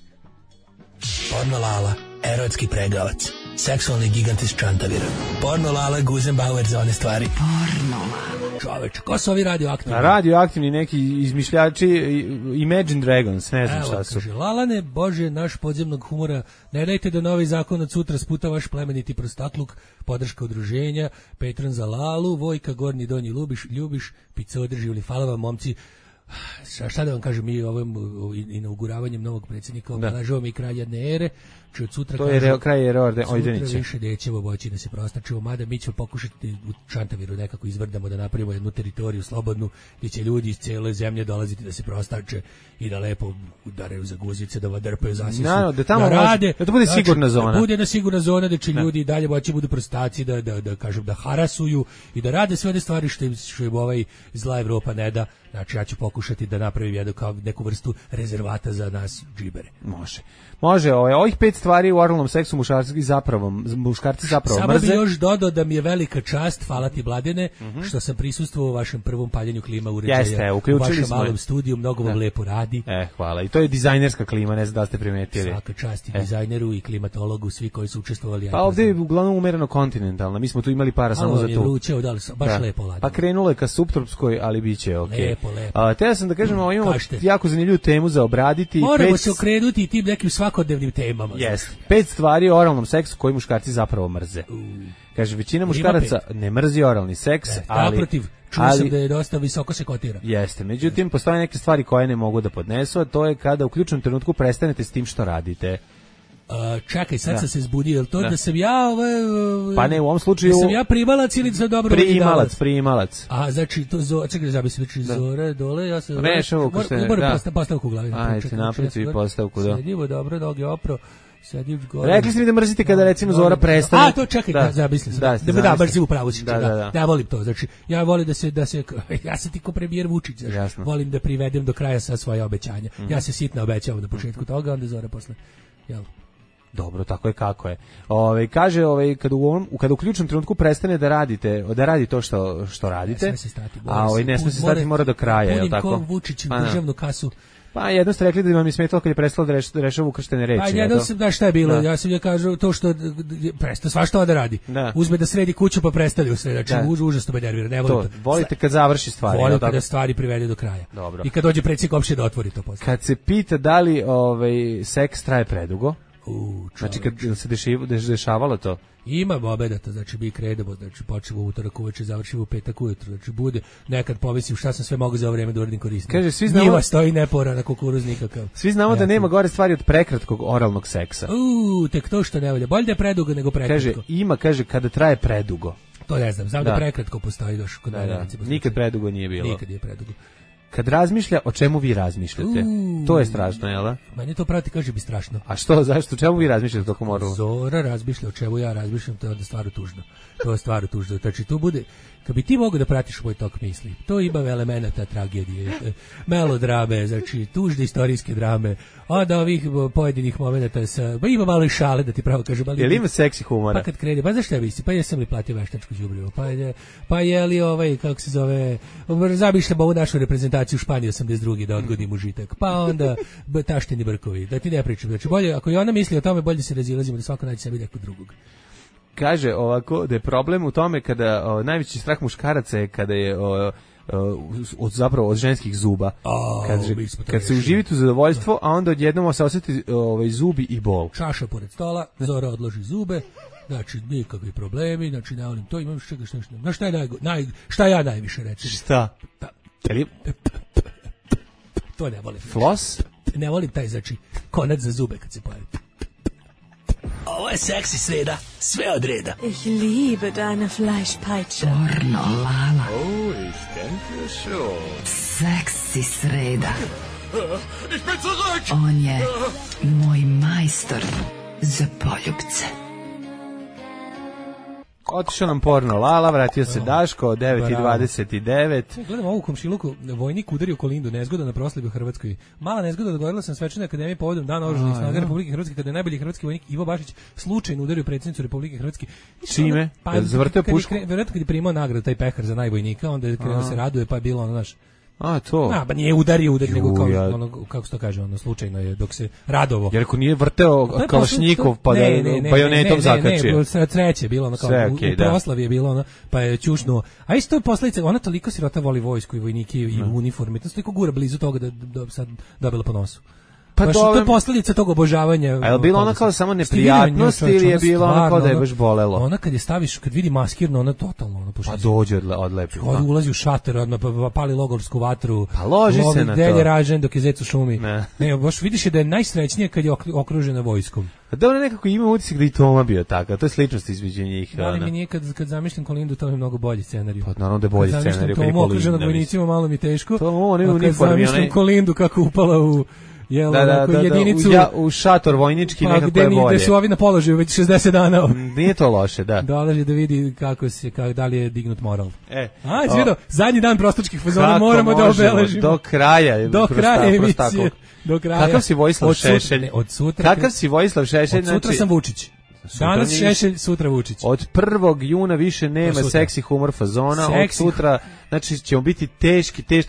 Porno Lala, erotski pregavac, seksualni gigant iz Čantavira. Porno Lala, Guzenbauer za one stvari. Porno Lala. Čoveče, ko su ovi radioaktivni? Radioaktivni neki izmišljači, Imagine Dragons, ne znam šta su. Kaže, Lalane, Bože, naš podzemnog humora, ne dajte da novi zakon od sutra sputa vaš plemeniti prostakluk, podrška udruženja, Petron za Lalu, Vojka, Gornji, Donji, Ljubiš, Pica održivli, hvala vam, momci. Šta da vam kažem, mi ovim inauguravanjem novog predsjednika obeležavamo i kralj jedne ere, či od sutra to je kraj ere Ojdenića. Sutra više nećemo moći da se prostačimo, mada mi ćemo pokušati u Čantaviru nekako izvrdamo da napravimo jednu teritoriju slobodnu gdje će ljudi iz cijele zemlje dolaziti da se prostače i da lepo udaraju za guzice, da vadrpaju zasisu, da rade, da to bude sigurna zona. Da bude jedna sigurna zona da će ljudi dalje moći budu prostaci, da kažem da harasuju i da rade sve one stvari što im ovaj zla Evropa ne da. Znači ja ću pokušati da napravim jednu kao neku vrstu rezervata za nas džibere. Može, ovih 5 stvari u oralnom seksu muškarci zapravo Samo mrze. Samo bi još dodao da mi je velika čast, hvala ti Mladene, što sam prisustvovao u vašem prvom paljenju klima uređaja u vašem malom studiju, mnogo vam lepo radi. Hvala, i to je dizajnerska klima, ne znam da ste primetili. Svaka čast i dizajneru i klimatologu, svi koji su učestvovali. Pa ovdje je uglavnom umereno kontinentalna, mi smo tu imali para samo za to. Vruće, baš lepo ladimo. Pa krenulo je ka subtropskoj, ali bit će okej. Lepo. Te ja sam da kažem, imamo jako zanimljivu temu za obraditi. Moramo se okrenuti i tim nekim svakodnevnim temama. 5 stvari o oralnom seksu koji muškarci zapravo mrze. Kaže, većina muškaraca ne mrzi oralni seks, ali... Naprotiv, čuo sam da je dosta visoko se kotira. Jeste, međutim, postoje neke stvari koje ne mogu da podnesu, a to je kada u ključnom trenutku prestanete s tim što radite. Čekaj, sad sam se zbudio, je li to da sam ja... Pa ne, u ovom slučaju... Da sam ja primalac ili za dobro... Primalac. A, znači, čekaj, zabisi, Zora, dole, ja se... Rešavu, ko ste... Moram postavku u glavi. Ajde, napraviti i postavku, da. Sedivo, dobro, noge opro. Rekli ste mi da mrzite kada recimo Zora prestane. A to čekaj, zamislim sam. Da mrzim upravo si. Da, volim to. Znači, ja volim da se ja sam ti ko premijer Vučić, znači, volim da privedem do kraja sa svoje obećanja. Ja se sitno obećavam na početku toga, onda Zora posle. Jel? Dobro, tako je kako je. Kaže, kada u ključnom trenutku prestane da radi to što radite, ne sme se stati, mora do kraja, je li tako? Punim kog Vučić u državnu kasu. Pa jedno ste rekli da vam je smetalo kad je prestalo da rešava ukrštene reči. Pa jedno sam, da šta je bilo, ja sam je kažu to što presta svašta da radi. Uzme da sredi kuću pa prestali u sredi, znači užasno me nervira, ne volim to. Volite kad završi stvari. Volim kada stvari privede do kraja. Dobro. I kad dođe predsjednik opšte da otvori to posle. Kad se pita da li seks traje predugo, znači kad se dešavalo to? Ima obedata, znači mi krenemo, znači počnemo u utorak uveče, završimo u petak ujutro, znači bude nekad povisim šta sam sve mogu za ovo vreme da uradim koristim. Kaže, svi znamo... Njiva stoji nepora na kukuruz nikakav. Svi znamo da nema gore stvari od prekratkog oralnog seksa. Tek to što ne volja. Bolje da je predugo nego prekratko. Kaže, kada traje predugo. To ne znam da prekratko postoji još kod mene. Nikad predugo nije bilo. Nikad je predugo. Kad razmišlja, o čemu vi razmišljate? To je strašno, jel da? Meni to prati, kaže bi strašno. A što, zašto, o čemu vi razmišljate tokom orala? Zora razmišlja o čemu ja razmišljam, to je onda stvarno tužno. To je stvar tužno. Znači, tu bude, kad bi ti mogao da pratiš moj tok misli, to ima elemenata tragedije, melodrame, znači, tužne istorijske drame, od ovih pojedinih momenata ima malo i šale, da ti pravo kažem. Jel ima seksi humora? Pa kad krene, pa zašto ja misli, pa jesam li platio veštačku đubrivo, pa je li kako se zove, zamišljam ovu našu reprezentaciju u Španiji 82. da odgodim užitak, pa onda tašteni brkovi, da ti ne pričam, znači bolje, ako i ona misli o tome, bolje se razilazimo da svako nađe sebi nekog drugog. Kaže ovako da je problem u tome kada najveći strah muškaraca je kada je zapravo od ženskih zuba. Kad se uživite u zadovoljstvo, a onda odjednom se osjeti zubi i bol. Čaša pored stola, Zora odloži zube, znači nikakvi problemi, znači ne volim to, imam čega što na šta ja najviše recim. Šta? To ne volim. Floss? Ne volim taj, znači, konac za zube kad se pojavi. Ovo je seksi sreda, sve od reda. Ich liebe deine Fleischpeitsche. Pornolala. Oh, ich denke schon. Seksi sreda. Ich bin zurück! On je moj majstor za poljubce. Otišao nam porno Lala, vratio se Daško, 9:29. Gledam ovu komšiluku, vojnik udario Kolindu, nezgoda na proslavi u Hrvatskoj. Mala nezgoda, dogovorila sam Svečanoj akademiji povodom Dana oružanih snaga Republike Hrvatske, kada je najbolji hrvatski vojnik Ivo Bašić slučajno udario predsjednicu Republike Hrvatske. Čime? Zavrteo pušku? Vjerojatno kad je primao nagradu, taj pehar za najvojnika, onda je krenuo se raduje, pa je bilo ono naš... to. Ba nije udario, nego kako se to kaže, slučajno je, dok se radovo. Jer ako nije vrteo kalašnjikov, pa da bajonetom zakačio. Ne, treće je bilo ono kao, u proslavi je bilo ono, pa je ćušnuo. A isto je posledica, ona toliko sirota voli vojsku i vojnike i uniforme, to toliko gura blizu toga da sad dobila po nosu. Pa to je posljedica tog obožavanja. A je li bilo ono kao samo neprijatnost ili je bilo ono kao da je baš bolelo? Ona kad je staviš, kad vidi maskirno, ona totalno ono pa dođe odlepi. Ulazi u šater, odmah pa pali logorsku vatru. Pa loži se na to. Delje ražen dok je zec u šumi. Ne, baš vidiš da je najsrećnije kad je okružena vojskom. A dobro, nekako ima utisak da i Toma bio takav, to je sličnost između njih. Ali mi nije kad zamišljam Kolindu, to je mnogo bolji scenarij. Pa naravno da je bolji scenarij. Kad zamišljam Tomu okruženog vojnicima, malo mi teško. Kad zamišljam Kolindu kako upala u jedinicu u šator vojnički nekako je bolje. Gde su ovi na položaju već 60 dana. Nije to loše, da. Dolazi da vidi da li je dignut moral. Izvijedao, zadnji dan prostačkih fazona moramo da obeležimo. Do kraja emisije. Kakav si Vojislav Šešelj? Kakav si Vojislav Šešelj? Od sutra sam Vučić. Danas Šešelj, sutra Vučić. Od 1. juna više nema seksi humor fazona, od sutra, znači ćemo biti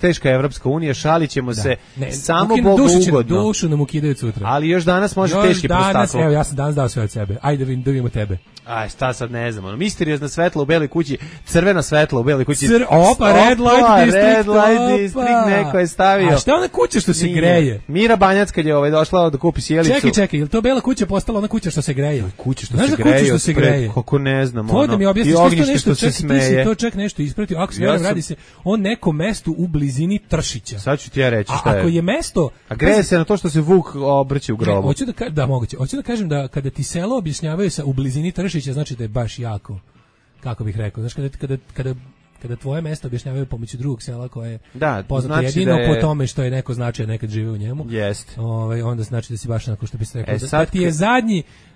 teška Evropska unija, šalit ćemo se samo Bogu ugodno. Dušu nam ukidaju sutra. Ali još danas može teški prostaklo. Evo, ja sam danas dao sve od sebe. Ajde da vidimo tebe. Šta sad ne znam, misteriozna svetla u beloj kući, crvena svetla u beloj kući. Red light district, neko je stavio. A šta ona kuća što se greje? Mira Banjac kad je došla da kupi sjelicu. Čekaj, je li to bela kuća postala ona kuća što se greje? Kuća što se greje. Kako ne znam, to da mi objasniš što se smeje. To ček nešto ispratio. Ako se radi se o nekom mestu u blizini Tršića. Sad ću ti ja reći šta je. Ako je mesto, a greje se na to što se Vuk obrće u grobu. Hoću da kažem da kada ti selo objašnjavaju sa u blizini Tršića, znači da je baš jako, kako bih rekao, znači kada tvoje mesto objašnjavaju pomoću drugog sela koje je poznato znači jedino po tome što je neko značaj nekad žive u njemu, onda znači da si baš onako što bi se rekao,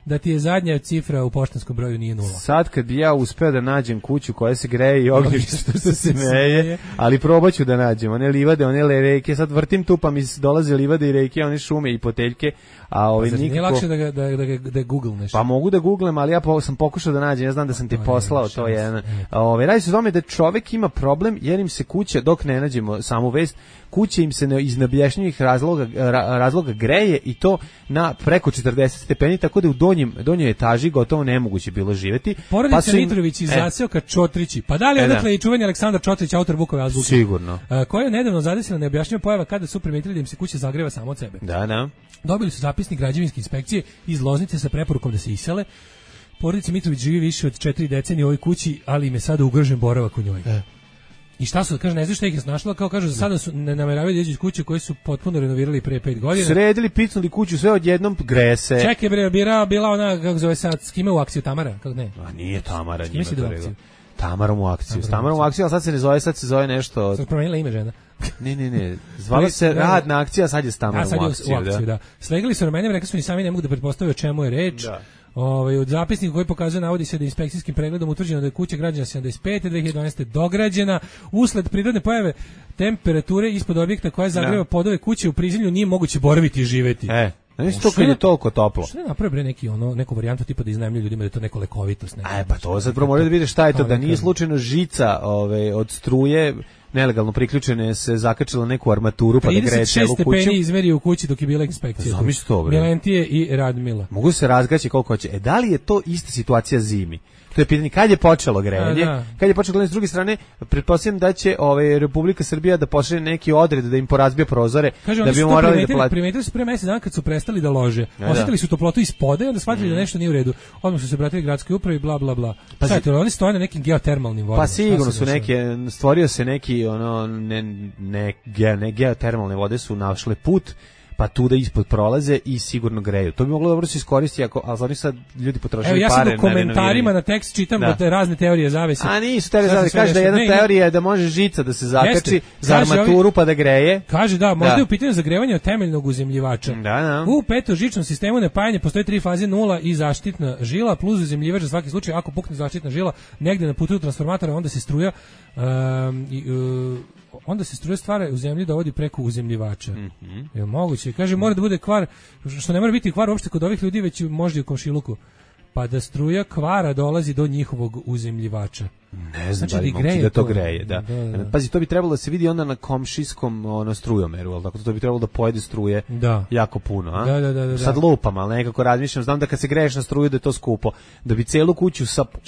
da ti je zadnja cifra u poštanskom broju nije 0. Sad kad bi ja uspeo da nađem kuću koja se greje i ognjište što se smeje, ali probaću da nađem one livade, one reke, sad vrtim tu pa mi dolaze livade i reke, one šume i poteljke, a nikako... Nije lakše da googlneš? Pa mogu da googlem, ali ja sam pokušao da nađem, ja znam da sam ti poslao, to je jedan... Radi se o tome da čovek ima problem jer im se kuća, dok ne nađemo samu vest, kuća im se iz neobjašnjivih razloga greje i to na preko 40 stepeni, tako da u donjoj etaži gotovo nemoguće bilo živjeti. Porodica Mitrović iz zaseoka Čotrići. Pa da li odatle i čuveni Aleksandar Čotrić, autor Vukove azbuke? Sigurno. Koja je nedavno zadesila neobjašnjiva pojava kada su primetili da im se kuća zagreva samo od sebe. Da. Dobili su zapisnik građevinske inspekcije iz Loznice sa preporukom da se isele. Porodica Mitrović živi više od 4 decenije u ovoj kući, ali im je sada ugrožen boravak u njoj. I šta su, kaže, ne znaš šta ih je snašla, kao kažu, za sada su ne nameravaju da iđu iz kuće koje su potpuno renovirali prije 5 godina. Sredili, picnuli kuću, sve odjednom grese. Čekaj, bila ona, kako zove sad, s kime u akciju, Tamara? Kako ne? A nije Tamara, njima to rekao. Tamarom u akciju. S Tamarom u akciju, ali sad se zove nešto... Sad promenila ime žena. Ne. Zvala se Rad na akcija, a sad je s Tamarom u akciju. Da. Slegli su ramenjem, rekli su ni sami ne mogu da pretpostavljaju o čemu je reč. Od zapisnika koji pokazuje, navodi se da je inspekcijskim pregledom utvrđeno da je kuća građana 75. 2012. dograđena. Usled prirodne pojave temperature ispod objekta koja zagreva podove kuće u prizemlju nije moguće boraviti i živeti. Znači to kad je toliko toplo. Što ne napravi neku varijantu tipa da iznajmljuju ljudima da je to neko lekovitost. Pa to sad prvo morate da vidite šta je to, da nije slučajno žica od struje nelegalno priključene se zakačila neku armaturu pa da greje celu kuću. 36 stepeni izmerio u kući dok je bila inspekcija. Zamisli to, bre. Milentije i Radmila. Mogu se razgaći koliko hoće. Da li je to ista situacija zimi? To je pitanje kad je počelo grejanje. Kad je počelo grejanje, s druge strane, pretpostavljam da će Republika Srbija da pošalje neki odred da im porazbije prozore. Kaže, da bi morali da plate. Primetili su pre mesec dana kad su prestali da lože. Osetili su toplotu ispoda i onda shvatili da nešto nije u redu. Odmah su se obratili gradskoj upravi, bla bla bla. Pa sad oni stoje na nekim geotermalnim vodama. Pa sigurno su stvorio se neki geotermalne vode su našle put, pa tu da ispod prolaze i sigurno greju. To bi moglo dobro se iskoristiti, ali oni sad ljudi potrošili pare. Ja sad u komentarima na tekst čitam da razne teorije zavese. A nisu teorije zavese, kaže da jedna teorija je da može žica da se zakači za armaturu pa da greje. Kaže da, možda je u pitanju zagrevanja temeljnog uzemljivača. U petožičnom sistemu napajanja postoje 3 faze, 0 i zaštitna žila, plus uzemljivač za svaki slučaj. Ako pukne zaštitna žila negde na putu transformatora, onda se struja stvara u zemlji dovodi preko uzemljivača. Je moguće. Kaže, mora da bude kvar, što ne mora biti kvar uopšte kod ovih ljudi, već možda i u komšiluku. Pa da struja kvara dolazi do njihovog uzemljivača. Ne znam, znači, da to greje, da. Pazi, to bi trebalo da se vidi onda na komšijskom strujomeru, ali tako to bi trebalo da pojede struje jako puno, a? Da. Sad lupam, ali nekako razmišljam, znam da kad se greješ na struju da je to skupo, da bi celu kuću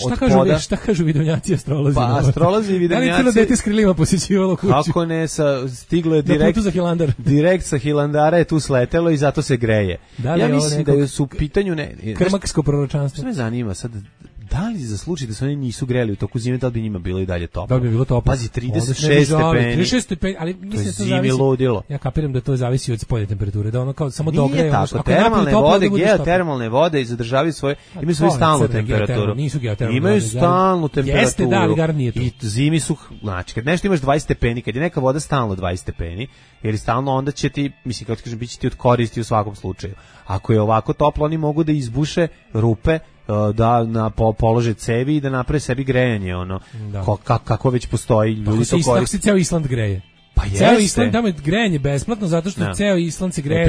od poda... Šta kažu vidovnjaci astrolozi? Pa astrolozi i vidovnjaci... Da li celo dete s krilima posjećivalo kuću? Kako ne, stiglo je direkt sa Hilandara je tu sletelo i zato se greje. Ja mislim da su u pitanju... Krmaksko proročanstvo. Što me zanima sad... Da li za slučaj da se oni nisu greli u toku zime, da li bi njima bilo i dalje toplo? Da bi bilo toplo. Pazi, 36 stepeni. 36 stepeni, ali mislim da to zavisi. Ludilo. Ja kapiram da to zavisi od spoljne temperature, da ono kao samo dogreje. Nije tako, termalne vode zadržavaju svoje, imaju svoju stalnu temperaturu. Nisu geotermalne. Imaju stalnu temperaturu. Jeste, da, ali gar nije to. I zimi su, znači, kad nešto imaš 20 stepeni, kad je neka voda stalno 20 stepeni, jer stalno onda će ti, mislim, kako kažem, bit će ti od koristi u svakom slučaju. Ako je ovako toplo, oni mogu da izbuše rupe, da polože cevi i da naprave sebi grejanje, kako već postoji, ljudi to koriste. Tako se ceo Island greje. Pa jeste. Ceo Island, tamo je grejanje besplatno, zato što ceo Island se greje.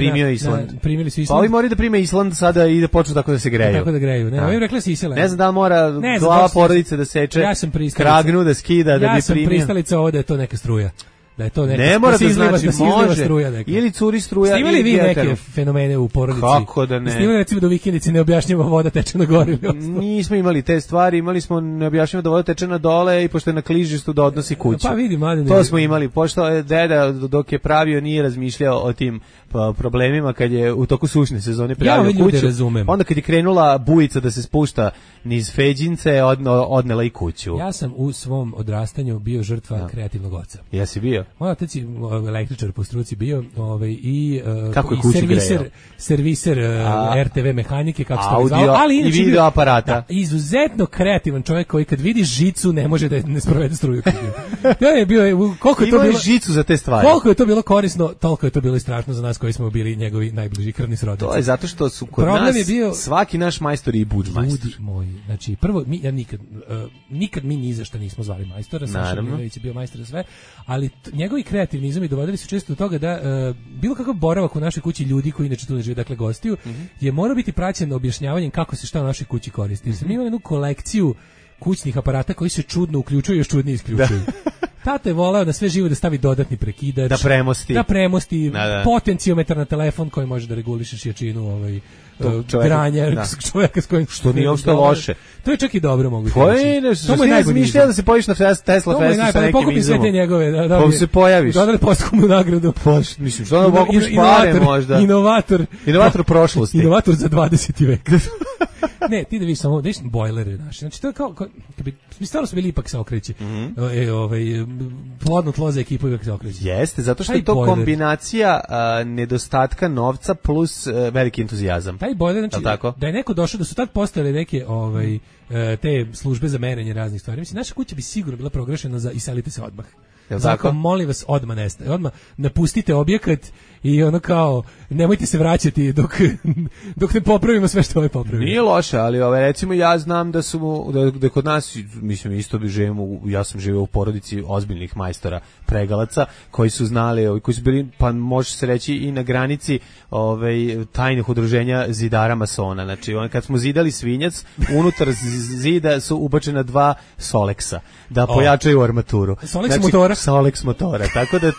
Primili su Island. Pa ovi moraju da prime Island sada i da počnu tako da se greju. Tako da greju, ne, ovi rekli se isele. Ne znam da li mora glava porodice da seče, kragnu da skida, da bi primio. Ja sam pristalica ovo da je to neka struja. Da je to neka, ne mora da znači može struja ili curi struja. Snimali vi neke fenomene u porodici? Kako da ne? Snimali recimo da u vikendici ne objašnjava voda teče na gore. Nismo imali te stvari, imali smo ne objašnjava da voda teče na dole i pošto je na klizištu da odnosi kuću. Pa vidi, mladen. To smo imali, pošto je deda dok je pravio nije razmišljao o tim problemima kad je u toku sušne sezone pravio kuću. Onda kad je krenula bujica da se spušta niz Feđince, odnela i kuću. Ja sam u svom odrastanju bio žrtva kreativnog oca. Jesi bio? Moj otac je električar po struci bio, i serviser RTV mehanike, kako se to zvao, ali i video aparata. Izuzetno kreativan čovjek koji kad vidi žicu ne može da ne sprovede struju. To je bio, koliko je to bilo žicu za te stvari. Koliko je to bilo korisno, toliko je to bilo i strašno za nas koji smo bili njegovi najbliži krvni srodnici. To je zato što su kod nas svaki naš majstor i budžmajstor. Ljudi moji, znači prvo ja nikad mi ni za šta nismo zvali majstora, Saša Miljević je bio majstor za sve, ali njegovi kreativni izumi dovodili su često do toga da bilo kakav boravak u našoj kući ljudi koji inače tu ne žive, dakle gostiju, je morao biti praćen objašnjavanjem kako se šta u našoj kući koristi. Jer sam imao jednu kolekciju kućnih aparata koji se čudno uključuju i još čudnije isključuju. Tata je voleo da sve živo da stavi dodatni prekidač, da premosti potenciometar na telefon koji može da regulišeš jačinu granja čovjeka s kojim što nije uopšte loše. To je čak i dobro mogu reći. To mu je najbolje da se pojaviš na Tesla festu sa nekim izumom. Sve te njegove, pa se pojaviš. Dodali postkomu nagradu. Mislim, što da mogu pare možda. Inovator prošlosti. Inovator za 20. vek. Ne, ti da vidiš samo, da vidiš bojlere naši. Znači, to je kao mi stvarno smo bili ipak se okreći. Plodno tlo za ekipu ipak se okreći. Jeste, zato što je to kombinacija nedostatka novca plus veliki entuzijazam. Taj bojler, znači, da je neko došao, da su tad postojale neke te službe za merenje raznih stvari. Mislim, naša kuća bi sigurno bila proglašena za iselite se odmah. Jel Zato tako? molim vas, odmah nestaje. Odmah napustite objekat i ono kao, nemojte se vraćati dok ne popravimo sve što ovaj popravimo. Nije loše, ali recimo ja znam da kod nas, mislim isto bi živimo, ja sam živeo u porodici ozbiljnih majstora pregalaca koji su znali, koji su bili, pa može se reći i na granici tajnih udruženja zidara masona. Znači, kad smo zidali svinjac, unutar zida su ubačena 2 Solexa da pojačaju armaturu. Solex motora? Solex motora. Tako da,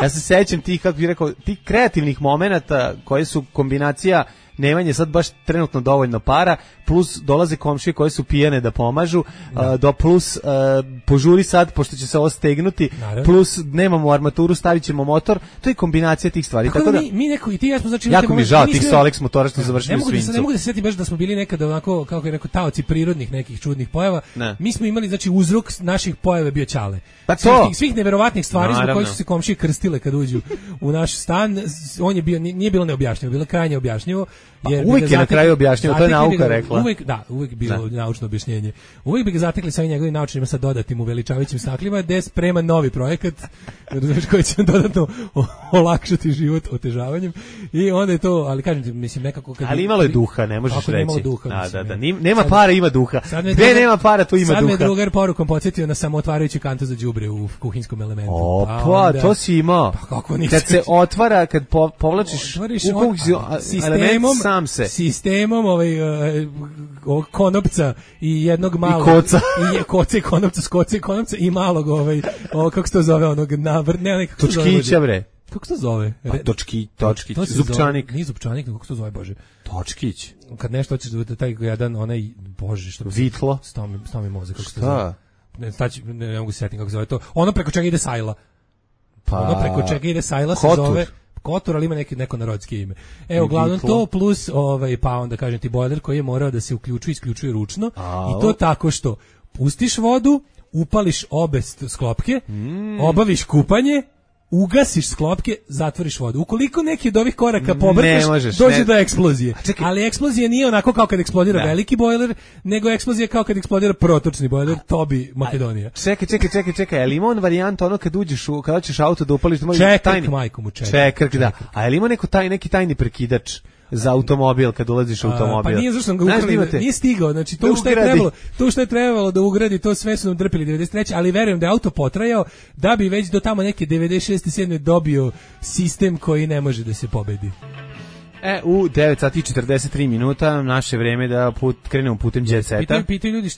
ja se sećam tih, kako bih rekao, tih kreativnih momenata koje su kombinacija nemanje sad baš trenutno dovoljno para, plus dolaze komšije koje su pijene da pomažu, plus požuri sad, pošto će se ovo stegnuti, plus nemamo armaturu, stavit ćemo motor, to je kombinacija tih stvari. Tako da mi neko, i ti ja smo, znači, jako mi žao tih Solex motora što završili u svinjcu. Ne mogu da se setim baš da smo bili nekada onako, kako je rekao, taoci prirodnih nekih čudnih pojava. Mi smo imali, znači, uzrok naših pojava bio Ćale. Svih neverovatnih stvari zbog kojih su se komšije krstile kad uđu u naš stan, on je bio, nije bilo neobjašnjivo, bilo krajnje objašnjivo. Uvijek je na kraju objašnjivo, to je nauka rekla. Uvijek bilo naučno objašnjenje. Uvijek bi ga zatekli sa ovim njegovim naučnima sa dodatnim uveličavajućim staklima, gde sprema novi projekat koji će dodatno olakšati život otežavanjem. I onda je to, ali kažem ti, mislim, nekako... Ali imalo je duha, ne možeš reći. Nemalo duha. Nema para, ima duha. Gde nema para, tu ima duha. Sad me drugar porukom podsjetio na samootvarajući kantu za đubre u kuhinskom elementu. Opa, to si imao. Kad se otvara, kad povlačiš element sam se. Sistemom ovog konopca i jednog malog... I koca. I koce i konopca, skoce i konopca i malog kako se to zove, onog Točkića, bre. Kako se to zove? Točkić, zupčanik. Nije zupčanik, kako se to zove, Bože? Točkić. Kad nešto hoćeš da taj jedan, onaj, Bože, što... Vitlo. Stao mi mozak, kako se to zove. Ne mogu se setiti kako se zove to. Ono preko čega ide sajla. Ono preko čega ide sajla se zove... Kotur, ali ima neko narodske ime. Uglavnom to plus, pa onda kažem ti bojler koji je morao da se isključuje ručno i to tako što pustiš vodu, upališ obe sklopke, obaviš kupanje, ugasiš sklopke, zatvoriš vodu. Ukoliko neki od ovih koraka pobrkaš, dođe do eksplozije. Ali eksplozija nije onako kao kad eksplodira veliki bojler, nego eksplozija kao kad eksplodira protočni bojler, to bi Makedonija. Čekaj, ali ima on varijanta ono kad uđeš, kada ćeš auto da upališ... Čekrk, majko mu čekrk, da. A je li ima neki tajni prekidač za automobil kad ulaziš u automobil? Pa nije zašto sam ga ukrali, nije stigao, znači to što je trebalo da ugradi, to sve su nam drpili 93. ali verujem da je auto potrajao da bi već do tamo neke 96. 7. dobio sistem koji ne može da se pobedi. U 9 sati i 43 minuta naše vreme da krenemo putem jet seta. Pitaju ljudi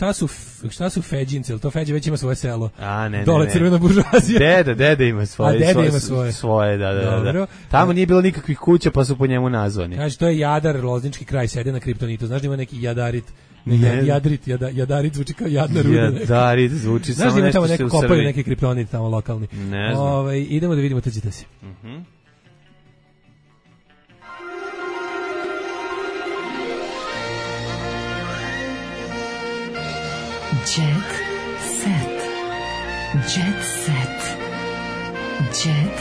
šta su feđinci, jel to Feđa već ima svoje selo? Ne. Dole crvena buržuazija. Deda ima svoje. Deda ima svoje. Svoje, da. Tamo nije bilo nikakvih kuća pa su po njemu nazvani. Kaže, to je Jadar, Loznički kraj, sede na Kriptonitu. Znaš da ima neki Jadarit? Jadarit zvuči kao jadna ruda. Jadarit zvuči samo nešto se u Srbiji. Kopaju neki kriptonit tamo lokalni. Ne znam. Idemo da vidimo, trčite si. Jet set. Jet set. Jet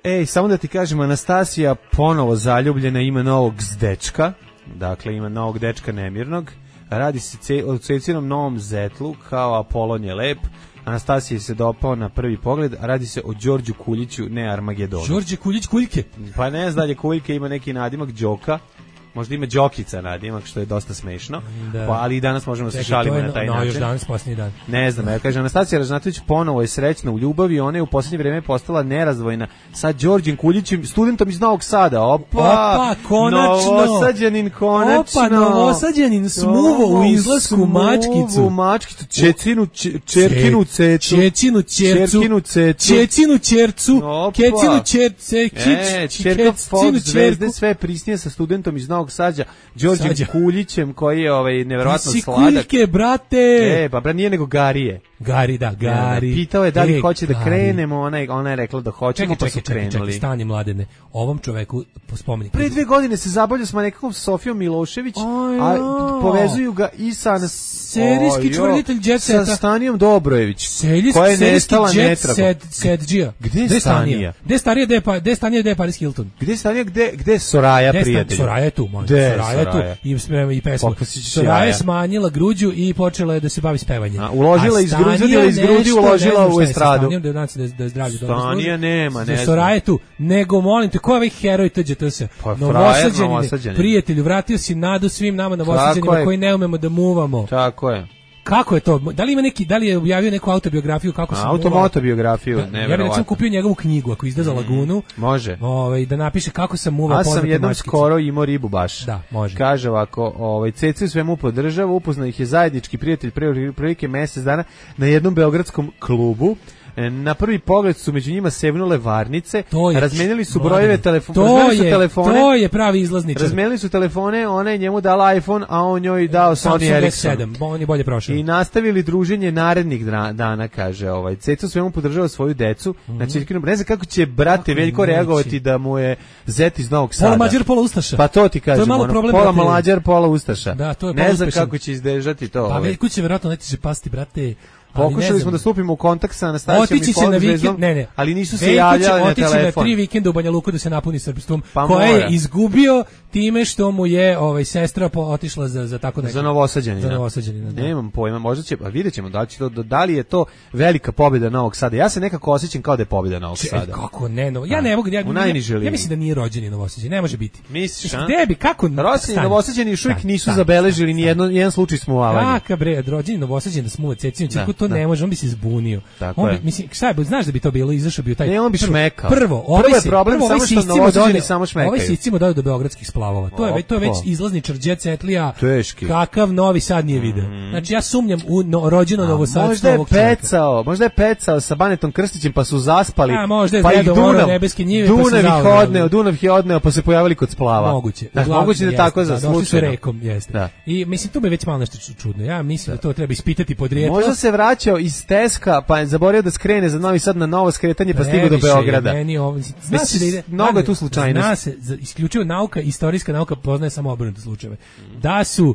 set. Samo da ti kažem, Anastasija ponovo zaljubljena, ima novog dečka. Dakle, ima novog dečka nemirnog. Radi se o Cecinom novom zetlu, kao Apolon je lep. Anastasija se dopao na prvi pogled, a radi se o Đorđu Kuljiću, ne Armagedonu. Đorđe Kuljić Kuljke? Pa ne znam da je Kuljke, ima neki nadimak Đoka. Možda ima Đokica nadimak, što je dosta smešno, ali i danas možemo se šalimo na taj način. Još danas, posljednji dan. Ne znam, kaže, Anastasija Ražnatović ponovo je srećna u ljubavi, ona je u posljednje vrijeme postala nerazdvojna sa Đorđem Kuljićem, studentom iz Novog Sada. Opa, konačno! Novosađanin, konačno! Opa, Novosađanin smuvo u izlasku Mačkicu. Čerkinu cecu. Čecinu čercu. Kecinu čerka Fox zvezde, sve prisnije sa studentom iz Novog Sađa, Đorđem Kuljićem, koji je nevjerovatno sladak. Si Kuljke, brate! Pa nije nego Garije. Gari, Gari. Pitao je da li hoće da krenemo, ona je rekla da hoćemo, pa su krenuli. Čekaj, stani Mladene. Ovom čoveku spomenik. Pre 2 godine se zabavljao s nekakvom Sofijom Milošević, a povezuju ga i sa serijski čvrljitelj Jet Seta. Sa Stanijom Dobrojević, koja je nestala netragom. Sedžija. Gde je Stanija? Gde je Stanija, gde je Paris Hilton? Gde je Stanija, gde je Soraja, prijatelj? Soraja je tu, Soraja je tu. I pesma. Soraja je smanjila gruđu i počela je da se bavi s pevanjem. Uložila iz grudi, uložila u estradu. Da je zdravlje dobro. Stanija nema, ne znam. Soraja je tu. Nego, molim te, ko je ovaj heroj TGTS? Novosađanine, prijatelju, vratio si nadu svim nama novosađanima koji ne umemo da muvamo. Tako je. Kako je to? Da li je objavio neku autobiografiju kako se automotobiografiju, ja bih recimo kupio njegovu knjigu ako izda za Lagunu. Može. Da napiše kako sam muvao poznate mačkice. A sam jednom skoro imao ribu baš. Da, može. Kaže ovako, Ceci u svemu podržava, upoznao ih je zajednički prijatelj prilike mesec dana na jednom beogradskom klubu. Na prvi pogled su među njima sevnule varnice, razmenili su brojeve telefona. To je pravi izlazničar. Razmenili su telefone, ona je njemu dala iPhone, a on njoj dao Sony Ericsson. On je bolje prošao. I nastavili druženje narednih dana, kaže Ceca svemu podržava svoju decu. Znači, ne znam kako će brate Veljko reagovati da mu je zet iz Novog Sada. Pola Mađar, pola Ustaša. Pa to ti kažem, pola Mađar, pola Ustaša. Da, to je ne znam kako će izdržati to. Pa Veljko će verovatno neće pasti, brate. Pokušali smo da stupimo u kontakt sa Anastasijom i Polzvezom, ali nisu se javljali na telefon. Otići na 3 vikenda u Banja Luku da se napuni srpstvom, koje je izgubio time što mu je sestra otišla za tako nešto. Za Novosađanina. Nemam pojma, možda će, vidjet ćemo da li je to velika pobjeda Novog Sada. Ja se nekako osjećam kao da je pobjeda Novog Sada. Kako ne, ja ne mogu, ja mislim da nije rođeni Novosađanin, ne može biti. Misliš, a? Gde bi, kako? Rođeni Novosađani još uvijek nisu zabeležili ni jedan slučaj smuvavanja. Kaka bre, rođeni Novosađanin da smuva Cecinu, to ne može, on bi se zbunio. Mislim, šta je, znaš da bi to bilo, izašao bi taj. Ne, on bi šmekao. Prvo je problem samo što Novosađani samo šmekaju. Ovaj siscimo daju do beogradskih splavova. To je već izlazničar Jet Setlija. Kakav Novi Sad nije video. Znači ja sumnjam u rođeno Novosadstvo ovog čovjeka. Možda je pecao sa Banetom Krstićem pa su zaspali. Pa ih Dunav ih je odneo pa se pojavili kod splava. Moguće da tako za slučaj. I mislim tu me već malo nešto čudno. Ja mislim da to treba ispitati podrijetlo. Možda se vraćao iz Teska, pa je zaboravio da skrene za Novi Sad na novo skretanje, pa stigao do Beograda. Mnogo je tu slučajnost. Zna se, isključivo nauka, istorijska nauka poznaje samo obrnute slučajeve. Da su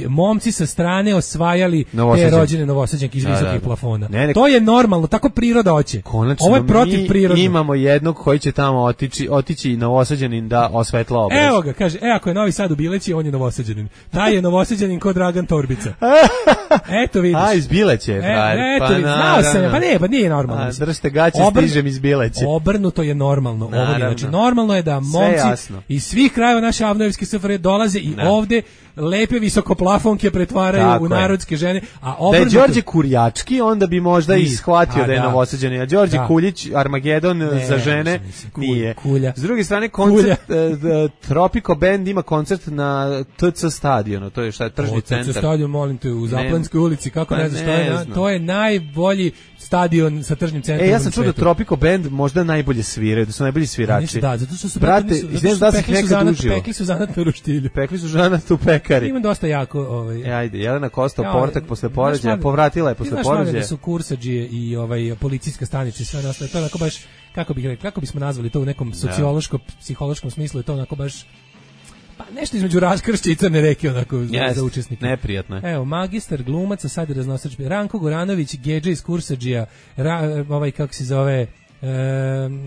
momci sa strane osvajali te rođene Novosađanke iz visokih plafona. To je normalno, tako priroda hoće. Ovo je protiv prirode. Imamo jednog koji će tamo otići Novosađanin da osvetla obraz. Evo ga, kaže, ako je Novi Sad u Bileći, on je Novosađanin. Taj je Novosađanin kod Dragan Torbica. Eto vidiš. A, iz Bileće. Eto vidiš, znao sam, pa nije normalno. Držite gaće, stižem iz Bileće. Obrnuto je normalno. Znači, normalno je da momci iz svih krajeva naše Avnojevske SFRJ dolaze i ovde lepe visokoplafonke pretvaraju u narodske žene, a obrnuto... Da je Đorđe Kurjački, onda bi možda i shvatio da je Novosađanin, a Đorđe Kuljić, Armagedon za žene, nije. S druge strane, koncert, Tropico Band ima koncert na TC stadionu, to je šta je tržni centar. TC stadion, molim te, u Zaplanskoj ulici, kako ne znaš, to je najbolji stadion sa tržnim centrom. Ja sam čuo da Tropico Band možda najbolje sviraju, da su najbolji svirači. Da, zato što su pekli su zanat na roštilju. Pekli su zanat u pekari. Ima dosta jako... Ajde, Jelena Kosta, Portak posle poređaja, povratila je posle poređaja. Znaš da su kursadžije i policijska stanica i sve nastaje. To je onako baš, kako bismo nazvali to u nekom sociološko-psihološkom smislu, je to onako baš... Pa nešto između Raskršća i Crne reke onako za učesnike. Neprijatno je. Evo, magistar glumaca, sad je raznosač. Ranko Goranović, Gedža iz Kursadžija, kako se zove...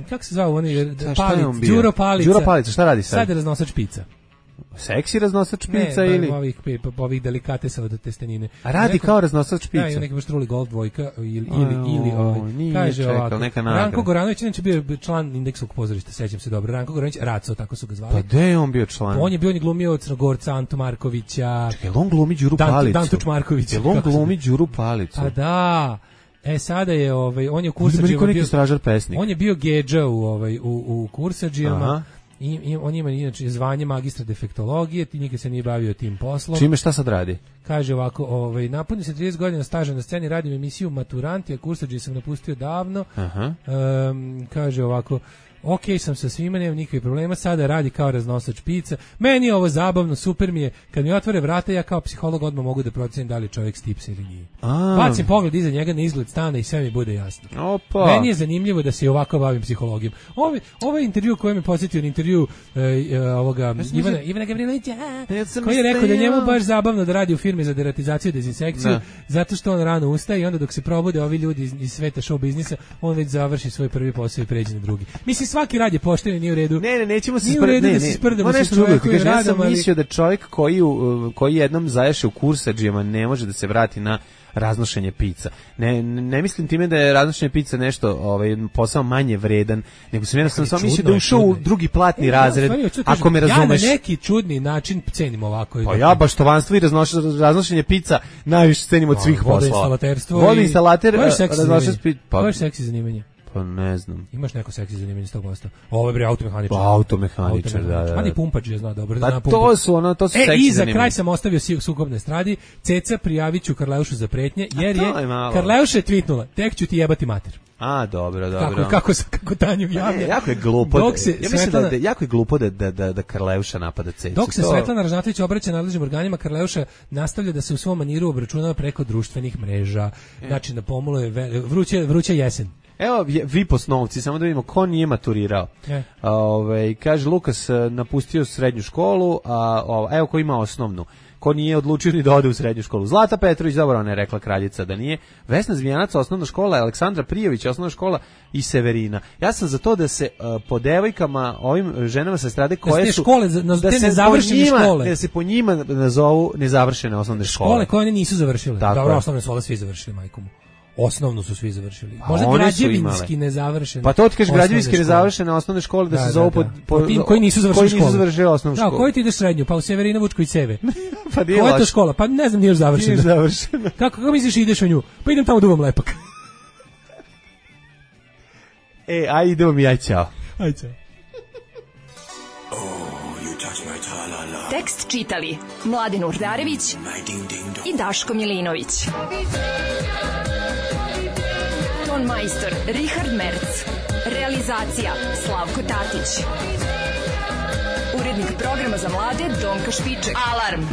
kako se zvao oni? Đuro Palica. Đuro Palica, šta radi sad? Sad je raznosač pica. Seksi raznosač pica ili? Ovih delikatesa od testenine. A radi kao raznosač pica? Da, i neki baš truli Gold dvojka ili kaže ovako. Ranko Goranović, inače bio član Indeksovog pozorišta, sećam se dobro. Ranko Goranović, Raco, tako su ga zvali. Pa gde je on bio član? On je glumio Crnogorca, Antu Markovića. Čekaj, on glumi Đuru Palicu? Dantuč Marković. On glumi Đuru Palicu? A da... sada je on je u Kursadžijama bio stražar pesnik. On je bio Gedža u Kursadžijama. I on ima inače zvanje magistra defektologije, nikad se nije bavio tim poslom. Čime, šta sad radi? Kaže ovako, napunio se 30 godina staža na sceni, radim emisiju Maturanti, a Kursadžije sam napustio davno. Kaže ovako, ok sam sa svima, nemam nikakvih problema, sada radi kao raznosač pizza. Meni je ovo zabavno, super mi je. Kad mi otvore vrata, ja kao psiholog odmah mogu da procenim da li je čovjek stipsa ili nije. Bacim pogled iza njega na izgled stana i sve mi bude jasno. Opa. Meni je zanimljivo da se i ovako bavim psihologijom. Ovaj intervju koji me posjetio na intervju ovoga Ivana Gavrilovića, koji je rekao da njemu baš zabavno da radi u firmi za deratizaciju i dezinsekciju, zato što on rano ustaje i onda dok se probude ovi ljudi iz sveta show biznisa, on već završi svoj prvi posao i pređe na drugi. Mislim, svaki rad je pošten i nije u redu. Ne, nećemo se sprdamo nešto drugo. Ja sam mislio da čovjek koji jednom zaješe u kursadžijama ne može da se vrati na raznošenje pizza. Ne mislim time da je raznošenje pizza nešto posao manje vredan, nego sam jednostavno samo mislio da ušao u drugi platni razred, ako me razumeš. Ja na neki čudni način cenim ovako. Pa ja baštovanstvo i raznošenje pizza najviše cenim od svih poslova. Vodoinstalater, Koje seksi zanimanje? Pa ne znam. Imaš neko seksi zanimanje 100%? Ovo je bre automehaničar. Pa automehaničar, da. Mani pumpač je zna dobro. Pa to su seksi zanimanje. I za kraj sam ostavio sukobne stradi. Ceca, prijavit ću Karleušu za pretnje, jer je Karleuša je tvitnula, tek ću ti jebati mater. A, dobro. Kako Tanju javlja. Jako je glupo. Ja mislim da jako je glupo da Karleuša napada Cecu. Dok se Svetlana Ražnatović obraća nadležnim organima, Karleuša nastavlja da se u svom maniru obračunava preko društvenih mreža. Znači, na pomolu je vruća jesen. Evo, vi posnovci, samo da vidimo ko nije maturirao. Kaže, Lukas napustio srednju školu, a evo ko ima osnovnu. Ko nije odlučio ni da ode u srednju školu. Zlata Petrović, dobro, ona je rekla kraljica da nije. Vesna Zvijanac, osnovna škola, Aleksandra Prijović, osnovna škola i Severina. Ja sam za to da se po devojkama, ovim ženama sa strade koje su... Da se po njima nazovu nezavršene osnovne škole. Škole koje one nisu završile. Dobro, osnovne škole svi završili, majkomu. Osnovno su svi završili. Možda građevinski nezavršene. Pa to ti kažeš građevinski nezavršene osnovne škole da se zovu po tim koji nisu završili osnovnu školu. Da, koji ti ideš srednju? Pa u Severina Vučković Seve. Pa koja je to škola? Pa ne znam, nije još završena. Kako misliš ideš u nju? Pa idem tamo duvam lepak. Aj idemo mi, aj ćao. Aj ćao. Tekst čitali Mladen Urdarević i Daško Milinović. Ton majstor Richard Merc. Realizacija Slavko Tatić. Urednik programa za mlade Donka Špiček. Alarm!